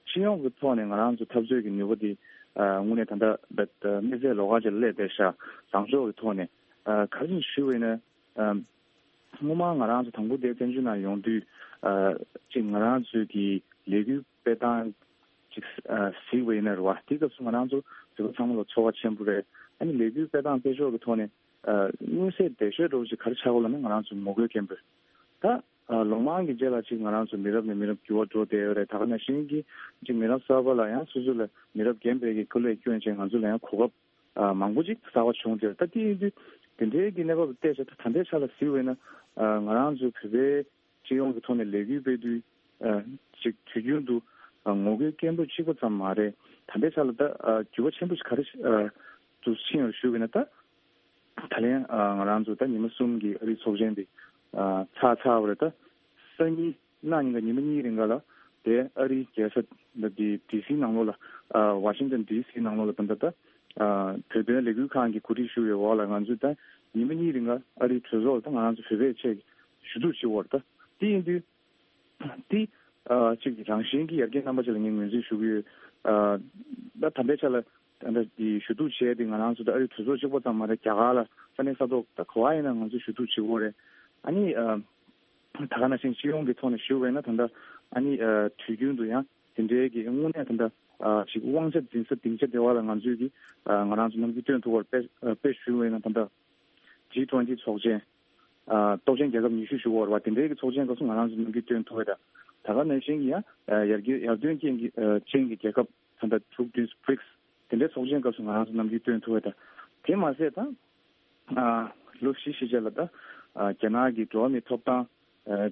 སྤྱི་ཡོངས་ཀྱི་ཐོག་ནས་ང་རང་ཚོ་འཐབ་རྩོད་ཀྱི་ནུས་པ་འདི་ཨ་དངོས་གནས་ད་ལྟ་ད་ད་དམིགས་བསལ་ལོགས་ཀ་ཅིག་ལ་སླེབས་བསྡད་ཤག་བཟང་ཕྱོགས་ཀྱི་ཐོག་ནས་ཨ་ག་རེ་ཞུ་བ་ཡིན་ན་ཨ། སྔོན་མ་ང་རང་ཚོ་དང་པོ་དེ་བཙན་བྱོལ་ནང་ཡོང་དུས་ཨ་ཅིག་ང་རང་ཚོའི་གི་ལས་འགུལ་སྤེལ་སྟངས་ཅིག་ཨ་གཟིགས་པ་ཡིན་ན་རེད་བ། དེ་སྐབས་སུ་ང་རང་ཚོ་བོད་པ་ཚང་མ་ལ་ཚོར་བ་ཆེན་པོ་རེད། ཨ་ནི་ལས་འགུལ་སྤེལ་སྟངས་སྤེལ་ཕྱོགས་ཀྱི་ཐོག་ནས་ཨ་མངོན་གསལ་འགྲེལ་བཤད་འདྲ་བོ་ཅིག་ག་རེ་ཆགས་ཀྱི་ཡོད་ལབ་ན་ང་རང་ཚོ་ངོ་རྒོལ་སྐད་འབོད། ད་ཨ་ལོ་མང་གི་རྗེས་ལ་ཅིག་ང་རང་ཚོ་མི་རབས་ནས་མི་རབས་འགྱུར་བ་འགྲོ་བསྡད་ཡོད་རེད། ད་ག་ནང་བཞིན་གྱི་ཅིག་མི་རབས་གསར་པ་ལ་ཡང་སོ་སོ་ལ་མི་རབས་རྒན་པའི་གི་སྐུ་ལས་བསྐྱོན་བྱས་ང་ཚོ་ལ་ཡང་གོ་སྐབས་ཨ་མང་པོ་ཅིག་གསར་པ་བྱུང་སྟེ། ད་དེ་ཡིན་དུས་དེ་འདྲའི་གི་གནས་བབ་བལྟས་ཚེ་ད་ད་ལྟའི་ཆ་ལ་གཟིགས་པ་ཡིན་ན་ཨ་ང་རང་ཚོ་བོད་པའི་སྤྱི་ཡོངས་ཀྱི་ཐོག་ནས་ལས་འགུལ་སྤེལ་དུས་ཨ་ཅིག་དུས་རྒྱུན་དུ་ཨ་ངོ་རྒོལ་སྐད་འབོད་གཅིག་པ་ཙམ་མ་རེད། ད་ལྟའི་ཆ་ལ་ད་ཨ་འགྱུར་བ་ཆེན་པོ་ཞིག་ག་རེ་ཨ་དུ་ཕྱིན་ཡོད་ཞུ་བ་ཡིན་ན། ད་ད་ལན་ཨ་ང་རང་ཚོ་ད་ཉི་མ་གསུམ་གྱི་ཨ་རིའི་ཚོགས་ཆེན་དེ་ཨ་ཚར་ཚར་བ་རེད། ད་སང་ཉིན་གནངས་ཉིན་ག་ཉི་མ་གཉིས་རིང་ག་ལ་དེ་ཨ་རིའི་རྒྱལ་ས་ད་དེ་ཌི་སི་ནང་ལོགས་ལ་ཨ་ཝ་ཤིང་ཊོན་ཌི་སི་ནང་ལོགས་ལ་ད་ད་ད་ཨ་བོད་དོན་ལས་འགུལ་ཁང་གི་གོ་སྒྲིག་ཞུ་བའི་འོག་ལ་ང་ཚོས་ད་ཉི་མ་གཉིས་རིང་ག་ཨ་རིའི་གྲོས་ཚོགས་ལ་ད་ང་རང་ཚོ་བོད་པའི་ཆེད་ཞུ་གཏུག་བྱེད་འོར། ད་དེ་ཡིན་དུས་དེ་ཨ་ཅིག་རང་བཞིན་གྱི་ཡར་རྒྱས་རྣམ་པ་ཅིག་ལ་ངས་ངོས་འཛིན་ཞུ་གི་ཡོད། ཨ་ད་ད་ལྟའི་ཆ་ལ་ད་ལྟ་དེ་ཞུ་གཏུག་བྱས་ཏེ་ང་རང་ཚོ་ད་ཨ་རིའི་གྲོས་ཚོགས་གཅིག་པོ་ཙམ་མ་རེད། རྒྱ་གར་ལ་ས་གནས་ས་ཐོག་ད་ག་བ་ཡིན་ན་ང་ཚོས་ཞུ་གཏུག་བྱེད་དགོས་རེད། ཨ་ནི་ཨ་ ད་ག་ནང་བཞིན་སྤྱི་ཡོངས་ཀྱི་ཐོག་ནས་ཞུ་བས་ན་ད་ལྟ་ཨ་ནི་དུས་རྒྱུན་དུ་ཡང་དེ་འདྲའི་གི་དངོས་གནས་ད་ལྟ་ཅིག་དབང་ཆ་འཛིན་ས་སྡིངས་ཆ་དེ་བ་ལ་ང་ཚོས་ཀྱི་ང་རང་ཚོ་ནམ་རྒྱུན་སྟོན་ཐུབ་པར་དཔེ་དཔེ་ཞུ་བས་ན་ད་ལྟ་ཇི་ཊུ་ཝེན་ཊི་ཚོགས་ཆེན། སྟོབས་ཆེན་རྒྱལ་ཁབ་ཉི་ཤུ་ཞུ་བར་བ་དེ་འདྲའི་གི་ཚོགས་ཆེན་སྐབས་སུ་ང་རང་ཚོ་ནམ་རྒྱུན་སྟོན་ཐུབ་པ་དང་། ད་ག་ནང་བཞིན་གྱི་ཡང་ཡར་རྒྱས་ཡར་ཐོན་ཅན་གྱི་ཅན་གྱི་རྒྱལ་ཁབ་ད་ལྟ་དྲུག་བདུན་བྷི་རིག་སི་དེ་འདྲའི་ཚོགས་ཆེན་སྐབས་སུ་ང་རང་ཚོ་ནམ་རྒྱུན་སྟོན་ཐུབ་པ་དང་། དེ་མ་ཟད་ད་ལོ་བཞི་ཕྱིན་ཆད་ལ་ད་རྒྱ་ནག་གི་འགྲོ་བ་མིའི་ཐོབ་ཐང་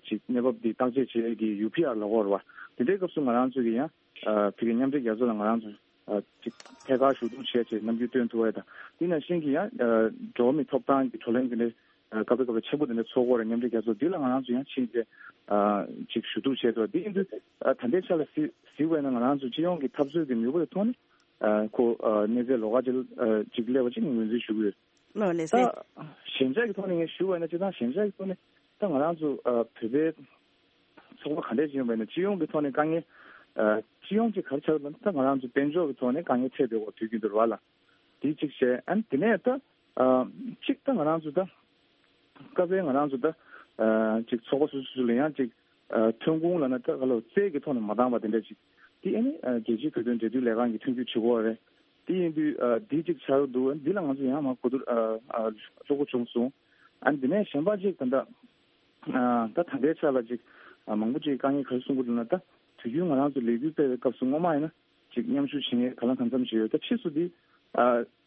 ཅིག་གནས་བབ་འདི་བརྟག་དཔྱད་བྱེད་ཀྱི་ཡུ་པི་ཨར་ལབ་ཀྱི་ཡོད་རེད་བ། དེ་འདྲའི་སྐབས་སུ་ང་རང་ཚོ་གི་ཡང་བོད་ཀྱི་མཉམ་འབྲེལ་རྒྱལ་ཚོགས་ལ་ང་རང་ཚོ་ཅིག་ཐད་ཀར་ཞུ་གཏུག་བྱས་བྱས་ནམ་རྒྱུན་སྟོན་ཐུབ་པ་དང་། དེ་ནང་བཞིན་གྱི་ཡང་འགྲོ་བ་མིའི་ཐོབ་ཐང་གི་བགྲོ་གླེང་དེ་འདྲའི་སྐབས་རེ་སྐབས་རེ་ཆེན་པོ་དེ་འདྲ་ཚོགས་ཀྱི་ཡོད་རེད། མཉམ་འབྲེལ་རྒྱལ་ཚོགས་འདི་ལ་ང་རང་ཚོ་ཡང་ཕྱིན་ཏེ་ཅིག་ཞུ་གཏུག་བྱས་འདུག་དེ་ཡིན་དུས་ད་ལྟའི་ཆ་ལ་གཟིགས་གཟིགས་པ་ཡིན་ན་ང་རང་ཚོ་སྤྱི་ཡོངས་ཀྱི་འཐབ་རྩོད་ཀྱི་ནུས་པ་ཡི་ཐོག་ནས་ཁོ་གནས་ཚད་ལོགས་ཀ་ཅིག་ཅིག་སླེབས་པ་ཅིག་ངོས་འཛིན་ཞུ་གི་ཡོད། ལགས་ལགས་སེ། ད་ཞན་ཆ་གི་ཐོག་ནས་ངས་ཞུ་བ་ཡིན་ན་སྤྱིར་བཏང་ཞན་ཆ་གི་ཐོག་ནས་ད་ང་རང་ཚོ་བོད་པའི་ཚོགས་པ་ག་འདྲས་ཅིག་ཡོད་པ་ཡིན་ན་སྤྱི་ཡོངས་ཀྱི་ཐོག་ནས་དཀའ་ངལ་སྤྱི་ཡོངས་ཀྱི་ག་རེ་ཆགས་ཡོད་ན་ད་ང་རང་ཚོ་དཔལ་འབྱོར་གྱི་ཐོག་ནས་དཀའ་ངལ་འཕྲད་བསྡད་ཡོད་དུས་རྒྱུན་དུ་རེད་བ་ལ། དེ་གཅིག་བྱས། ཨ་ནི་དེ་ནས་ད་གཅིག་ད་ང་རང་ཚོ་ད་སྐབས་རེ་ང་རང་ཚོ་ད་གཅིག་ཚོགས་པ་སོ་སོ་སོ་ལ་ཡང་གཅིག་ཐོན་ཁུངས་ལབ་ན་ད་ག་ལ་རྩལ་གྱི་ཐོག་ནས་མ་འདང་བ་དེ་འདྲ་ཅིག་དེ་ཨ་ནི་རྒྱལ་སྤྱིའི་བོད་དོན་འབྲེལ་མཐུད་ལས་ཁང་གིས་མཐུན་འགྱུར་བྱེད་དགོས་རེད། དེ་ཡིན་དུས་འདི་གཅིག་ཆགས་འདུག་འདི་ལ་ང་ཚོ་ཡང་མ་གོ་བསྡུར་ལྷུག་པོ་བྱུང་སོང་། ཨ་ནི་དེ་ནས་གཞན་པ་གཅིག་ད་ལྟ་ད་ད་ལྟའི་ཆ་ལ་ཅིག་མང་པོ་ཅིག་དཀའ་ངལ་ག་རེ་གསུང་གི་འདུག་ན། ད་དུས་རྒྱུན་ང་རང་ཚོ་ལས་འགུལ་སྤེལ་བའི་སྐབས་སུ་སྔོན་མ་ཡིན་ན་ཅིག་མཉམ་ཞུགས་བྱེད་མཁན་གང་ལ་གང་འཚམ་ཞིག་ཡོད། ད་ཕྱིས་སུ་འདི་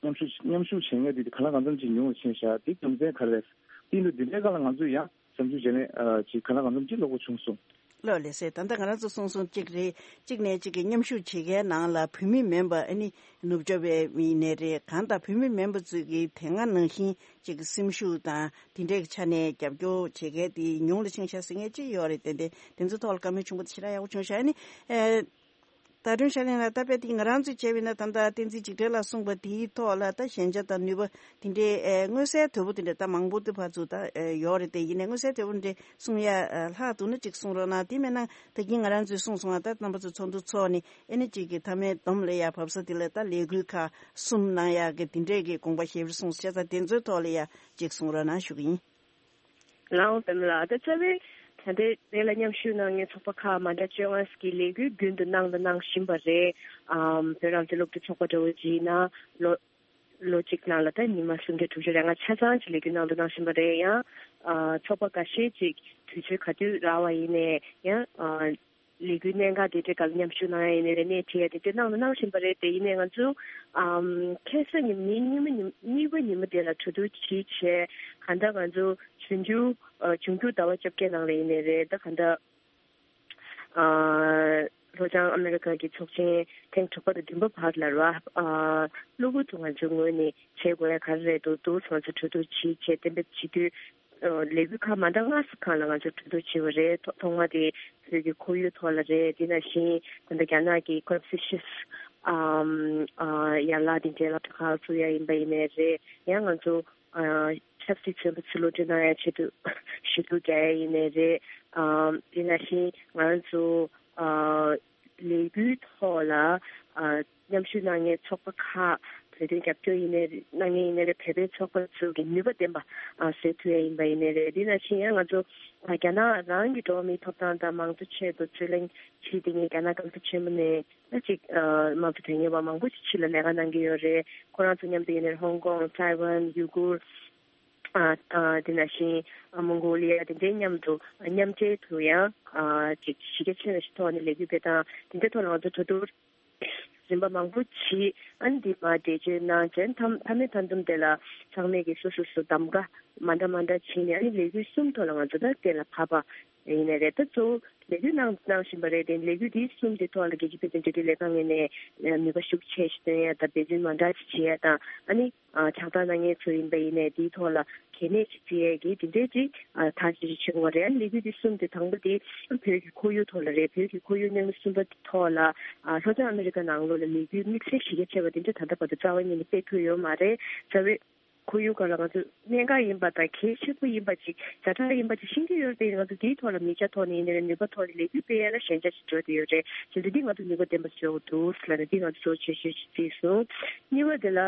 མཉམ་ཞུགས་མཉམ་ཞུགས་བྱེད་མཁན་འདི་གང་ལ་གང་འཚམ་ཅིག་ཉུང་རུ་ཕྱིན་བཞག་འདི་རྒྱུ་མཚན་ག་རེ་རེད། དེ་ཡིན་དུས་འདི་འདྲའི་སྒང་ལ་ང་ཚོས་ཡང་བསམ་ཚུལ་བརྗེ་ལེན་ཅིག་གང་ལ་གང་འཚམ་ཅིག་ལྷུག་པོ་བྱུང་སོང་། ལགས་ལགས་སེ། ད་ལྟ་ང་རང་ཚོ་གསུངས་སོང་། གཅིག་རེད། གཅིག་ནས་གཅིག་གི་མཉམ་ཞུགས་བྱེད་མཁན་ནང་ལ་བོད་མི་མིན་པ་ཨ་ནི་ནུབ་ཕྱོགས་པའི་མི་ཡིན་ནའི་རེད། གང་ལྟར་བོད་མི་མིན་པ་ཚོས་ཀྱི་དེ་སྔ་ནང་བཞིན་གཅིག་གི་སེམས་ཤུགས་དང་དེ་འདྲའི་ཆ་ནས་རྒྱབ་སྐྱོར་བྱེད་མཁན་དེ་ཉུང་རུ་ཕྱིན་ཤག་ཟེར་མཁན་ཅིག་ཡོད་རེད། ཏན་ཏན་དེ་ཚོའི་ཐོག་ལ་བཀའ་མོལ་བྱུང་པ་དེ་ཞེ་དྲག་ཡག་པོ་བྱུང་ཤག་ཨ་ནི་ཨེ། ད་དྲུང་ཤར་གླིང་ལགས། ད་དཔེ་དེ་ང་རང་ཚོས་བྱས་པ་ཡིན་ན་ད་ལྟ་བསྟན་འཛིན་འཇིགས་བྲལ་ལགས་གསུངས་པ་དེའི་ཐོག་ལ་ད་ཞན་ཆ་དང་ནུས་པ་དེ་འདྲའི་ཨེ་མངོན་གསལ་དོད་པོ་དེ་འདྲ་ད་མང་པོ་དེ་ཕར་ཚུར་ད་ཨེ་ཡོད་རེད། དེ་ཡིན་ནའི་མངོན་གསལ་དོད་པོ་འདྲ་གསུང་ཡ་ཨེ་ལྷག་འདུག་ན་ཅིག་གསུང་རོགས་གནང་། དེ་མིན་ན་ད་གིན་ང་རང་ཚོས་གསུངས་སོང་ང་། ད་རྣམ་པ་ཚོ་ཚོགས་འདུ་ཚོགས་ནས་ཨེ་ནི་ཅིག་གི་མཐའ་མའི་བསྡོམས་ལ་ཡ་བབས་ས་དེ་ལ་ད་ལས་འགུལ་ཁག་གསུམ་གནང་ཡག་གི་དེ་འདྲའི་གི་དགོངས་པ་བཞེས་པར་གསུངས་སོང་། བྱས་ཙང་དེ་ཚོའི་ཐོག་ལ་ཡ་ཅིག་གསུང་རོགས་གནང་ཞུ་གི་ཡིན། ལའོ་པདྨ་ལགས། ད་རྩ་བའི་ད་ལྟའི་དེ་ལ་མཉམ་ཞུགས་གནང་མཁན་ཚོགས་པ་ཁག་མ་འདྲ་བཅོ་ལྔ་ཞིག་གིས་ལས་འགུལ་རྒྱུན་དུ་གནང་དང་གནང་བཞིན་པ་རེད། ཨམ་བོད་རང་བཙན་སློབ་ཕྲུག་ཚོགས་པ་འདྲ་བོ་ཅིག་ཡིན་ན་ལོ་ལོ་གཅིག་ནང་ལ་ད་ཉི་མ་སུམ་བརྒྱ་དྲུག་ཅུ་རེ་ལྔ་ཆ་ཚང་ཅིག་ལས་འགུལ་གནང་དང་གནང་བཞིན་པ་རེད། ཡང་ཨ་ཚོགས་པ་འགའ་ཤས་ཅིག་དུས་ཚོད་ག་དུས་རག་པ་ཡིན་ནའི་ཡང་ཨ་ལས་འགུལ་གནད་འགག་དེ་འདྲའི་སྒང་ལ་མཉམ་ཞུགས་གནང་ཡ་ཡིན་ནའི་རེད། སྣེ་ཁྲིད་ཡ་དེ་འདྲ་གནང་དང་གནང་བཞིན་པ་རེད། དེ་ཡིན་ནའི་ང་ཚོ་ཨམ་ཁ་སང་ཉིན་ཉིན་གཉིས་པ་ཉིན་མ་དེ་ལ་གྲོས་བསྡུར་ཅིག་བྱས། གང་ལྟར་ང་ཚོ་འབྱུང་འགྱུར་ཨ་འབྱུང་འགྱུར་ཟླ་བ་བཅོ་བརྒྱད་ནང་ལ་ཡིན་ནའི་རེད། ད་གང་ལྟར་ཨ་ལྷོ་བྱང་ཨ་མི་རི་ཀ་གི་ཚོགས་ཆེན་ཐེངས་དྲུག་པ་དང་བདུན་པ་བར་ལ་རེད་བ། ཨ་གློ་བུར་དུ་ང་ཚོའི་ངོས་ནས་བྱེད་དགོས་ཡ་ག་རེ་རེད་འདུག་འདུག་ང་ཚོ་གྲོས་བསྡུར་ཅིག་བྱས་གཏན་འབེབས་བྱེད་དུས། ལས་འགུལ་ཁག་མ་འདྲ་ལྔ་ཙམ་སྒང་ལ་ང་ཚོས་གྲོས་བསྡུར་བྱས་པ་རེད། ཐོག་ཐོག་མ་དེ་བོད་ཀྱི་ཁོར་ཡུག་ཐོག་ལ་རེད། དེ་ནང་བཞིན་ད་ལྟ་རྒྱ་ནག་གི་ཀོན་ཕུ་ཤི་ཡས་ཨམ་ཨ་ཡན་ལག་དེ་འདྲའི་སློབ་གྲྭ་ཁག་བཙུགས་ཡ་ཡིན་པ་ཡིན་ནའི་རེད། ཡང་ང་ཚོ་ཨ་ཆབ་སྲིད་བཙོན་པ་ཚོ་གློད་གྲོལ་གནང་ཡ་ཆེད་དུ་ཞུ་གཏུག་རྒྱག་ཡ་ཡིན་ནའི་རེད། ཨམ་དེ་ནང་བཞིན་ང་ཚོ་ཨ་ལས་འགུལ་ཐོག་ལ་ཨ་མཉམ་ཞུགས་གནང་མཁན་ཚོགས་པ་ཁག་བོད་དོན་རྒྱབ་སྐྱོར་ཡིན་ནའི་གནང་མཁན་ཡིན་ནའི་རེད། བོད་པའི་ཚོགས་པ་ཚོ་གི་ནུས་པ་ལྡན་པ་ཨ་བཟོ་ཐུབ་ཡ་ཡིན་པ་ཡིན་ནའི་རེད། དེ་ནང་བཞིན་ཡང་ང་ཚོ་ཨ་རྒྱ་ནག་རང་གི་འགྲོ་བ་མིའི་ཐོབ་ཐང་དང་མང་གཙོ་ཆེད་དུ་རྩོད་ལེན་བྱེད་བསྡད་མཁན་རྒྱ་ནག་གོང་ས་ཆེན་པོ་ནས་ཨ་ཅིག་ཨ་དམངས་གཙོ་དོན་གཉེར་བ་མང་པོ་ཞིག་ཕྱི་ལ་ལས་ཀ་གནང་གི་ཡོད་རེད། ཁོ་རང་ཚོ་མཉམ་དུ་ཡིན་ནའི་ཧོང་ཀོང་། ཐའེ་ཝན། ཡུ་གུར། ཨ་ཨ་དེ་ནང་བཞིན་ཨ་མོང་གོ་ལི་ཡ་དེ་འདྲའི་མཉམ་དུ་མཉམ་འབྲེལ་དུ་ཡང་ཨ་ཅིག་གཞི་རྒྱ་ཆེན་པོ་ཞིག་ཐོག་ནས་ལས་འགུལ་སྤེལ་སྟངས་དེ་འདྲའི་ཐོག་ལ་ང་ཚོ་གྲོས་བསྡུར་རིམ་པ་མང་པོ་བྱས། ཨ་ནི་འདི་མར་འགྲེལ་བརྗོད་གནང་རྗེས་མཐའ་མཐའ་མའི་མཐའ་མཚམས་དེ་ལ་ཚང་མས་ཀྱིས་སོ་སོ་སོ་གདམ་ག་མ་འདྲ་མ་འདྲ་བྱས་ནས་ཨ་ནི་ལས་འགུལ་གསུམ་ཐོག་ལ་ང་ཚོ་ད་གཏན་ལ་ཕབ་པ་ཡིན་ནའི་རེད། ད་གཙོ་བོ་ལས་འགུལ་གནང་གནང་བཞིན་པ་རེད། དེ་ལས་འགུལ་འདི་གསུམ་དེ་ཐོག་ལ་རྒྱལ་སྤྱིའི་བོད་དོན་འབྲེལ་མཐུད་ལས་ཁང་ངོས་ནས་ནུས་པ་ཤུགས་ཆེ་ཞིག་བཏོན་ཡ་དང་འབད་བརྩོན་མ་འདྲ་ཞིག་བྱེད་ཡ་དང་ཨ་ནི་ཕྱག་རྟགས་གནང་མཁན་ཚོ་ཡིན་པ་ཡིན་ནའི་དེའི་ཐོག་ལ་གལ་གནད་ཅིག་བརྩི་ཡས་ཀྱི་དེ་འདྲའི་ཅིག་ཨ་ཐག་གཅོད་ཅིག་བྱེད་དགོས་རེད། ཨ་ལས་འགུལ་འདི་གསུམ་དེ་དང་པོ་དེ་བོད་ཀྱི་ཁོར་ཡུག་ཐོག་ལ་རེད། བོད་ཀྱི་ཁོར་ཡུག་གནས་ལུགས་གསུམ་པ་དེ་ཐོག་ལ་ཨ་ལྷོ་བྱང་ཨ་མི་རི་ཀ་ནང་ལོགས་ལ་ལས་འགུལ་དམིགས་བསལ་གཞི་རྒྱ་ཆེ་བ་དེ་འདྲ་ད་ལྟ་བར་དུ་རྩ་བ་ཉིད་ནས་སྤེལ་ཐུབ་ཡོད་མ་རེད། རྩ་བའི་ཁོར་ཡུག་སྒང་ལ་ང་ཚོ་གནད་འགག་ཡིན་པ་དང་གལ་ཆེན་པོ་ཡིན་པ་ཅིག་ཛ་དྲག་ཡིན་པ་ཅིག་ཤེས་ཀྱི་ཡོད་རེད། ང་ཚོ་དེའི་ཐོག་ལ་མིག་རྒྱ་ཐོག་ནས་ཡིན་ནའི་རེད། ནུས་པ་ཐོག་ནས་ལས་འགུལ་སྤེལ་ཡ་ལ་ཞན་ཆ་ཞིག་འགྲོ་བསྡད་ཡོད་རེད། བྱས་ཙང་འདི་ང་ཚོ་ནུས་པ་ལྡན་པ་ཞིག་འགྲོ་དགོས་འདུག་ཟེར་ལབ་ནས་འདི་ང་ཚོ་གཙོ་ཆེ་ཤོས་ཤིག་བརྩིས་སོང་། གཉིས་པ་དེ་ལ།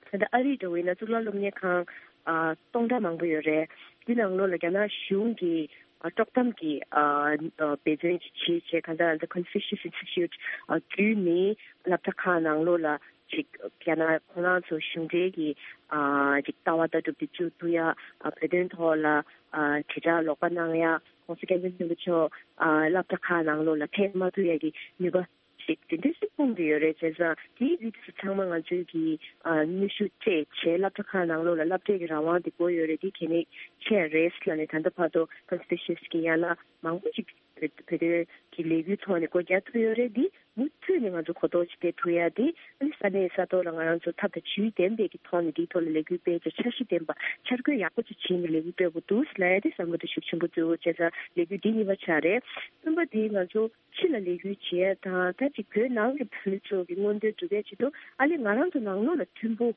ད་ལྟ་ཨ་རིའི་འགྲོ་བའི་ན་གཙུག་ལག་སློབ་གཉེར་ཁང་ཨ་སྟོང་ཕྲག་མང་པོ་ཡོད་རེད། འདི་ནང་ལོགས་ལ་རྒྱ་ནག་གཞུང་གིས་ དཀྲོག་གཏམ་གྱི་ཨ་ཨ་འབད་བརྩོན་ཅིག་བྱས་བྱས། གང་ལྟར་ཨ་ད་Confucius Institute ཨ་བརྒྱུད་ནས་སློབ་གྲྭ་ཁག་ནང་ལོགས་ལ་ཅིག་རྒྱ་ནག་ཁོ་རང་ཚོ་གཞུང་འབྲེལ་གྱི་ཨ་ཅིག་ལྟ་བ་ལྟ་གྲུབ་དེ་བཅོས་ཐུབ་ཡ། ཨ་བོད་དོན་ཐོག་ལ་ཨ་དྲིལ་བསྒྲགས་ལོག་པ་གནང་ཡ། ༸གོང་ས་༸སྐྱབས་མགོན་ཆེན་པོ་མཆོག་ཨ་སློབ་གྲྭ་ཁག་ནང་ལོགས་ལ་ཕེབས་མ་ཐུབ་ཡ་གི་ནུས་པ་ཞིག་དེ་འདྲ་ཞིག་སྤུངས་ཏེ་ཡོད་རེད། བྱས་ཙང་དེའི་རིགས་སུ་ཚང་མ་ང་ཚོའི་གི་ཨ་ནུས་ཤུགས་སྤྲད་བྱས་སློབ་གྲྭ་ཁག་ནང་ལོགས་ལ་སློབ་གྲྭའི་གི་རང་དབང་དེ་དགོས་ཡོད་རེད། དེ་གལ་གནད་ཆེ་རེད་ལབ་ནས། ད་ལྟ་བར་དུ་Confucius་གི་ཡན་ལག་མང་པོ་ཞིག་བོད་བོད་དོན་གྱི་ལས་འགུལ་ཐོག་ནས་སྒོ་རྒྱག་ཐུབ་ཡོད་རེད། འདི་མུ་མཐུད་ནས་ང་ཚོ་གོ་རྟོགས་ཅིག་སྤེལ་ཐུབ་ཡ་དེ། ཨ་ནི་ས་གནས་ས་ཐོག་ལ་ང་རང་ཚོ་ཐབས་དང་ཇུས་ལྡན་པའི་གི་ཐོག་ནས་འདིའི་ཐོག་ལ་ལས་འགུལ་སྤེལ་བྱས། འཆར་གཞི་ལྡན་པ་འཆར་འགོད་ཡག་པོ་ཅིག་བྱས་ནས་ལས་འགུལ་སྤེལ་དགོས་འདུག་ལབ་ཡ་དེ་བསམ་བློ་དེ་ཤུགས་ཆེན་པོ་བཏོན་ཡོད། བྱས་ཙང་ལས་འགུལ་འདི་གཉིས་པ་ཆགས་རེད། གསུམ་པ་དེ་ང་ཚོ་ཕྱི་ལ་ལས་འགུལ་བྱེད་ཡ་དང་། ད་ཅིག་བོད་ནང་གི་བོད་མི་ཚོ་གི་མངོན་འདོད་སྒྲུབ་ཡ་ཆེད་དུ། ཨ་ལས་ང་རང་ཚོ་ནང་ལོགས་ལ་མཐུན་པོ་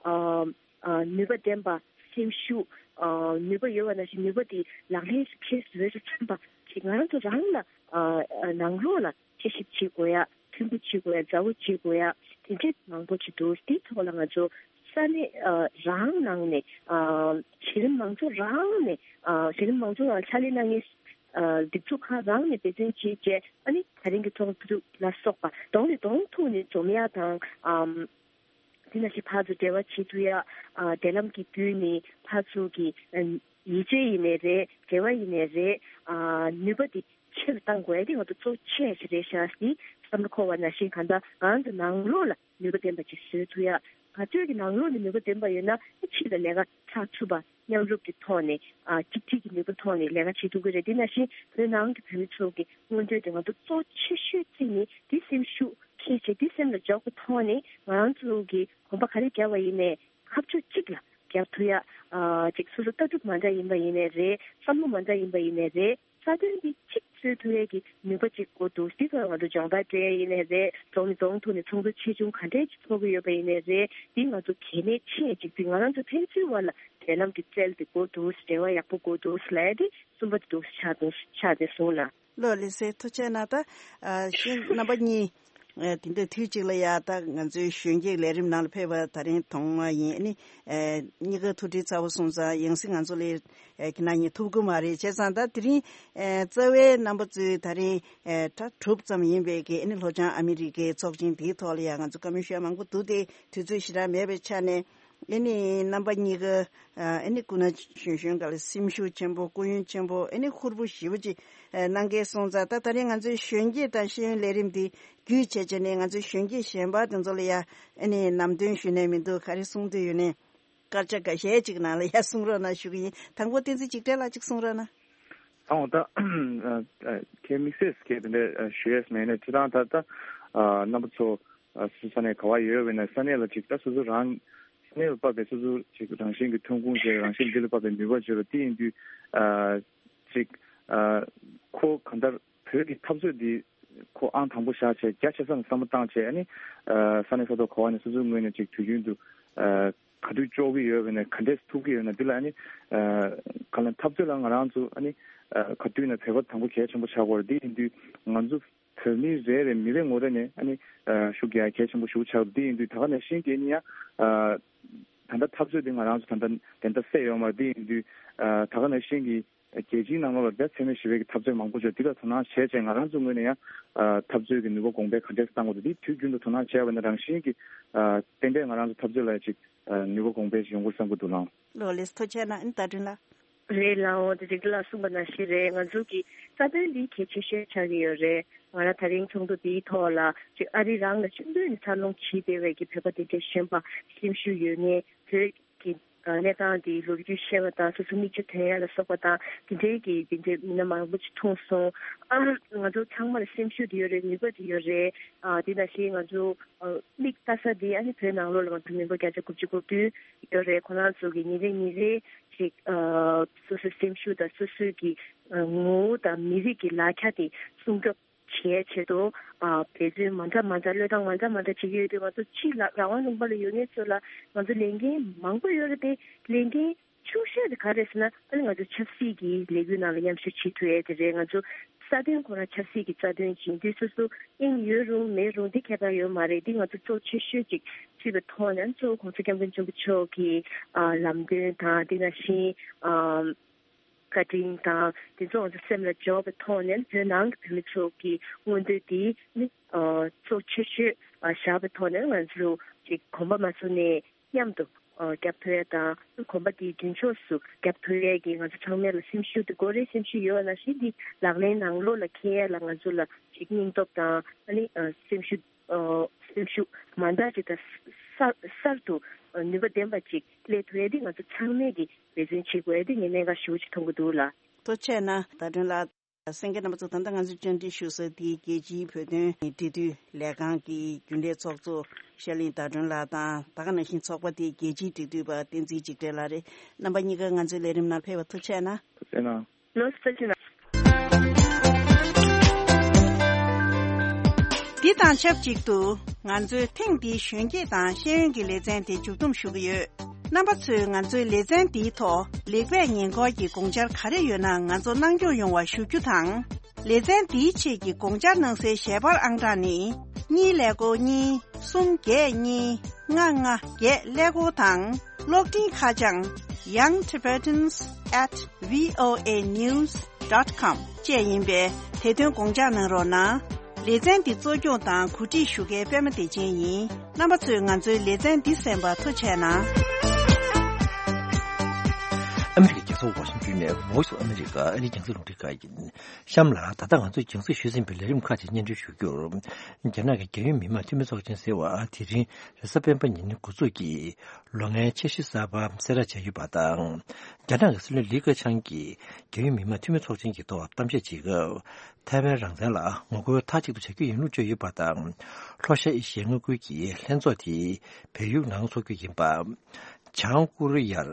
ཨ་ཨ་ནུས་པ་ལྡན་པ། སེམས་ཤུགས་ཨ་ནུས་པ་ཡོད་པ་ནང་བཞིན་ནུས་པ་དེ་ལག་ལེན་འཁེལ་བཟོ་རྒྱུ་ཙམ་པ་ཅིག་ང་རང་ཚོ་རང་ལ་ཨ་ཨ་ནང་ལོགས་ལ་དཔྱད་ཞིབ་བྱེད་དགོས་ཡ། མཐུན་པོ་བྱེད་དགོས་ཡ། མཛའ་བོ་བྱེད་དགོས་ཡ། དེ་འདྲས་མང་པོ་ཅིག་འདུག་དེའི་ཐོག་ལ་ང་ཚོ་ས་གནས་ཨ་རང་ནང་ནས་ཨ་གཞི་རིམ་མང་ཚོགས་རང་ནས་ཨ་གཞི་རིམ་མང་ཚོགས་རང་ཕྱག་ལས་གནང་མཁན་ཨ་སྒྲིག་འཛུགས་ཁག་རང་ནས་འབད་བརྩོན་བྱས་བྱས། ཨ་ནི་ད་རིང་གི་ཚོགས་འདུ་ལ་སོགས་པ་གདོང་ནས་གདོང་ཐུག་ནས་འཛོམས་ཡ་དང་། ཨམ། དེ་ནང་བཞིན་ཕར་ཚུར་འབྲེལ་བ་བྱེད་ཐུབ་ཡ། ཨ་འབྲེལ་ལམ་གྱི་བརྒྱུད་ནས་ཕར་ཚུར་གྱི་ཨ་ཡིད་ཆེས་ཡིན་ནའི་རེད། འབྲེལ་བ་ཡིན་ནའི་རེད། ཨ་ནུས་པ་དེ་ཆེ་རུ་གཏང་དགོས་ཡ་དེ་ང་ཚོ་གཙོ་ཆེ་ཞིག་རེད་ཤག་ཟེར་བསམ་བློ་འཁོར་བ་ནང་བཞིན། གང་ལྟར་ང་ཚོ་ནང་ལོགས་ལ་ནུས་པ་ལྡན་པ་ཅིག་བཟོ་ཐུབ་ཡ། ག་ཚོད་ཀྱི་ནང་ལོགས་ནས་ནུས་པ་ལྡན་པ་ཡོད་ན་ཕྱི་ལ་ལས་ཀ་འཆར་ཐུབ་པ། མཉམ་རུབ་ཀྱི་ཐོག་ནས་ཨ་གཅིག་སྒྲིལ་གྱི་ནུས་པ་ཐོག་ནས་ལས་ཀ་བྱེད་ཐུབ་ཀྱི་རེད། དེ་ནང་བཞིན་བོད་ནང་གི་བོད་མི་ཚོ་གི་མངོན་འདོད་དེ་ང་ཚོ་གཙོ་ཆེ་ཤོས་གཅིག་ནི་དེ་སེམས་ཤུགས་འཁྱེར་བྱས། དེ་སེམས་ལ་འཇོག་པའི་ཐོག་ནས་ང་རང་ཚོ་གི་གོམ་པ་ག་རེ་བརྒྱབ་པ་ཡིན་ནའི་ཁ་ཕྱོགས་གཅིག་ལ་བརྒྱབ་ཐུབ་ཡ། ཨ་ཅིག་སོ་སོ་ལྟ་གྲུབ་མ་འདྲ་ཡིན་པ་ཡིན་ནའི་རེད། བསམ་བློ་མ་འདྲ་ཡིན་པ་ཡིན་ནའི་རེད། རྩ་དོན་འདི་གཅིག་བཟོ་ཐུབ་ཡས་ཀྱི་ནུས་པ་གཅིག་དགོས་འདུག་དེ་ཚོ་ང་ཚོ་སྦྱོང་བརྡར་སྤྲད་ཡས་ཡིན་ནའི་རེད། རྫོང་ནས་རྫོང་ཐོག་ནས་ཚོགས་འདུ་ཆེ་ཆུང་ག་འདྲས་ཅིག་ཚོགས་ཀྱི་ཡོད་པ་ཡིན་ནའི་རེད། འདི་ང་ཚོ་གལ་གནད་ཆེ་ཅིག་དེ་ང་རང་ཚོ་ཕན་ཚུན་བར་ལ་འབྲེལ་ལམ་གྱི་རྩལ་དེ་དགོས་འདུག་འབྲེལ་བ་ཡག་པོ་དགོས་འདུག་ལབ་ཡས་དེ་གསུམ་པ་དེ་འདུག་ཆགས་འདུག་ཆགས་བསྡད་སོང་ལ། ལོ་ལེགས་སེ་ཐུགས་རྗེ་གནང་། ད་ཨ་གཞན་རྣམ་པ་གཉིས། ཨ་དེ་འདྲ་དུས་གཅིག་ལ་ཡ་ད་ང་ཚོའི་གཞོན་སྐྱེས་ལས་རིམ་ནང་ལ་ཕེབས་པ་ད་རིང་ཐོག་མ་ཡིན། ཨ་ནི་ཨ་གཉིས་ཀ་ཐུགས་སྒྲིལ་ཚ་པོ་སོང་ཙང་ཡང་སྲིད་ང་ཚོ་ལས་ཨ་ཁྱེད་རང་གཉིས་ཐུག་གི་མ་རེད། བྱས་ཙང་ད་དེ་རིང་ཨ་རྩ་བའི་རྣམ་པ་ཚོས་ད་རིང་ཨ་གྲྭ་དྲུག་ཙམ་ཡིན་པའི་གི་ཨ་ནི་ལྷོ་བྱང་ཨ་མི་རི་ཀའི་ཚོགས་ཆེན་དེའི་ཐོག་ལ་ཡ་ང་ཚོ་བཀའ་མོལ་ཞུ་ཡ་མང་པོ་འདུག་སྟེ། དུས་ཚོད་ཞེ་དྲག་མེད་པའི་ཆ་ནས། ཨ་ནི་རྣམ་པ་གཉིས་ཀ་ཨ་ནི་སྐུ་ན་གཞོན་གཞོན་སྐབས་ལ་སེམས་ཤུགས་ཆེན་པོ། སྐུ་ཡོན་ཆེན་པོ། ཨ་ནི་ཧུར་པོ་ཞེ་པོ་ཅིག་ཨ་གནང་མཁན་སོང་ཙང་། ད་ད་རིང་ང་ཚོའི་གཞོན་སྐྱེས་དང་ཤེས་ཡོན་ལས་རིམ་འདི་བརྒྱུད་བྱས་བྱས་ནས་ང་ཚོའི་གཞོན་སྐྱེས་གཞན་པ་དེ་ཚོ་ལ་ཡ་ཨ་ནི་ལམ་སྟོན་ཞུས་ནས་མི་འདུག་ག་རེ་གསུང་འདོད་ཡོད་ནའི་སྐར་ཆ་འགའ་ཤས་ཅིག་ནང་ལ་ཡ་གསུང་རོགས་གནང་ཞུ་གི་ཡིན། དང་པོ་བསྟན་འཛིན་འཇིགས་བྲལ་ལགས་ཅིག་གསུང་རོགས་གནང་། ཨོ་ད་ཨ་ཨ་ཁྱེད་དམིགས་བསལ་གྱི་དེ་འདྲ་ཨ་ཞུ་ཡས་མེད་ནས། ཁྱེད་རང་ད་ལྟ་ཨ་རྣམ་པ་ཚོ་ཨ་སོ་སོ་ས་གནས་ག་བ་ཡོད་པ་ཡིན་ན་ས་གནས་ལ་ཅིག་ད་སོ་སོ་རང་ས་གནས་ལ་བབས་པའི་སོ་སོ་ཅིག་རང་བཞིན་གྱི་ཐོན་ཁུངས་བྱས། རང་བཞིན་འདི་ལ་བབས་པའི་ནུས་པ་བརྗོད་པ་དེ་ཡིན་དུས། ཨ་ཅིག་ཨ་ཁོ་གང་ལྟར་བོད་ཀྱི་འཐབ་རྩོད་འདི་ཁོ་ཨང་དང་པོ་བཞག་བྱས་རྒྱ་ཆེ་ས་ནས་བསམ་བློ་བཏང་བྱས། ཨ་ནི་ཨ་ས་གནས་ས་ཐོག་ག་བ་ནས་སོ་སོའི་ངོས་ནས་ཅིག་དུས་རྒྱུན་དུ་ཨ་ག་དུས་ལྕོགས་ཀྱི་ཡོད་པ་ཡིན་ན། ག་འདྲས་ཐུབ་ཀྱི་ཡོད་ན། འདི་ལ་ཨ་ནི་ཨ་གང་ལ་འཐབ་རྩོད་ལ་ང་རང་ཚོ་ཨ་ནི་ཨ་ག་དུས་ན་བོད་པ་དང་པོ་གལ་ཆེན་པོ་ཆགས་ཀྱི་ཡོད་རེད། འདི་ཡིན་དུས་ང་ཚོ་བོད་མི་རེ་རེ་མི་རེ་ངོ་རེ་ནས་ཨ་ནི་ཨ་ཤུགས་རྒྱག་གལ་ཆེན་པོ་ཞིག་ཆགས་ཀྱི་ཡོད་རེད། འདི་ཡིན་དུས་ད་ག་ནང་བཞིན་གྱི་ཨ་ནི་ཡ་ཨ་ད་ལྟ་འཐབ་རྩོད་འདི་ང་རང་ཚོ་ད་ལྟ་དེ་འདྲ་སེ་ཡོད་མ་རེད། འདི་ཡིན་དུས་ཨ་ད་ག་ནང་བཞིན་གྱི་རྒྱལ་སྤྱིའི་ནང་ལོགས་ལ་ད་འཚེ་མེད་ཞི་བའི་གི་འཐབ་རྩོད་མང་པོ་བྱུང་། འདི་ལ་དོ་སྣང་བྱས་བྱས་ང་རང་ཚོ་ངོས་ནས་ཡང་ཨ་འཐབ་རྩོད་ཀྱི་ནུས་པ་གོང་འཕེལ་ག་འདྲས་བཏང་དགོས་འདུག་འདི་དུས་རྒྱུན་དུ་དོ་སྣང་བྱས་པ་ན་རང་བཞིན་གྱི་ཨ་ཏན་ཏན་ང་རང་ཚོ་འཐབ་རྩོད་ལ་ཅིག་ཨ་ནུས་པ་གོང་འཕེལ་ཞིག་ཡོང་དགོས་བསམ་གྱི་འདུག་ལགས། ལོ་ལེགས་སོ། ཐུགས་རྗེ་གནང་། ཨ་ནི་ད་དྲིན་ལ། རེད་ལགས། འོ་དེ་རིགས་ལ་གསུངས་པ་ནང་བཞིན་རེད། ང་ཚོ་གི་རྩ་དོན་འདི་གལ་ཆེ་ཤོས་ཆགས་ཀྱི་ཡོད་རེད། ང་རང་ད་རིང་ཚོགས་འདུ་འདིའི་ཐོག་ལ་ཅིག་ཨ་རི་རང་ལ་ཆུང་དུས་ནས་འཚར་ལོངས་བྱས་བསྡད་པའི་གི་བོད་པ་དེ་འདྲའི་གཞོན་པ་སེམས་ཤུགས་ཡོད་མཁན། བོད་ཀྱི་གནས་སྟངས་དེའི་ལོ་རྒྱུས་ཤེས་པ་དང་། སོ་སོ་མིག་ཆུ་ཐོན་ཡ་ལ་སོགས་པ་དང་། དེ་འདྲའི་གི་དེ་འདྲའི་མི་སྣ་མང་པོ་ཅིག་མཐོང་སོང་། ཨ་ང་ཚོ་ཚང་མ་ལ་སེམས་ཤུགས་དེ་ཡོད་རེད། ནུས་པ་དེ་ཡོད་རེད། ཨ་དེ་ནང་བཞིན་ང་ཚོ་ཨ་མིག་ལྟ་ས་དེ་ཨ་ནི་བོད་ནང་ལོགས་ལ་ང་ཚོ་མི་འབོར་བརྒྱ་ཆ་དགུ་བཅུ་གོ་བདུན་ཡོད་རེད། ཁོ་རང་ཚོ་གི་ཉིན་རེ་ཉིན་རེ་ཅིག་ཨ་སོ་སོའི་སེམས་ཤུགས་དང་སོ་སོའི་གི་ཨ་ངོ་བོ་དང་མི་རིགས་ཀྱི་ལག་ཆ་དེ་སྲུང་སྐྱོབ་བྱེད་ཆེད་དུ་ཨ་འབད་བརྩོན་མ་འདྲ་མ་འདྲ། བློས་བཏང་མ་འདྲ་མ་འདྲ་བྱེད་ཀྱི་ཡོད་དུས། ང་ཚོ་ཕྱི་ལ་རང་དབང་ལུང་པ་ལ་ཡོད་མཁན་ཚོ་ལ་ང་ཚོ་ལས་འགན་མང་པོ་ཡོད་རེད་དེ། ལས་འགན་ཆུང་ཤོས་དེ་ག་རེ་ཟེར་ན། ཨ་ནི་ང་ཚོ་ཆབ་སྲིད་ཀྱི་ལས་འགུལ་ནང་ལ་མཉམ་ཞུགས་བྱེད་ཐུབ་ཡས་དེ་རེད། ང་ཚོ་རྩ་དོན་ཁོ་རང་ཆབ་སྲིད་ཀྱི་རྩ་དོན་ཅིག་ཡིན་དུས། སོ་སོ་དབྱིངས་ཡོད་རུང་མེད་རུང་འདི་ཁྱད་པར་ཡོད་མ་རེད། འདི་ང་ཚོ་གཙོ་ཆེ་ཤོས་ཅིག་བརྩིས་པའི་ཐོག་ནས། གཙོ་བོ་༸གོང་ས་༸སྐྱབས་མགོན་ཆེན་པོ་མཆོག་གི་ཨ་ལམ་སྟོན་དང་། དེ་ནང་བཞིན་ཨ་ བཀའ་དྲིན་དང་དེ་ཚོ་ང་ཚོ་སེམས་ལ་འཇོག་པའི་ཐོག་ནས་བོད་ནང་གི་བོད་མི་ཚོ་གི་མངོན་འདོད་དེ་ནི་གཙོ་ཆེ་ཤོས་བཞག་པའི་ཐོག་ནས་ང་ཚོ་ཅིག་གོམ་པ་མ་བཟུང་ནས་མཉམ་དུ་རྒྱབ་ཐོབ་ཡ་དང་གོམ་པ་དེ་མདུན་ཕྱོགས་སུ་རྒྱབ་ཐོབ་ཡ་གི་ང་ཚོ་ཚང་མས་ལ་སེམས་ཤུགས་དེ་དགོས་རེད། སེམས་ཤུགས་ཡོད་པ་ནང་བཞིན་དེ་ལག་ལེན་ནང་ལོགས་ལ་འཁྱེར་ཡ་ལ་ང་ཚོ་ལ་ཅིག་སྙིང་སྟོབས་དང་ཨ་ནི་སེམས་ཤུགས་སེམས་ཤུགས་མ་འདྲ་ཅིག་དང་གསར་གསར་དུ་ནུས་པ་ལྡན་པ་ཅིག་སླེབས་ཐུབ་ཡ་དེ་ང་ཚོ་ཚང་མས་ཀྱི་འབད་བརྩོན་བྱེད་དགོས་ཡ་དེ་ངས་གནད་འགག་ཞེ་པོ་ཅིག་མཐོང་གི་འདུག་ལགས། ཐུགས་རྗེ་ཆེ་གནང་། ཟླ་སྒྲོན་ལགས། གསན་མཁན་རྣམ་པ་ཚོ། ད་ལྟ་ང་ཚོས་བཅར་འདྲི་ཞུ་ས་དེ་རྒྱལ་སྤྱིའི་བོད་དོན་འབྲེལ་མཐུད་ལས་ཁང་གི་རྒྱུན་ལས་ཚོགས་གཙོ་ཤར་གླིང་ཟླ་སྒྲོན་ལགས་དང་། ད་ག་ནང་བཞིན་ཚོགས་པ་དེའི་རྒྱལ་སྤྱིའི་འབྲེལ་མཐུད་པ་བསྟན་འཛིན་འཇིགས་བྲལ་ལགས་རེད། རྣམ་པ་གཉིས་ཀ་ང་ཚོའི་ལས་རིམ་ནང་ཕེབས་པར་ཐུགས་རྗེ་ཆེ་གནང་། ཐུགས་རྗེ་གནང་། ལོ་སི་ཐུགས་རྗེ་གནང་། འདི་དང་ཆབས་ཅིག་ཏུ་ང་ཚོའི་ཐེངས་འདིའི་གཞོན་སྐྱེས་དང་ཤེས་ཡོན་གྱི་ལེ་ཚན་དེ་མཇུག་བསྡོམས་ཞུ་གི་ཡོད། རྣམ་པ་ཚོས་ང་ཚོའི་ལེ་ཚན་འདིའི་ཐོག་ལེགས་སྤེལ་ཉེ་འཁོར་གྱི་དགོངས་འཆར་ག་རེ་ཡོད་ན་ང་ཚོ་གནང་སྐྱོང་ཡོང་བ་ཞུ་རྒྱུ་དང་། ལེ་ཚན་འདིའི་ཆེད་ཀྱི་དགོངས་འཆར་གནང་སའི་ཞལ་པར་ཨང་གྲངས་ནི། གཉིས་ཀླད་ཀོར་གཉིས། གསུམ་བརྒྱད་གཉིས། ལྔ་ལྔ་བརྒྱད་ཀླད་ཀོར་དང་། གློག་འཕྲིན་ཁ་བྱང་young tibetans at voa news dot com བཅས་ཡིན་པས། དེ་དོན་དགོངས་འཇགས་གནང་རོགས་གནང་། ལེ་ཚན་འདི་གཙོ་སྐྱོང་དང་གོ་སྒྲིག་ཞུ་མཁན་པད་མ་བདེ་ཆེན་ཡིན། རྣམ་པ་ཚོས་ང་ཚོའི་ལེ་ཚན་འདི་གསན་པར་ཐུགས་རྗེ་གནང་། ཨ་མི་རི་ཀའི་རྒྱལ་ས་ཝ་ཤིང་ཏོན་ནས་Voice of America ཨ་རིའི་རྒྱང་སྲིང་རླུང་འཕྲིན་ཁང་ཡིན། གཤམ་ལ་ད་ལྟ་ང་ཚོས་རྒྱང་སྲིང་ཞུས་ཟིན་པའི་ལས་རིམ་ཁག་ཅིག་སྙན་སྒྲོན་ཞུ་རྒྱུར། རྒྱ་ནག་གི་རྒྱལ་ཡོངས་མི་དམངས་འཐུས་མི་ཚོགས་ཆེན་ཟེར་བ་དེ་རིང་རེས་གཟའ་སྤེན་པ་ཉིན་འགོ་འཛུགས་ཀྱིས་ལོ་ལྔའི་འཆར་གཞི་གསར་པ་གསལ་བསྒྲགས་བྱས་ཡོད་པ་དང་། རྒྱ་ནག་གི་སྲིད་བློན་ལི་ཁེ་ཆང་གིས་རྒྱལ་ཡོངས་མི་དམངས་འཐུས་མི་ཚོགས་ཆེན་གྱི་ཐོག་གཏམ་བཤད་བྱེད་སྐབས། ཐའེ་ཝན་རང་བཙན་ལ་ངོ་རྒོལ་མཐའ་གཅིག་ཏུ་བྱ་རྒྱུ་ཡིན་ལུགས་བརྗོད་ཡོད་པ་དང་། ལྷོ་ཤར་ཨེ་ཤི་ཡའི་མངའ་ཁུལ་གྱི་ལྷན་ཚོགས་དེ་བལ་ཡུལ་ནང་འཚོགས་རྒྱུ་ཡིན་པ། བྱང་ཀོ་རི་ཡར་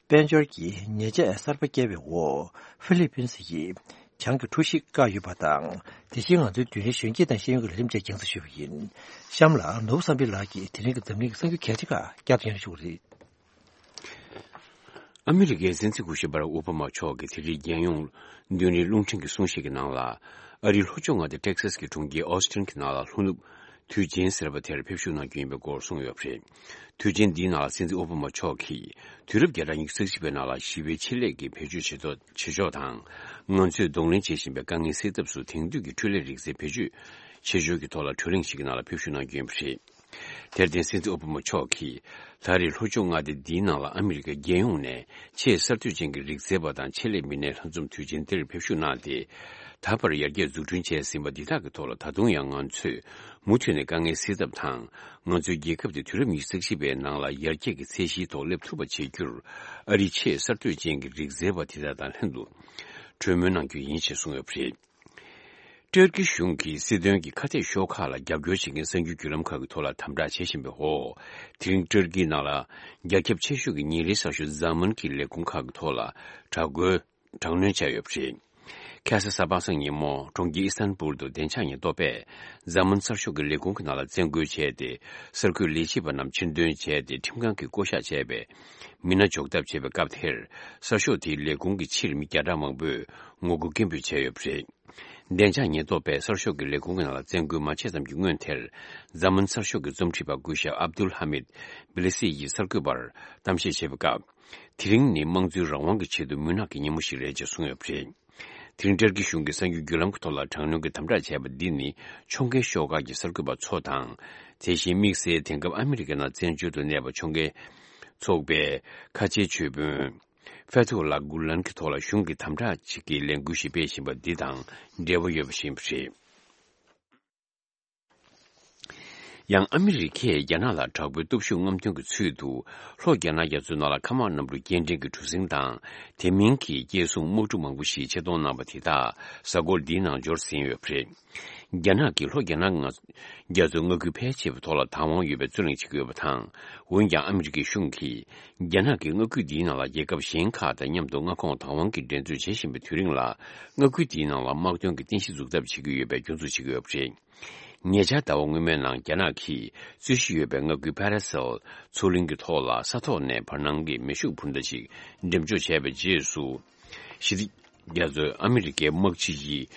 དཔལ་འབྱོར་གྱི་ཉེས་ཆད་གསར་པ་བཀལ་བའི་འོག་ཧྥི་ལི་པིན་སི་ཡིས་བྱང་གི་གྲུ་བཞི་བཀག་ཡོད་པ་དང་། དེ་བཞིན་ང་ཚོའི་མདུན་རིའི་གཞོན་སྐྱེས་དང་ཤེས་ཡོན་གྱི་ལས་རིམ་བཅས་རྒྱང་སྲིང་ཞུས་པ་ཡིན། གཤམ་ལ་ནོར་བུ་བསམ་འཕེལ་ལགས་ཀྱིས་དེ་རིང་གི་འཛམ་གླིང་གི་གསར་འགྱུར་གལ་ཆེ་ཁག་བསྐྱར་དུ་སྙན་སྒྲོན་ཞུ་གི་རེད། ཨ་མི་རི་ཀའི་སྲིད་འཛིན་སྐུ་ཞབས་བྷ་རག་ཨོ་བྷ་མ་མཆོག་གིས་དེ་རིང་རྒྱལ་ཡོངས་མདུན་རིའི་རླུང་འཕྲིན་གྱི་གསུང་བཤད་ཀྱི་ནང་ལ། ཨ་རིའི་ལྷོ་ཕྱོགས་མངའ་སྡེ་ཊེག་སཱས་ཀྱི་གྲོང་ཁྱེར་ཨོ་སི་ཊིན་གྱི་ནང་ལ་ལྷོ་ནུབ་དུས་ཆེན་ཟེར་བ་དེར་ཕེབས་བཞུགས་གནང་རྒྱུ་ཡིན་པའི་སྐོར་གསུངས་ཡོད་པ་རེད། དུས་ཆེན་འདིའི་ནང་ལ་སྲིད་འཛིན་ཨོ་བྷ་མ་མཆོག་གིས་དུས་རབས་བརྒྱ་ཕྲག་ཉི་ཤུ་རྩ་གཅིག་པའི་ནང་ལ་ཞི་བའི་ཆེད་ལས་ཀྱི་བེད་སྤྱོད་བྱེད་ཐོག་བྱེད་ཕྱོགས་དང་། ང་ཚོས་གདོང་ལེན་བྱེད་བཞིན་པའི་དཀའ་ངལ་སེལ་ཐབས་སུ་དེང་དུས་ཀྱི་འཕྲུལ་ལས་རིག་རྩལ་བེད་སྤྱོད་བྱེད་ཕྱོགས་ཀྱི་ཐོག་ལ་གྲོས་གླེང་ཞིག་གི་ནང་ལ་ཕེབས་བཞུགས་གནང་རྒྱུ་ཡིན་པ་རེད། དེར་བརྟེན་སྲིད་འཛིན་ཨོ་བྷ་མ་མཆོག་གིས་ད་རེས་ལྷོ་ཕྱོགས་མངའ་སྡེ་འདིའི་ནང་ལ་ཨ་མི་རི་ཀ་རྒྱལ་ཡོངས་ནས་ཆེས་གསར་གཏོད་ཅན་གྱི་རིག་རྩལ་པ་དང་ཆེད་ལས་མི་སྣའི་ལྷན་འཛོམས་དུས་ཆེན་འདིར་ཕེབས་བཞུགས་གནང་སྟེ། ད་བར་ཡར་རྒྱས་འཛུགས་སྐྲུན་བྱས་ཟིན་པ་འདི་དག་གི་ཐོག་ལ་ད་དུང་ཡང་ང་ཚོས་མུ་མཐུད་ནས་དཀའ་ངལ་སེལ་ཐབས་དང་། ང་ཚོའི་རྒྱལ་ཁབ་དེ་དུས་རབས་ཉི་ཤུ་རྩ་གཅིག་པའི་ནང་ལ་ཡར་རྒྱས་ཀྱི་ཚད་གཞིའི་ཐོག་སླེབས་ཐུབ་པ་བྱེད་རྒྱུར། ཨ་རིའི་ཆེས་གསར་གཏོད་ཅན་གྱི་རིག་རྩལ་པ་དེ་དག་དང་ལྷན་དུ་གྲོས་མོལ་གནང་རྒྱུ་ཡིན་ཞེས་གསུངས་ཡོད་པ་རེད། ཏུར་ཀི་གཞུང་གིས་སྲིད་དོན་གྱི་ཁ་གཏད་ཤོག་ཁག་ལ་རྒྱབ་སྐྱོར་བྱེད་མཁན་གསར་འགྱུར་བརྒྱུད་ལམ་ཁག་གི་ཐོག་ལ་དམ་དྲག་བྱེད་བཞིན་པའི་འོག་དེ་རིང་ཏུར་ཀིའི་ནང་ལ་རྒྱ་ཁྱབ་ཆེ་ཤོས་ཀྱི་ཉིན་རེའི་གསར་ཤོག་ཛ་མཱན་གྱི་ལས་ཁུངས་ཁག་གི་ཐོག་ལ་དྲག་རྒོལ་དྲག་གནོན་བྱས་ཡོད་པ་རེད། ཁ་ས་གཟའ་པ་སངས་ཉིན་མོ་གྲོང་ཁྱེར་ཨི་སི་ཐན་པུལ་དུ་བདེ་འཇགས་ཉེན་རྟོག་པས་ཛ་མཱན་གསར་ཤོག་གི་ལས་ཁུངས་ཀྱི་ནང་ལ་བཙན་རྒོལ་བྱས་ཏེ། གསར་འགོད་ལས་བྱེད་པ་རྣམས་ཕྱིར་འདོན་བྱས་ཏེ། ཁྲིམས་ཁང་གིས་བསྐོ་གཞག་བྱས་པའི་མི་སྣ་འཇོག་ཐབས་བྱས་པའི་སྐབས་དེར། གསར་ཤོག་དེའི་ལས་ཁུངས་ཀྱི་ཕྱིར་མི་བརྒྱ་ཕྲག་མང་པོས་ངོ་རྒོལ་སྐད་འབོད་བྱས་ཡོད་པ་རེད། བདེ་འཇགས་ཉེན་རྟོག་པས་གསར་ཤོག་གི་ལས་ཁུངས་ཀྱི་ནང་ལ་བཙན་རྒོལ་མ་བྱས་ཙམ་གྱི་སྔོན་དེར། ཛ་མཱན་གསར་ཤོག་གི་རྩོམ་སྒྲིག་པ་སྐུ་ཞབས་ཨབ་དུལ་ཧ་མིད་བི་ལི་སི་ཡིས་གསར་འགོད་པར་གཏམ་བཤད་བྱས་པའི་སྐབས། དེ་རིང་ནི་དམངས་གཙོའི་རང་དབང་གི་ཆེད་དུ་མུན་ནག་གི་ཉིན་མོ་ཞིག་རེད་ཅེས་གསུངས་ཡོད་པ་རེད། དེ་རིང་ཏུར་ཀི་གཞུང་གིས་གསར་འགྱུར་བརྒྱུད་ལམ་གྱི་ཐོག་ལ་དྲག་གནོན་གྱི་དམ་དྲག་བྱས་པ་འདི་ནི་ཕྱོགས་འགལ་ཤོག་ཁག་གི་གསར་འགོད་པ་ཚོ་དང་། དེ་བཞིན་དམིགས་བསལ་དེང་སྐབས་ཨ་མི་རི་ཀའི་ནང་བཙན་བྱོལ་དུ་གནས་པ་ཕྱོགས་འགལ་ཚོགས་པའི་ཁ་ཆེའི་ཆོས་དཔོན་ཕེ་ཐུ་ལ་གུ་ལན་གྱི་ཐོག་ལ་གཞུང་གིས་དམ་དྲག་ཅིག་གི་ལས་འགུལ་ཞིག་སྤེལ་བཞིན་པ་འདི་དང་འབྲེལ་བ་ཡོད་པ་ཞིག་ཡིན་པ་རེད། ཡང་ཨ་མི་རི་ཀས་རྒྱ་ནག་ལ་དྲག་པོའི་སྟོབས་ཤུགས་རྔམ་སྟོན་གྱི་ཚུལ་དུ། ལྷོ་རྒྱ་ནག་རྒྱ་མཚོའི་ནང་ལ་མཁའ་དམག་གནམ་གྲུ་སྐྱེལ་འདྲེན་གྱི་གྲུ་གཟིངས་དང་། དེ་མིན་གྱི་སྐྱེལ་སྲུང་དམག་གྲུ་མང་པོ་ཞིག་ཆེད་གཏོང་གནང་པ་དེ་དག་གཟའ་འཁོར་འདིའི་ནང་འབྱོར་ཟིན་ཡོད་པ་རེད། རྒྱ་ནག་གིས་ལྷོ་རྒྱ་ནག་མངའ་རྒྱ་མཚོའི་མངའ་ཁུལ་ཕལ་ཆེ་བའི་ཐོག་ལ་བདག་དབང་ཡོད་པའི་རྩོད་གླེང་བྱེད་ཀྱི་ཡོད་པ་དང་། འོན་ཀྱང་ཨ་མི་རི་ཀའི་གཞུང་གིས། རྒྱ་ནག་གིས་མངའ་ཁུལ་འདིའི་ནང་ལ་རྒྱལ་ཁབ་གཞན་ཁག་དང་མཉམ་དུ་མངའ་ཁོངས་བདག་དབང་གི་འགྲན་རྩོད་བྱེད་བཞིན་པའི་དུས་རིང་ལ། མངའ་ཁུལ་འདིའི་ནང་ལ་དམག་དོན་གྱི་རྟེན་གཞི་འཛུགས་ཐབས་བྱེད་ཀྱི་ཡོད་པའི་སྐྱོན་འཛུགས་བྱེད་ཀྱི་ཡོད་པ་རེད། ཉེ་ཆར་ཟླ་བ་སྔོན་མའི་ནང་རྒྱ་ནག་གིས་རྩོད་གཞི་ཡོད་པའི་མངའ་ཁུལ་ཕ་ར་སེལ་མཚོ་གླིང་གི་ཐོག་ལ་ས་ཐོག་ནས་བར་སྣང་གི་མེ་ཤུགས་འཕུར་མདའ་ཞིག་འགྲེམས་འཇོག་བྱས་པའི་རྗེས་སུ། ཞི་བདེ་རྒྱ་མཚོའི་ཨ་མི་རི་ཀའི་དམག་སྤྱི་ཡིས་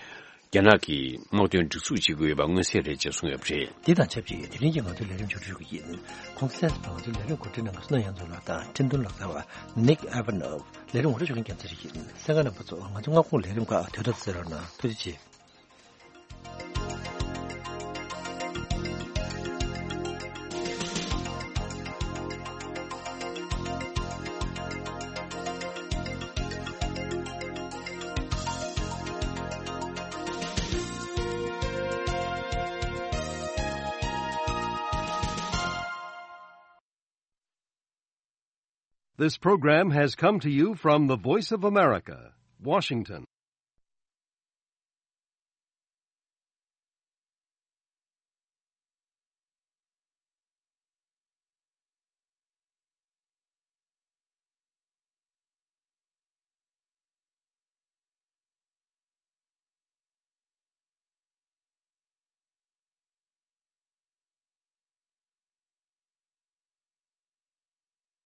རྒྱ་ནག་གིས་དམག་དོན་སྒྲིག་འཛུགས་བྱེད་དགོས་པ་མངོན་གསལ་རེད་ཅེས་གསུངས་ཡོད་པ་རེད། འདི་དང་ཆབས་ཅིག་དེ་རིང་གི་ང་ཚོའི་ལས་རིམ་མཇུག་སྒྲིལ་གྱི་ཡིན། གོང་གསལ་ལ་ང་ཚོའི་ལས་རིམ་གོ་སྒྲིག་གནང་མཁན་གསན་མཁན་ཡོངས་རྫོགས་ལ་དང་ཁྲིན་ཏུན་ལག་རྩལ་བ་Nick Ivanov། ལས་རིམ་ངོ་སྤྲོད་ཞུ་མཁན་རྒྱལ་མཚན་ཞིག་ཡིན། གསན་མཁན་རྣམ་པ་ཚོ་ང་ཚོ་སྔ་དགོང་ལས་རིམ་ཁག་དུས་ཐོག་གསན་རོགས་གནང་། ཐུགས་རྗེ་ཆེ། This program has come to you from the Voice of America, Washington.